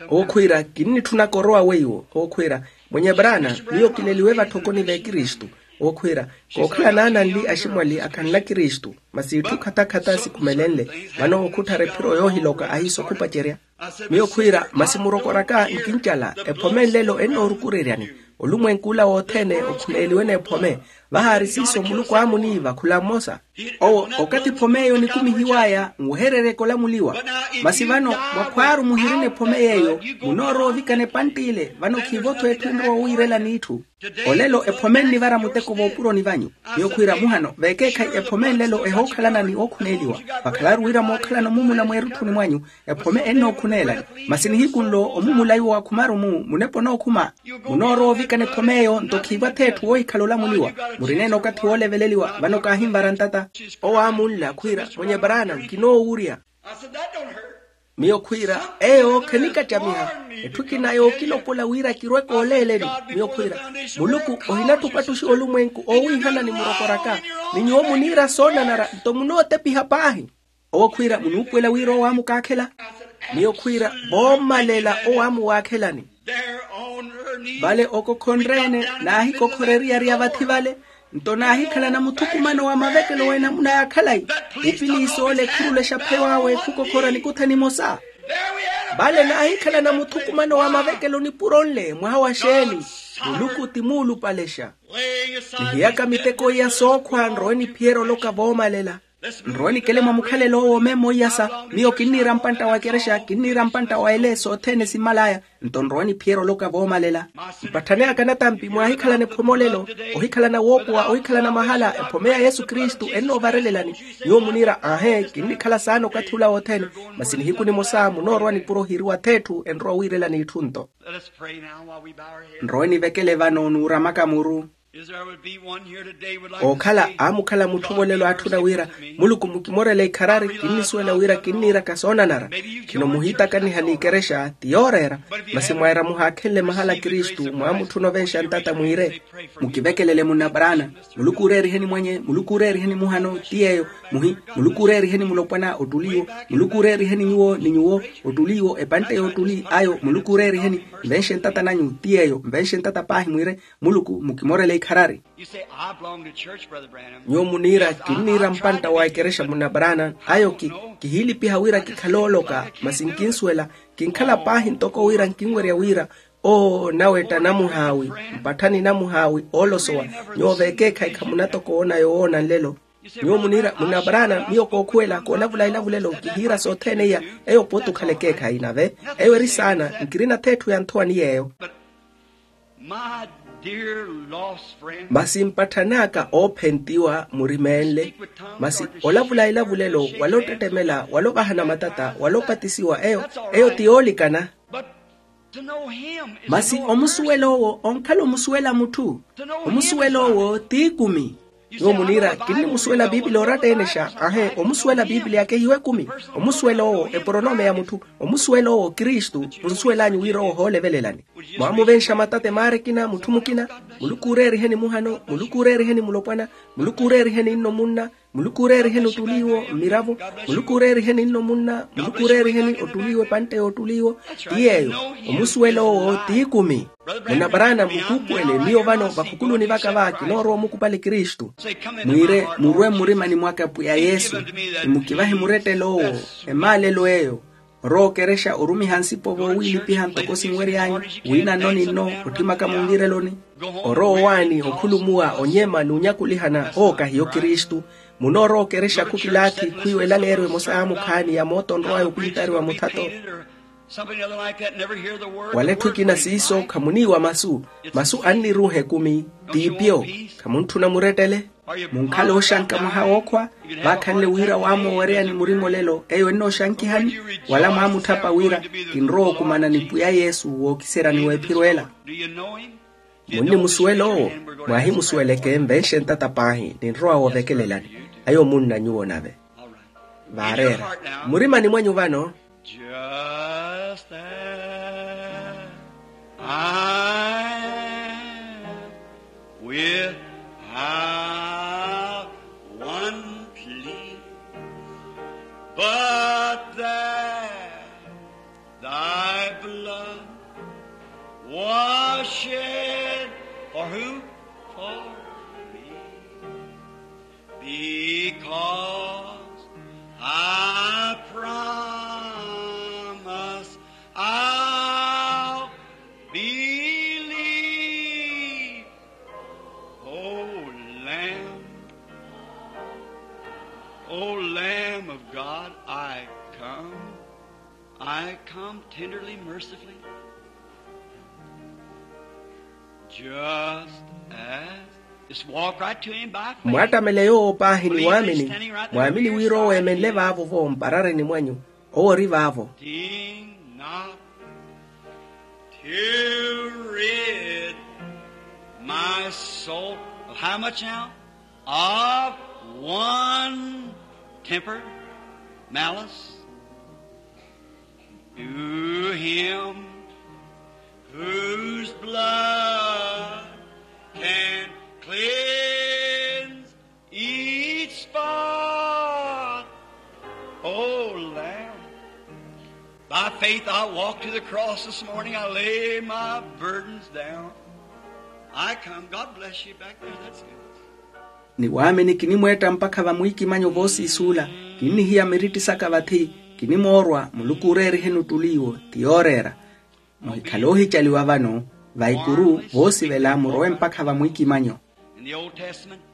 Owo khwiira kinnitthunaka orowa weiwo owo khwiira mwenye branan miyo kileliwe vathokoni v'ekristu. Owo khwiira, kookhala naananli aximwali akhanla kristu, masi itthu khatakhatha sikhumelenle. Vano okhutthara ephiro yoohiloka ahiisa okhupacerya. Miyo khwiira, masi murokoraka nkincala, ephome nlelo ennoorukureryani. Olumwenku ola wothene okhuneeliwe n'ephome. Vahaari siiso muluku aamuniiva khula mmosa. Owo, okathi ephome eyo enikumihiw'aya nwehereryeke olamuliwa. Masi vano, mwakhwaaru muhirina ephome yeeyo, munoorowa ovikana epantti ile vano khiivo-tho etthu enrowa owiirela n'itthu. Olelo ephome ennivara muteko voopuroni vanyu. Miyo khwiira muhano veekeekhayi ephome nlelo ehookhalana ni ookhuneeliwa. Vakhalaru wira mookhalana omumula mweerutthuni mwanyu. Ephome ennookhuneelani. Masi nihiku nlo omumula iwo wa khumaru-mu munepa onookhuma. Munoorowa ovikana ephome eyo nto khiivo-tho etthu woohikhala olamuliwa. Murineene okathi wooleveleliwa vano kaahinvara ntata. Owo aamunla khwiira, mwenye brana nkinoowurya. Miyo khwiira, eyo khenikattamiha. Etthu ekina yookilopola wira kirwe kooleeleni. Miyo khwiira, muluku ohinatthupatthuxiwa olumwenku oowiihana ni murokoraka. Ni nyuwo muniira soonanara nto munootepiha paahi. Owo khwiira munuupuwela wira owo aamukaakhela. Miyo khwiira, voomalela owo aamuwaakhelani. Vale okokhonre-ene, naahikokhoreriyariya vathi vale. Nto naahikhalana muthukumano wa mavekelo w'enamuna ya khalayi. Epiliisi ole khurulexa pheyo awe khukokhora nikuthani emosa. Vale naahikhalana muthukumano wa mavekelo nipuro nle mwaha wa xeeni. Muluku ti muulupalexa. Nihiyaka miteko iya sookhwa nrowe niphiyerya oloka voomalela. Nrowe nikele mwa mukhalelo owo memmo iyasa. Miyo kinniira mpantta wa ekerexa kinniira mpantta wa ele sothene simmal'aya. Nto nrowe niphiyerya oloka voomalela. Mpatthani aka natampi mwaahikhalana ephome olelo, ohikhalana woopowa ohikhalana mahala ephome ya yesu kristu ennoovarelelani. Nyuwo muniira aahe kinnikhala saana okathi ula wothene. Masi nihiku nimosa munoorowa nipuro ohiriwa-tho etthu enrowa owiirelani itthu nto. Nrowe nivekele vano nuuramaka muru. Ookhala aamukhala mutthu vo lelo aatthuna wira, muluku mukimorele ikharari kinnisuwela wira kinniiraka soonanara. Khino muhiitakaniha n'ikerexa ti yooreera. Masi mwaira muhaakhenle mahala kristu mwaamutthuna ovenxa ntata mwiire, mukivekelele munna paraana. Muluku ooreeriheni mwenye muluku ooreeriheni muhano ti yeeyo. Muhi muluku ooreeriheni mulopwana ottuli iwo. Muluku ooreeriheni nyuwo ni nyuwo ottuli iwo epantte y'ottuli ayo muluku ooreeriheni. Nvenxe ntata nanyu ti yeeyo nvenxe ntata paahi mwiire. Muluku mukimorela ikharari. Nyuwo muniira kinniira mpantta wa ekerexa munna paraana ayo ki kihiilipiha wira kikhale ooloka. Masi nkinsuwela kinkhala paahi ntoko wira nkinwerya wira. Oo nawetta namuhaawi mpatthani namuhaawi oolosowa. Nyuwo veekeekhayi khamunatoko woona yowoona nlelo. Nyuwo muniira munna paraana miyo kookhuwela koolavula ilavu lelo kihiira sothene iya. Eyo pooti okhala ekeekhayi nave eyo eri saana. Nkirina-tho etthu ya nthowa ni yeeyo. Masi mpatthani aka oophentiwa murimeenle. Masi olavula ilavu lelo wala ottettemela wala ovahana matata wala opatisiwa eyo eyo ti yoolikana. Masi omusuwela owo onkhala omusuwela mutthu. Omusuwela owo t'ikumi. Nyuwo muniira kinnimusuwela piipili oratta-enexa ahe omusuwela piipili akehiwe ekumi. Omusuwela owo eporonome ya mutthu. Omusuwela owo kristu. Munsuwel'anyu wira owo ohoolevelelani. Mwaamuvenxa matata emaara ekina mutthu mukina. Muluku ooreeriheni muhano muluku ooreeriheni mulopwana. Muluku ooreeriheni nno munna. Muluku ooreeriheni ottuli iwo mmiravo. Muluku ooreeriheni nno munna muluku ooreeriheni ottuli iwo epantte y'ottuli iwo. Ti yeeyo omusuwela owo t'ikumi. Munna paraana mukuupuwele miyo vano vakhukuluni vaka va kinoorowa omukupali kristu. Mwiire murwe mmurimani mwaka pwiya yesu. Ni mukivahe murettelo owo emaalelo eyo. Orowa okerexa orumiha nsipo voowiilipiha ntoko sinwery'anyu wiina nno ni nno otthimaka munvireloni. Orowa owaani okhulumuwa onyema n'unyakulihana owo kahiyo kristu. Munoorowa okerexa khukilaathi khwiiwa elaleeryo emosa yaamukhaani ya mooto onrow'aya okwintariwa muthato. Wala etthu ekina siiso khamuniiwa masu. Masu anniruuha ekumi. T'ipiyo. Khamuntthuna murettele. Munkhala ooxanka mwaha wookhwa. Vaakhanle wira waamoowereyani murima olelo eyo ennooxankihani. Wala mwaamutthapa wira kinrowa okumana ni pwiya yesu wookiseryani w'ephiro ela. Munnimusuwela owo? Mwaahimusuweleke nvenxe ntata paahi ninrowa woovekelelani. Ayo munna nyuwo nave. Vaareera murimani mwanyu vano. Just as I am, without one plea, but that thy blood was shed for who? For me. O Lamb of God, I come. I come tenderly, mercifully. Just as. Just walk right to him by faith. Mwaattamele yoowo paahi ni waamini. Mwaamini wira owo eemenle vaavo vo mparareni mwanyu. Owo ori vaavo. Deign not to rid my soul of how much now? Of one temper, malice. To him whose blood can cleanse each spot. O Lamb, by faith I walk to the cross this morning. I lay my burdens down. I come. God bless you back there. That's good. Ni waamini kinimweetta mpakha vamwiikimanyo voosiisuula. Kinnihiya miritti saka vathi. Kinimoorwa muluku ooreeriheni ottuli iwo. Ti yooreera. Muhikhale oohicaliwa vano va ikuru voosivela murowe mpakha vamwiikimanyo.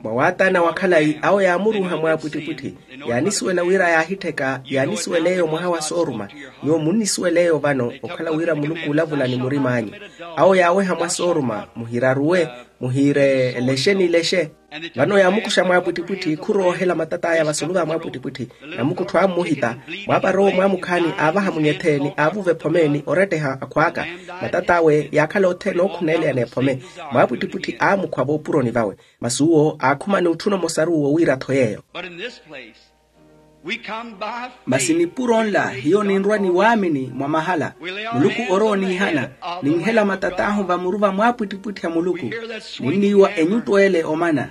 Mwa waataana wa khalayi awo yaamuruuha mwaapwittipwitthi. Yaanisuwela wira yaahittheka yaanisuwel'eyo mwaha wa sooruma. Nyuwo munnisuwela eyo vano okhala wira muluku oolavula ni murim'anyu. Awo yaaweha mwa sooruma muhiraruwe. Muhiire lexe ni lexe. Vano yaamukuxa mwaapwittipwitthi khuroohela matat'aya vasulu va mwaapwittipwitthi. Namukuttho ammuhita. Mwaapara owo mwaamukhaani aavaha munyethe ni aavuva ephome ni oretteha akhw'aka. Matat'awe yaakhala othene ookhuneleya n'ephome. Mwaapwittipwitthi aamukhwa voopuroni vawe. Masi uwo aakhuma ni otthuna omosaru wowira-tho yeeyo. Masi nipuro nla hiyo ninrwa ni waamini mwa mahala. Muluku orooniihana. Ninhela matat'ahu vamuru va mwaapwittipwitthi a muluku. Ninniiwa enyuttu ele omana.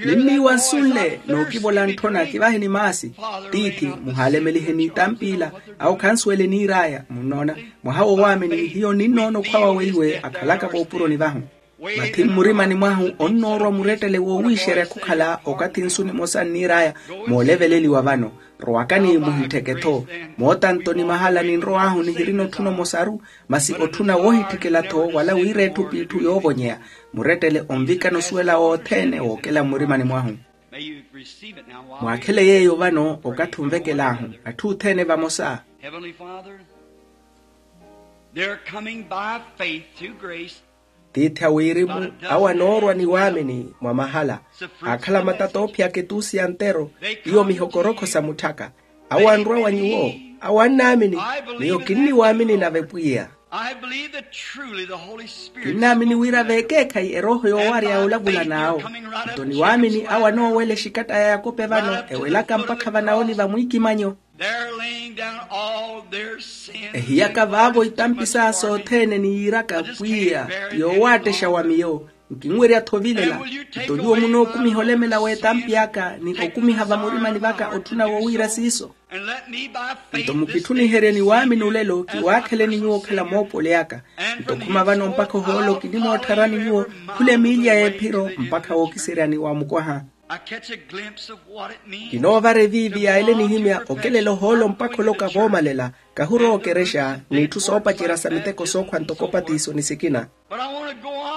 Ninniiwa nsu nle nookivola ntthona kivahe ni maasi. Tiithi, muhaalemelihe n'itampiila. Awo khansuwele niir'aya munnoona. Mwaha wo waamini hiyo ninnoona okhwa wawe iwe akhalaka voopuroni vahu. Mathi mmurimani mwahu onnoorwa murettele woowiixerya khukhala okathi nsu nimosa nniir'aya. Mooleveleliwa vano. Rowakani muhittheke-tho. Mootanto ni mahala ninrow'ahu nihirina otthuna omosaru. Masi otthuna woohitthikela-tho wala wira etthu p'itthu yoovonyeya. Murettele onvikana osuwela othene wookela mmurimani mwahu. Mwaakhele yeeyo vano okathi onvekel'ahu. Atthu othene vamosa. Tiithi a wirimu awo anoorwa ni waamini mwa mahala. Aakhala matata oophiyaka etuusi ya ntero. Iyo mihokorokho sa mutthaka. Awo anrwa wa nyuwo. Awo annaamini. Miyo kinniwaamini nave pwiya. Kinnaamini wira veekeekhayi erooho yoowarya yoolavula n'awo. Nto niwaamini awo anoowela exikatta ya yakope vano ewelaka mpakha vanawo ni vamwiikimanyo. Ehiyaka vaavo itampi saya sothene ni yiiraka pwiya ti yoowaattexya wa miyo. Nkinwerya-tho ovilela. Nto nyuwo munookumiha olemela w'etampi aka ni okumiha vamurimani vaka otthuna wowiira siiso. Nto mukitthuniherye ni waamini olelo kiwaakheleni nyuwo okhala moopoli aka. Nto khuma vano mpakha ohoolo kinimoottharani nyuwo khula emiiliya y'ephiro mpakha wookiseryani wa mukwaha. Kinoovara eviivi yaele nihimya okelela ohoolo mpakha oloka voomalela. Kahurowa okerexa n'itthu soopacerya sa miteko sookhwa ntoko opatiso ni sikina.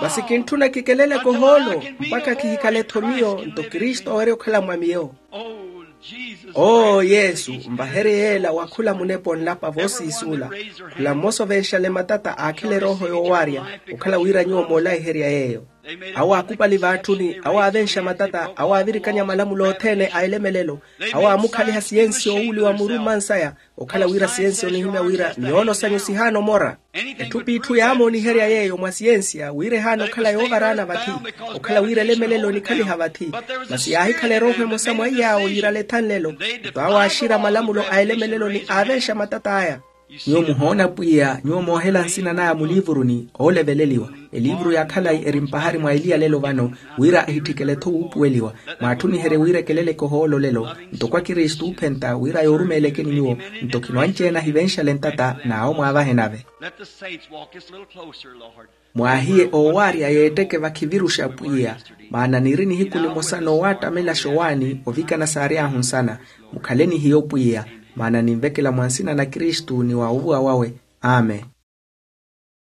Masi kintthuna kikeleleke ohoolo mpakha kihikale-tho miyo nto kristu owerya okhala mwa miyo. Oo yesu, nvaherye yeela wa khula munepa onlapa voosiisuula. Khula mmosa ovenxale matata aakhila erooho yoowaarya. Okhala wira nyuwo moolayiherya yeeyo. Awo aakupali v'atthuni, awo aavenxa matata, awo aavirikanya malamulo othene a elemelelo. Awo aamukhaliha siyensiya owuuliwa muru mmansaya. Okhala wira siyensiya onihimya wira miyoono sanyu sihaana omora. Etthu p'itthu yaamooniherya yeeyo mwa siyensiya wira ehaana okhala yoovaraana vathi. Okhala wira elemelelo enikhaliha vathi. Masi yaahikhala erooho emosa mwa iy'awo yiirala ethanlelo. Nto awo aaxira malamulo a elemelelo ni aavenxa matata aya. Nyuwo muhoona pwiya nyuwo moohela nsina naya muliivuruni ooleveleliwa. Eliivuru ya khalayi eri mpahari mwa eliya lelo vano, wira ahitthikele-tho wuupuweliwa. Mwaatthuniherye wira ekeleleke ohoolo lelo ntoko akristu oophenta wira yoorumeelekeni nyuwo. Nto khino anci-ene ahivenxale ntata n'awo mwaavahe nave. Mwaahiye oowaarya yeetteke vakhiviruxa pwiya. Maana niiri nihiku nimosa noowaattamelaxa owaani ovikana saary'ahu nsana. Mukhaleni hiyo pwiya. Maana ninvekela mwa nsina na kristu ni wa ovuwa wawe. Amen.